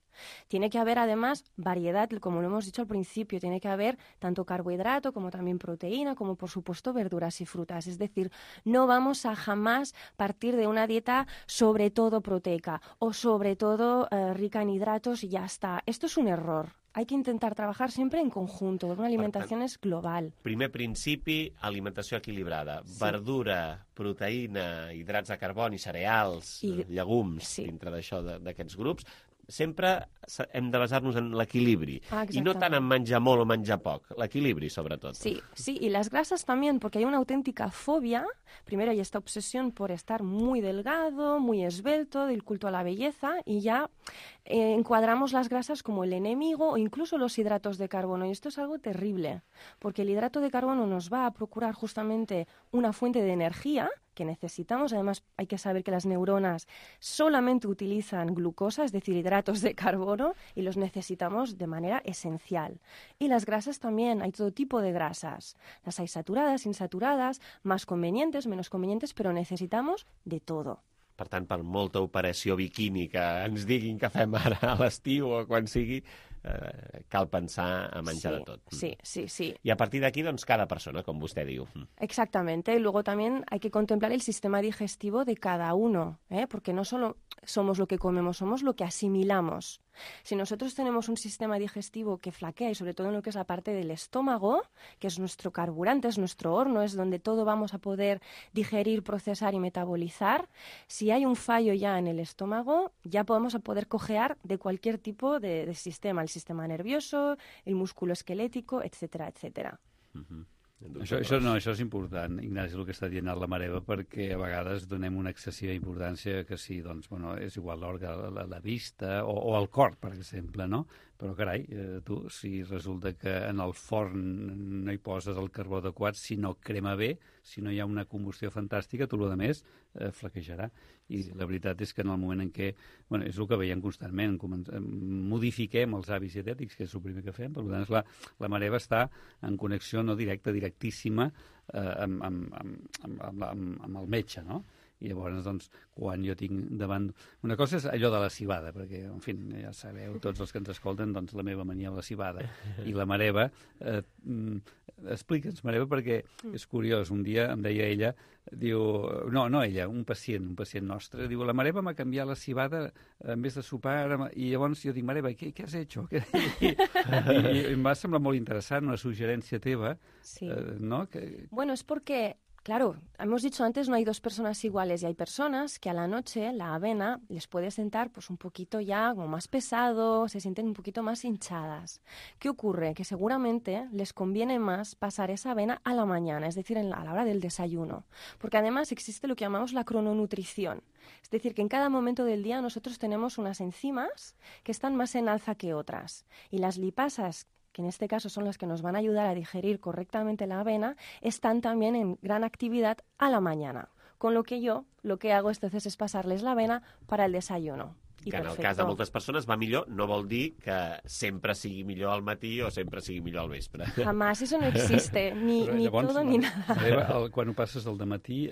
Speaker 3: Tiene que haber además variedad, como lo hemos dicho al principio, tiene que haber tanto carbohidrato como también proteína, como por supuesto verduras y frutas. Es decir, no vamos a jamás partir de una dieta sobre todo proteica o sobre todo rica en hidratos y ya está. Esto es un error. Hay que intentar trabajar siempre en conjunto, una alimentación es global.
Speaker 2: Primer principi, alimentació equilibrada. Sí. Verdura, proteïna, hidrats de carboni, cereals, llegums, dintre d'això, d'aquests grups. Sempre hem de basar-nos en l'equilibri. Y no tant en menjar molt o menjar poc, l'equilibri, sobretot.
Speaker 3: Sí, y las grasas también, porque hay una auténtica fobia. Primero hay esta obsesión por estar muy delgado, muy esbelto, del culto a la belleza, y ya encuadramos las grasas como el enemigo o incluso los hidratos de carbono. Y esto es algo terrible, porque el hidrato de carbono nos va a procurar justamente una fuente de energía que necesitamos. Además, hay que saber que las neuronas solamente utilizan glucosa, es decir, hidratos de carbono, y los necesitamos de manera esencial. Y las grasas también, hay todo tipo de grasas. Las hay saturadas, insaturadas, más convenientes, menos convenientes, pero necesitamos de todo.
Speaker 2: Per tant, per molta operació biquini que ens diguin que fem ara a l'estiu o quan sigui, cal pensar a menjar de tot.
Speaker 3: Sí.
Speaker 2: I a partir d'aquí, doncs, cada persona, com vostè diu.
Speaker 3: Exactamente. Y luego también hay que contemplar el sistema digestivo de cada uno, porque no solo somos lo que comemos, somos lo que asimilamos. Si nosotros tenemos un sistema digestivo que flaquea, y sobre todo en lo que es la parte del estómago, que es nuestro carburante, es nuestro horno, es donde todo vamos a poder digerir, procesar y metabolizar, si hay un fallo ya en el estómago, ya podemos poder cojear de cualquier tipo de sistema, el sistema nervioso, el músculo esquelético, etcétera, etcétera.
Speaker 22: Això és important, Ignasi, el que està dient la Mareva, perquè a vegades donem una excessiva importància que sí, doncs, bueno, és igual l'òrgan, la vista o el cor, per exemple, no? Però, carai, tu, si resulta que en el forn no hi poses el carbó adequat, si no crema bé, si no hi ha una combustió fantàstica, tot el més flaquejarà. I la veritat és que en el moment en què, bueno, és el que veiem constantment, modifiquem els hàbits dietètics, que és el primer que fem, per tant, la Mareva està en connexió no directa, directíssima amb el metge, no? I llavors, doncs, quan jo tinc davant... Una cosa és allò de la cibada, perquè, en fi, ja sabeu, tots els que ens escolten, doncs, la meva mania amb la cibada. I la Mareva, explica'ns, Mareva, perquè és curiós. Un dia em deia ella, diu... No ella, un pacient nostre, diu, la Mareva m'ha canviat la cibada en vez de sopar, i llavors jo dic, Mareva, què has hecho? I em va semblar molt interessant, una suggerència teva, no?
Speaker 3: Bueno, es porque... Claro, hemos dicho antes, no hay dos personas iguales y hay personas que a la noche la avena les puede sentar pues un poquito ya como más pesado, se sienten un poquito más hinchadas. ¿Qué ocurre? Que seguramente les conviene más pasar esa avena a la mañana, es decir, a la hora del desayuno, porque además existe lo que llamamos la crononutrición. Es decir, que en cada momento del día nosotros tenemos unas enzimas que están más en alza que otras y las lipasas, que en este caso son las que nos van a ayudar a digerir correctamente la avena, están también en gran actividad a la mañana. Con lo que yo lo que hago entonces es pasarles la avena para el desayuno.
Speaker 2: Que en el cas de moltes persones va millor, no vol dir que sempre sigui millor al matí o sempre sigui millor al vespre.
Speaker 3: Jamás, eso no existe, ni llavors, todo ni nada.
Speaker 22: Quan ho passes al dematí,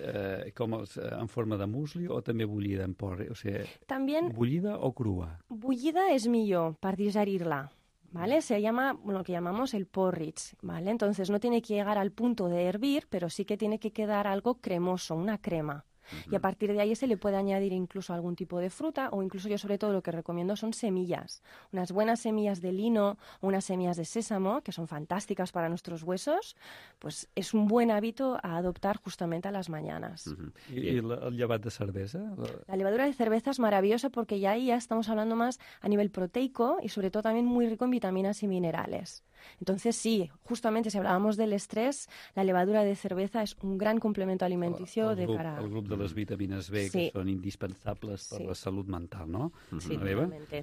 Speaker 22: com en forma de musli o també bullida en porri? O sigui,
Speaker 3: también,
Speaker 22: bullida o crua?
Speaker 3: Bullida es millor per digerir-la. ¿Vale? Se llama lo que llamamos el porridge, ¿vale? Entonces no tiene que llegar al punto de hervir, pero sí que tiene que quedar algo cremoso, una crema. Y a partir de ahí se le puede añadir incluso algún tipo de fruta o incluso yo sobre todo lo que recomiendo son semillas. Unas buenas semillas de lino o unas semillas de sésamo, que son fantásticas para nuestros huesos, pues es un buen hábito a adoptar justamente a las mañanas.
Speaker 22: ¿Y el llevat de cerveza?
Speaker 3: La levadura de cerveza es maravillosa porque ya ahí ya estamos hablando más a nivel proteico y sobre todo también muy rico en vitaminas y minerales. Entonces sí, justamente si hablábamos del estrés, la levadura de cerveza es un gran complemento alimenticio
Speaker 22: el grup de les vitamines B que són indispensables per la salut mental, no?
Speaker 3: Sí,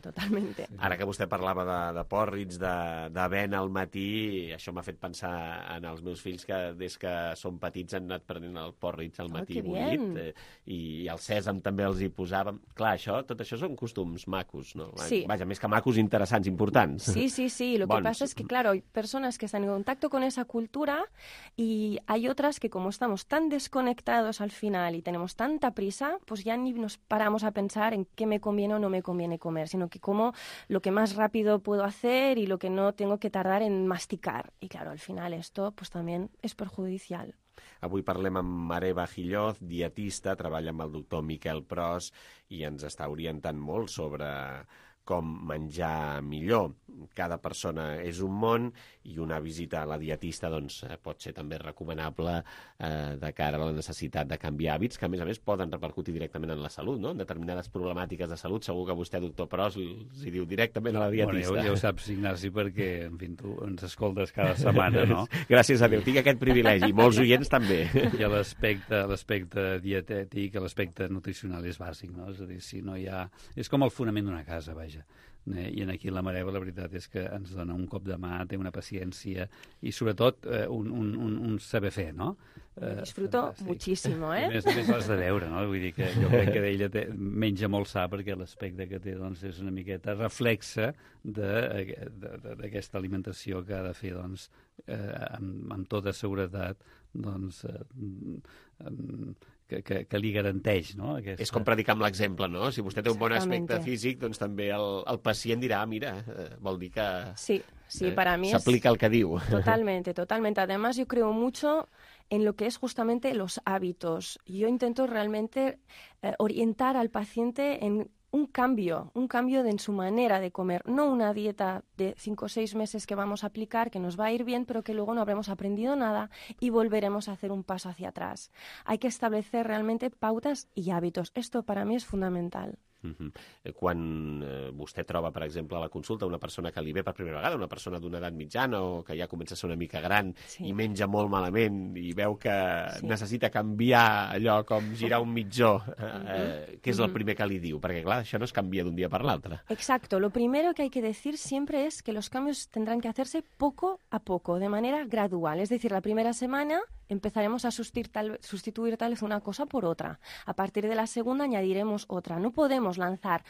Speaker 3: totalmente.
Speaker 2: Ara que vostè parlava de porridge, d'avena al matí, això m'ha fet pensar en els meus fills que des que són petits han anat prenent el porridge al matí bullit i el sèsam també els hi posàvem. Clar, tot això són costums macos, no?
Speaker 3: Sí.
Speaker 2: Vaja, més que macos, interessants, importants.
Speaker 3: Sí. Lo que pasa es que, claro, hay personas que están en contacto con esa cultura y hay otras que como estamos tan desconectados al final y tenemos tanta prisa, pues ya ni nos paramos a pensar en qué me conviene o no me conviene comer, sino que como lo que más rápido puedo hacer y lo que no tengo que tardar en masticar. Y claro, al final esto pues también es perjudicial.
Speaker 2: Avui parlem amb Mareva Gilloz, dietista, treballa amb el doctor Miquel Pros i ens està orientant molt sobre com menjar millor. Cada persona és un món i una visita a la dietista doncs, pot ser també recomanable de cara a la necessitat de canviar hàbits que, a més, poden repercutir directament en la salut, no? En determinades problemàtiques de salut. Segur que vostè, doctor Pros, els hi diu directament a la dietista.
Speaker 22: Bueno, ja ho saps, Ignasi, perquè, en fi, tu ens escoltes cada setmana, no?
Speaker 2: Gràcies a Déu, tinc aquest privilegi, i molts oients també.
Speaker 22: I l'aspecte dietètic, l'aspecte nutricional és bàsic, no? És a dir, si no hi ha... És com el fonament d'una casa, vaja. I aquí la Mareva la veritat és que ens dona un cop de mà, té una paciència i sobretot un saber fer, no?
Speaker 3: Disfruto muchísimo,
Speaker 22: A més l'has de veure, no? Vull dir que jo crec que ella menja molt sa perquè l'aspecte que té doncs, és una miqueta reflexa d'aquesta alimentació que ha de fer doncs, amb tota seguretat doncs, que li garanteix, no?
Speaker 2: És com predicar amb l'exemple, no? Si vostè té un bon aspecte físic, doncs també el pacient dirà, mira, vol dir que
Speaker 3: para mí
Speaker 2: s'aplica el que diu.
Speaker 3: Totalmente. Además, yo creo mucho en lo que es justamente los hábitos. Yo intento realmente orientar al paciente en un cambio en su manera de comer, no una dieta de 5 o 6 meses que vamos a aplicar, que nos va a ir bien, pero que luego no habremos aprendido nada y volveremos a hacer un paso hacia atrás. Hay que establecer realmente pautas y hábitos. Esto para mí es fundamental.
Speaker 2: Quan vostè troba, per exemple, a la consulta una persona que li ve per primera vegada, una persona d'una edat mitjana o que ja comença a ser una mica gran i menja molt malament i veu que necessita canviar allò com girar un mitjó, què és el primer que li diu? Perquè, clar, això no es canvia d'un dia per l'altre.
Speaker 3: Exacto. Lo primero que hay que decir siempre es que los cambios tendrán que hacerse poco a poco, de manera gradual. Es decir, la primera semana empezaremos a sustituir tal vez una cosa por otra. A partir de la segunda añadiremos otra. No podemos lanzar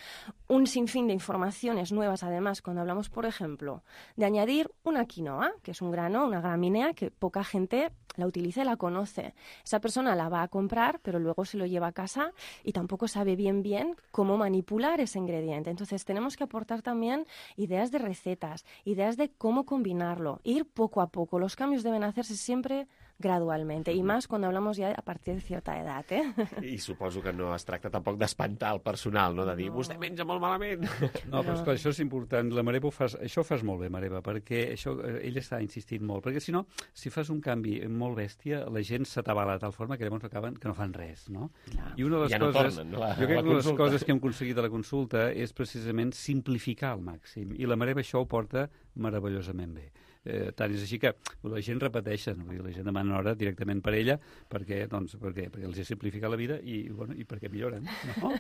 Speaker 3: un sinfín de informaciones nuevas, además, cuando hablamos, por ejemplo, de añadir una quinoa, que es un grano, una gramínea que poca gente la utiliza y la conoce. Esa persona la va a comprar, pero luego se lo lleva a casa y tampoco sabe bien cómo manipular ese ingrediente. Entonces tenemos que aportar también ideas de recetas, ideas de cómo combinarlo, ir poco a poco. Los cambios deben hacerse siempre gradualmente, i més quan hablamos ja a partir de certa edat,
Speaker 2: I suposo que no es tracta tampoc d'espantar el personal, no? De dir, vostè menja molt malament.
Speaker 22: No, però esclar, això és important. La Mareva això ho fas molt bé, Mareva, perquè això, ell està insistint molt, perquè si no, si fas un canvi molt bèstia, la gent s'atabala de tal forma que llavors acaben que no fan res, no?
Speaker 2: Clar.
Speaker 22: I una de les coses, jo crec que una de les coses que hem aconseguit a la consulta és precisament simplificar al màxim, i la Mareva això ho porta meravellosament bé. Tant és així que la gent repeteixen, la gent demana hora directament per ella perquè els simplifica la vida i perquè milloren, no?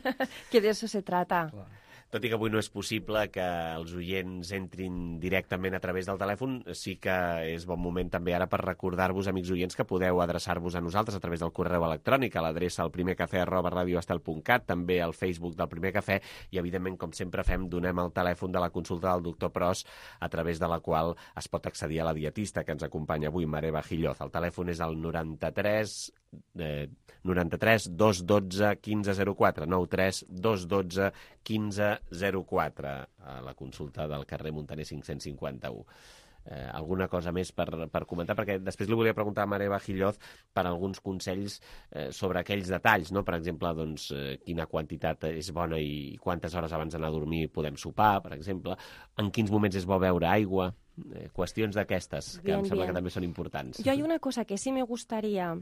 Speaker 3: Que de eso se trata.
Speaker 2: Clar. Tot i que avui no és possible que els oients entrin directament a través del telèfon, sí que és bon moment també ara per recordar-vos, amics oients, que podeu adreçar-vos a nosaltres a través del correu electrònic, a l'adreça alprimercafè@radioestel.cat, també al Facebook del Primer Cafè, i evidentment, com sempre fem, donem el telèfon de la consulta del doctor Pros, a través de la qual es pot accedir a la dietista que ens acompanya avui, Mareva Gilloz. El telèfon és el 93 212 1504, 93 212 1504, a la consulta del carrer Muntaner 551. Alguna cosa més per comentar? Perquè després li volia preguntar a Mareva Gilloz per alguns consells sobre aquells detalls, no? Per exemple, doncs, quina quantitat és bona i quantes hores abans d'anar a dormir podem sopar, per exemple, en quins moments és bo beure aigua, qüestions d'aquestes, que em sembla que també són importants.
Speaker 3: Yo hay una cosa que sí me gustaría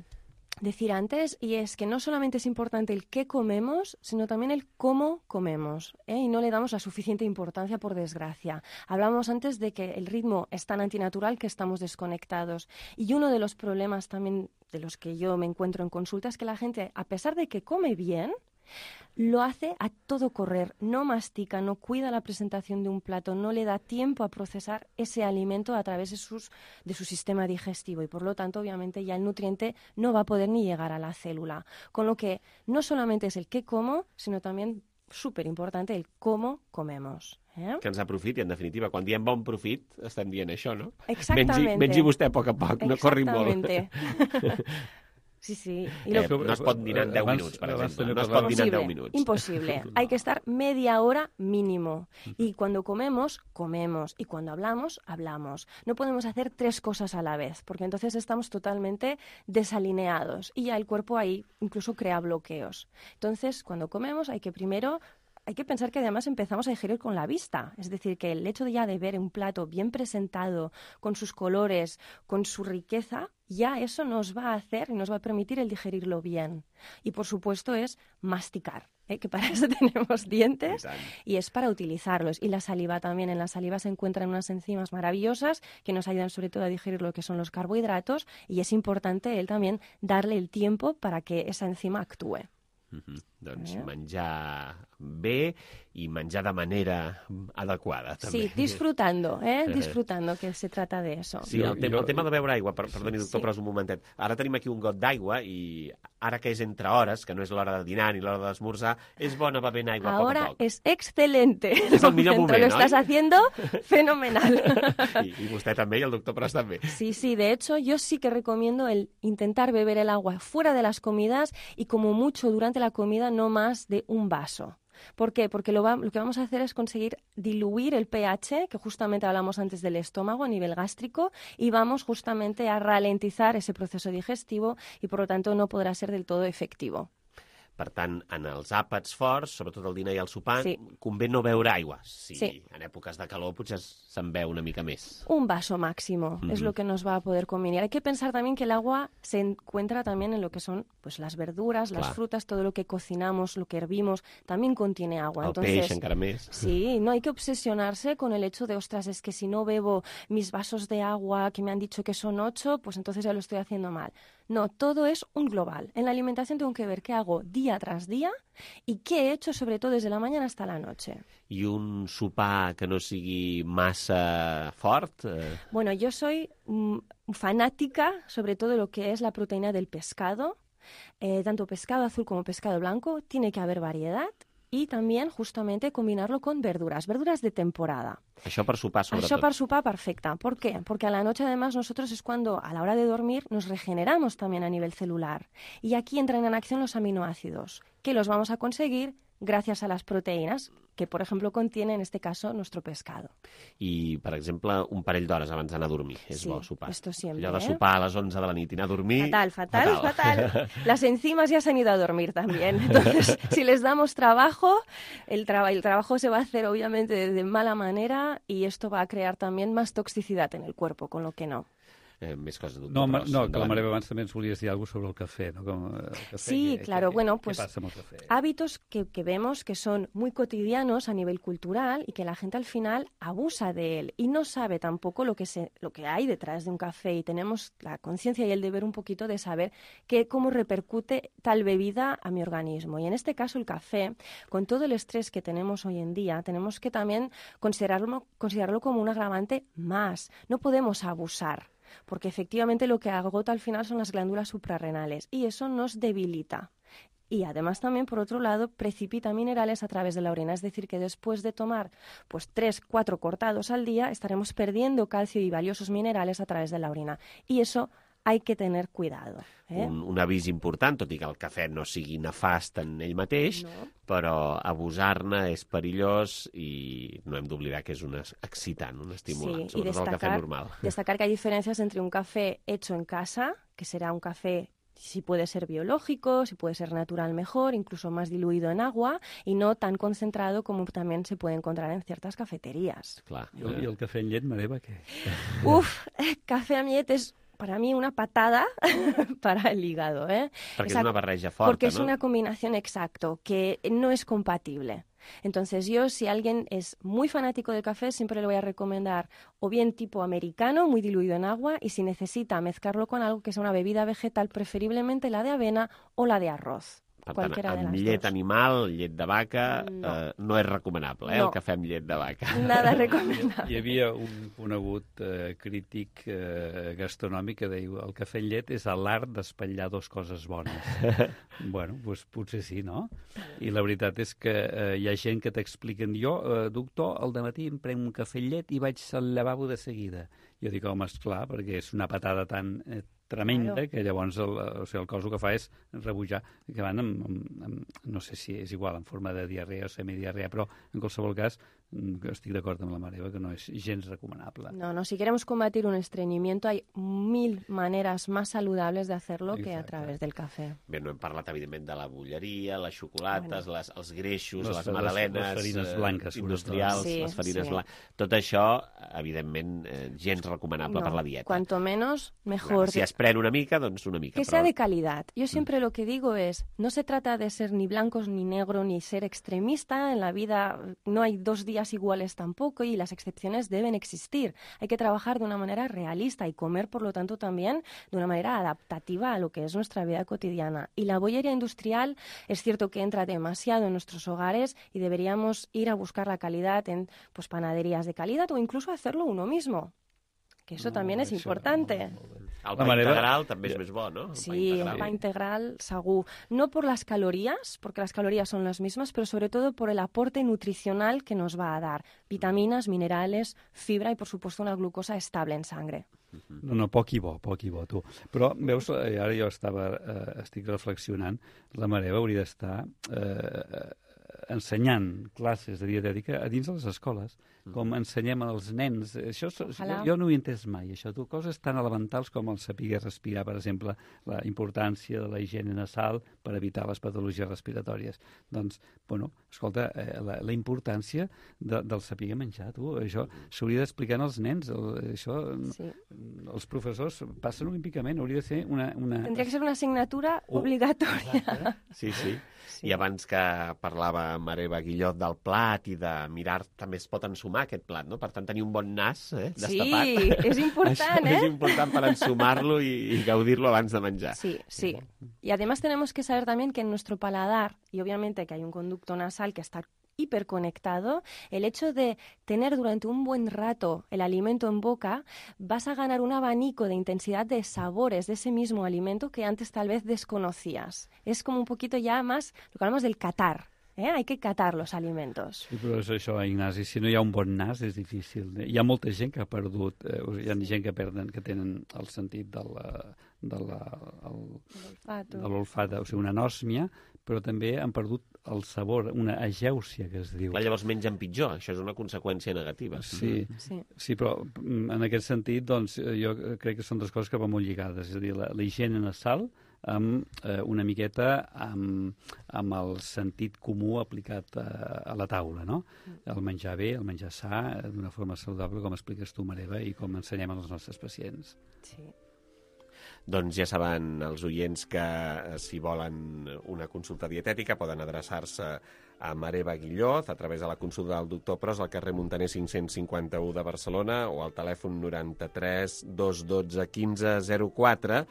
Speaker 3: decir antes, y es que no solamente es importante el qué comemos, sino también el cómo comemos, y no le damos la suficiente importancia, por desgracia. Hablamos antes de que el ritmo es tan antinatural que estamos desconectados, y uno de los problemas también de los que yo me encuentro en consulta es que la gente, a pesar de que come bien, lo hace a todo correr, no mastica, no cuida la presentación de un plato, no le da tiempo a procesar ese alimento a través de su sistema digestivo y por lo tanto obviamente ya el nutriente no va a poder ni llegar a la célula. Con lo que no solamente es el qué como, sino también súper importante el cómo comemos.
Speaker 2: Que ens aprofiti, en definitiva. Quan diem bon profit, estem dient això, no?
Speaker 3: Exactamente.
Speaker 2: Mengi vostè a poc a poc, no corri molt.
Speaker 3: Sí, sí.
Speaker 2: No es pot dinar en 10 minuts, per exemple. No es pot dinar en 10 minuts.
Speaker 3: Imposible. Hay que estar media hora mínimo. Y cuando comemos, comemos. Y cuando hablamos, hablamos. No podemos hacer 3 cosas a la vez, porque entonces estamos totalmente desalineados. Y ya el cuerpo ahí incluso crea bloqueos. Entonces, cuando comemos, hay que pensar que además empezamos a digerir con la vista. Es decir, que el hecho de ya de ver un plato bien presentado, con sus colores, con su riqueza, ya eso nos va a hacer y nos va a permitir el digerirlo bien. Y por supuesto es masticar, que para eso tenemos dientes y es para utilizarlos. Y la saliva también. En la saliva se encuentran unas enzimas maravillosas que nos ayudan sobre todo a digerir lo que son los carbohidratos y es importante darle el tiempo para que esa enzima actúe.
Speaker 2: Doncs menjar bé i menjar de manera adequada, també.
Speaker 3: Sí, disfrutando, disfrutando, que se trata de eso.
Speaker 2: Sí, el tema de beure aigua, perdoni, doctor, però és un momentet. Ara tenim aquí un got d'aigua i ara que és entre hores, que no és l'hora de dinar ni l'hora d'esmorzar, és bona bevent aigua a poc a
Speaker 3: Ahora
Speaker 2: poc.
Speaker 3: es excelente.
Speaker 2: És el millor moment,
Speaker 3: Lo
Speaker 2: oi?
Speaker 3: estás haciendo fenomenal.
Speaker 2: I vostè també, i el doctor Pros també.
Speaker 3: Sí, de hecho, yo sí que recomiendo el intentar beber el agua fuera de las comidas y como mucho durante la comida no más de un vaso. ¿Por qué? Porque lo que vamos a hacer es conseguir diluir el pH, que justamente hablamos antes del estómago a nivel gástrico, y vamos justamente a ralentizar ese proceso digestivo y por lo tanto no podrá ser del todo efectivo.
Speaker 2: Per tant, en els àpats forts, sobretot el dinar i el sopar,
Speaker 3: Sí.
Speaker 2: convé no beure aigua. Sí,
Speaker 3: Sí.
Speaker 2: en èpoques de calor potser se'n beu una mica més.
Speaker 3: Un vaso máximo es lo que nos va a poder convenir. Hay que pensar también que el agua se encuentra también en lo que son pues las verduras, las
Speaker 2: Clar.
Speaker 3: frutas, todo lo que cocinamos, lo que hervimos, también contiene agua.
Speaker 2: El
Speaker 3: Entonces,
Speaker 2: peix encara més.
Speaker 3: Sí, no hay que obsesionarse con el hecho de, ostras, es que si no bebo mis vasos de agua, que me han dicho que son 8, pues entonces ya lo estoy haciendo mal. No, todo es un global. En la alimentación tengo que ver qué hago día tras día y qué he hecho, sobre todo desde la mañana hasta la noche.
Speaker 2: I un sopar que no sigui massa fort?
Speaker 3: Bueno, yo soy fanática, sobre todo de lo que es la proteína del pescado. Tanto pescado azul como pescado blanco, tiene que haber variedad. Y también, justamente, combinarlo con verduras de temporada.
Speaker 2: Això per sopar, sobretot.
Speaker 3: Això per sopar, perfecta. ¿Por qué? Porque a la noche, además, nosotros es cuando, a la hora de dormir, nos regeneramos también a nivel celular. Y aquí entran en acción los aminoácidos, que los vamos a conseguir gracias a las proteínas, que, por ejemplo, contiene, en este caso, nuestro pescado.
Speaker 2: I, per exemple, un parell d'hores abans d'anar a dormir. És
Speaker 3: Sí,
Speaker 2: bo sopar.
Speaker 3: esto siempre,
Speaker 2: Allò de sopar a les 11 de la nit i anar a dormir...
Speaker 3: Fatal. Las enzimas ya se han ido a dormir también. Entonces, si les damos trabajo, el trabajo se va a hacer, obviamente, de mala manera y esto va a crear también más toxicidad en el cuerpo, con lo que no.
Speaker 2: Més coses, doctor
Speaker 22: No,
Speaker 2: Pros.
Speaker 22: que la Mare abans també ens volies dir alguna cosa sobre el cafè, no? Com, el cafè,
Speaker 3: Sí, claro. Bueno, pues
Speaker 22: ¿qué pasa amb el café?
Speaker 3: hábitos que vemos que son muy cotidianos a nivel cultural y que la gente al final abusa de él y no sabe tampoco lo que hay detrás de un café, y tenemos la conciencia y el deber un poquito de saber cómo repercute tal bebida a mi organismo. Y en este caso el café, con todo el estrés que tenemos hoy en día, tenemos que también considerarlo como un agravante más. No podemos abusar, porque efectivamente lo que agota al final son las glándulas suprarrenales y eso nos debilita. Y además también, por otro lado, precipita minerales a través de la orina. Es decir, que después de tomar 3-4 cortados al día, estaremos perdiendo calcio y valiosos minerales a través de la orina. Y eso hay que tener cuidado.
Speaker 2: Un avís important, tot i que el cafè no sigui nefast en ell mateix, però abusar-ne és perillós i no hem d'oblidar que és un excitant, un estimulant, sobretot el cafè normal.
Speaker 3: Destacar que hay diferencias entre un café hecho en casa, que será un café, si puede ser biológico, si puede ser natural mejor, incluso más diluido en agua y no tan concentrado como también se puede encontrar en ciertas cafeterías.
Speaker 2: Clar.
Speaker 22: I el cafè en llet, Mareva, què?
Speaker 3: Café amb llet és para mí una patada para el hígado.
Speaker 2: Perquè és una barreja forta,
Speaker 3: porque
Speaker 2: ¿no?
Speaker 3: es una combinación, exacto, que no es compatible. Entonces yo, si alguien es muy fanático del café, siempre le voy a recomendar o bien tipo americano, muy diluido en agua, y si necesita mezclarlo con algo que sea una bebida vegetal, preferiblemente la de avena o la de arroz.
Speaker 2: Per tant, amb llet animal, llet de vaca, no és recomanable, el cafè amb llet de vaca.
Speaker 3: Nada recomendable.
Speaker 22: Hi havia un conegut crític gastronòmic que deia el cafè amb llet és l'art d'espatllar dos coses bones. Bueno, doncs potser sí, no? I la veritat és que hi ha gent que t'expliqen, jo, doctor, al dematí em prenc un cafè amb llet i vaig al lavabo de seguida. Jo dic, home, esclar, perquè és una patada tan tremenda, que llavors el cos el que fa és rebutjar, que van no sé si és igual, en forma de diarrea o semidiarrea, però en qualsevol cas estic d'acord amb la Mareva que no és gens recomanable.
Speaker 3: No, si queremos combatir un estreñimiento hay 1000 maneras más saludables de hacerlo que a través del cafè.
Speaker 2: Bé, no hem parlat, evidentment, de la bolleria, les xocolates, els greixos, les magdalenes,
Speaker 22: les farines blanques,
Speaker 2: industrials, les farines blanques. Tot això, evidentment, gens recomanable per la dieta.
Speaker 3: Cuanto menos, mejor.
Speaker 2: Si es pren una mica, doncs una mica.
Speaker 3: Que sea de calidad. Yo siempre lo que digo es, no se trata de ser ni blancos ni negro, ni ser extremista. En la vida no hay 2 días iguales tampoco y las excepciones deben existir. Hay que trabajar de una manera realista y comer, por lo tanto, también de una manera adaptativa a lo que es nuestra vida cotidiana. Y la bollería industrial es cierto que entra demasiado en nuestros hogares y deberíamos ir a buscar la calidad en pues, panaderías de calidad o incluso hacerlo uno mismo. Que eso también es importante.
Speaker 2: El pa integral també és més bo, ¿no?
Speaker 3: Sí, el pa integral, segur. No por las calorías, porque las calorías son las mismas, pero sobre todo por el aporte nutricional que nos va a dar. Vitaminas, minerales, fibra y, por supuesto, una glucosa estable en sangre.
Speaker 22: No, poc i bo, tu. Però, veus, ara jo estic reflexionant, la Mare hauria d'estar ensenyant classes de dietètica a dins de les escoles, com ensenyem als nens. Això, jo no ho he entès mai, això. Coses tan elementals com el saber respirar, per exemple, la importància de la higiene nasal per evitar les patologies respiratòries. Doncs, bueno, escolta, la importància del saber menjar, tu. Això s'hauria d'explicar als nens. Això, els professors passen olímpicament, hauria de ser una...
Speaker 3: Tendria que ser una assignatura obligatòria.
Speaker 2: Sí. I abans que parlava Mare Guillot del plat i de mirar, també es pot ensumar aquest plat, no? Per tant, tenir un bon nas destapat.
Speaker 3: Sí, és important,
Speaker 2: Es important para ensumar-lo y gaudirlo antes de manjar.
Speaker 3: Sí. Y además tenemos que saber también que en nuestro paladar, y obviamente que hay un conducto nasal que está hiperconectado, el hecho de tener durante un buen rato el alimento en boca, vas a ganar un abanico de intensidad de sabores de ese mismo alimento que antes tal vez desconocías. Es como un poquito ya más lo que hablamos del catar. Hay que catar los alimentos.
Speaker 22: Sí, però és això, Ignasi, si no hi ha un bon nas és difícil. Hi ha molta gent que ha perdut, hi ha gent que tenen el sentit de l'olfat, o sigui, una anòsmia, però també han perdut el sabor, una agèusia, que es diu.
Speaker 2: Clar, llavors mengen pitjor, això és una conseqüència negativa.
Speaker 22: Sí, però en aquest sentit, doncs, jo crec que són dues coses que van molt lligades, és a dir, la higiene nasal, amb una miqueta amb el sentit comú aplicat a la taula, no? El menjar bé, el menjar sa, d'una forma saludable, com expliques tu, Mareva, i com ensenyem als nostres pacients.
Speaker 3: Sí.
Speaker 2: Doncs ja saben els oients que si volen una consulta dietètica poden adreçar-se a Mareva Guillot a través de la consulta del doctor Pros al carrer Muntaner 551 de Barcelona o al telèfon 93 212 15 04.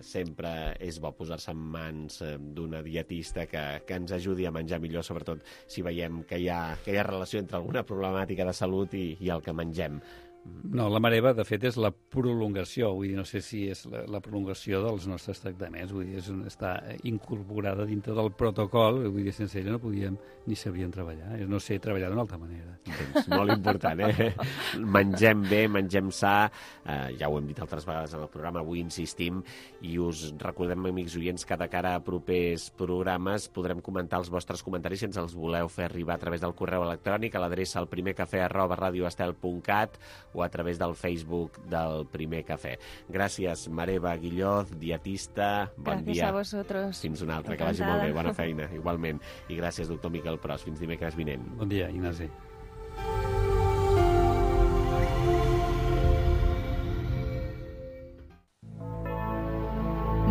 Speaker 2: Sempre és bo posar-se en mans d'una dietista que ens ajudi a menjar millor, sobretot si veiem que hi ha relació entre alguna problemàtica de salut i el que mengem.
Speaker 22: No, la Mareva, de fet, és la prolongació, vull dir, no sé si és la prolongació dels nostres tractaments, vull dir, està incorporada dintre del protocol, vull dir, sense ella no podíem ni sabríem treballar, no sé treballar d'una altra manera.
Speaker 2: És molt important, Mengem bé, mengem sa, ja ho hem dit altres vegades en el programa, avui insistim, i us recordem, amics oients, que de cara a propers programes podrem comentar els vostres comentaris si ens els voleu fer arribar a través del correu electrònic a l'adreça elprimercafè@radioestel.cat o a través del Facebook del Primer Cafè. Gràcies, Mareva Guillot, dietista. Bon dia.
Speaker 3: Gràcies a vosotros.
Speaker 2: Fins una altra, que vagi molt bé. Bona feina, igualment. I gràcies, doctor Miquel Pros. Fins dimecres vinent.
Speaker 22: Bon dia, Ignasi.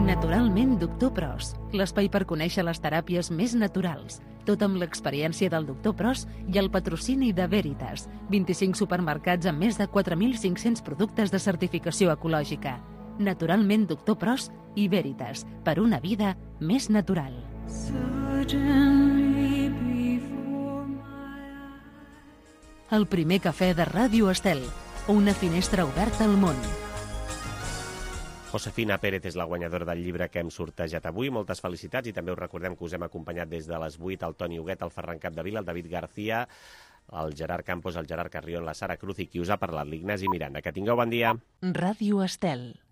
Speaker 1: Naturalment, doctor Pros. L'espai per conèixer les teràpies més naturals. Tot amb l'experiència del doctor Pros i el patrocini de Veritas. 25 supermercats amb més de 4.500 productes de certificació ecològica. Naturalment, doctor Pros i Veritas. Per una vida més natural. El Primer Cafè de Ràdio Estel. Una finestra oberta al món.
Speaker 2: Josefina Pérez és la guanyadora del llibre que hem sortejat avui. Moltes felicitats i també us recordem que us hem acompanyat des de les 8 el Toni Huguet, el Ferran Capdevila, el David García, el Gerard Campos, el Gerard Carrión, la Sara Cruz i qui us ha parlat, l'Ignasi Miranda. Que tingueu bon dia.
Speaker 1: Ràdio Estel.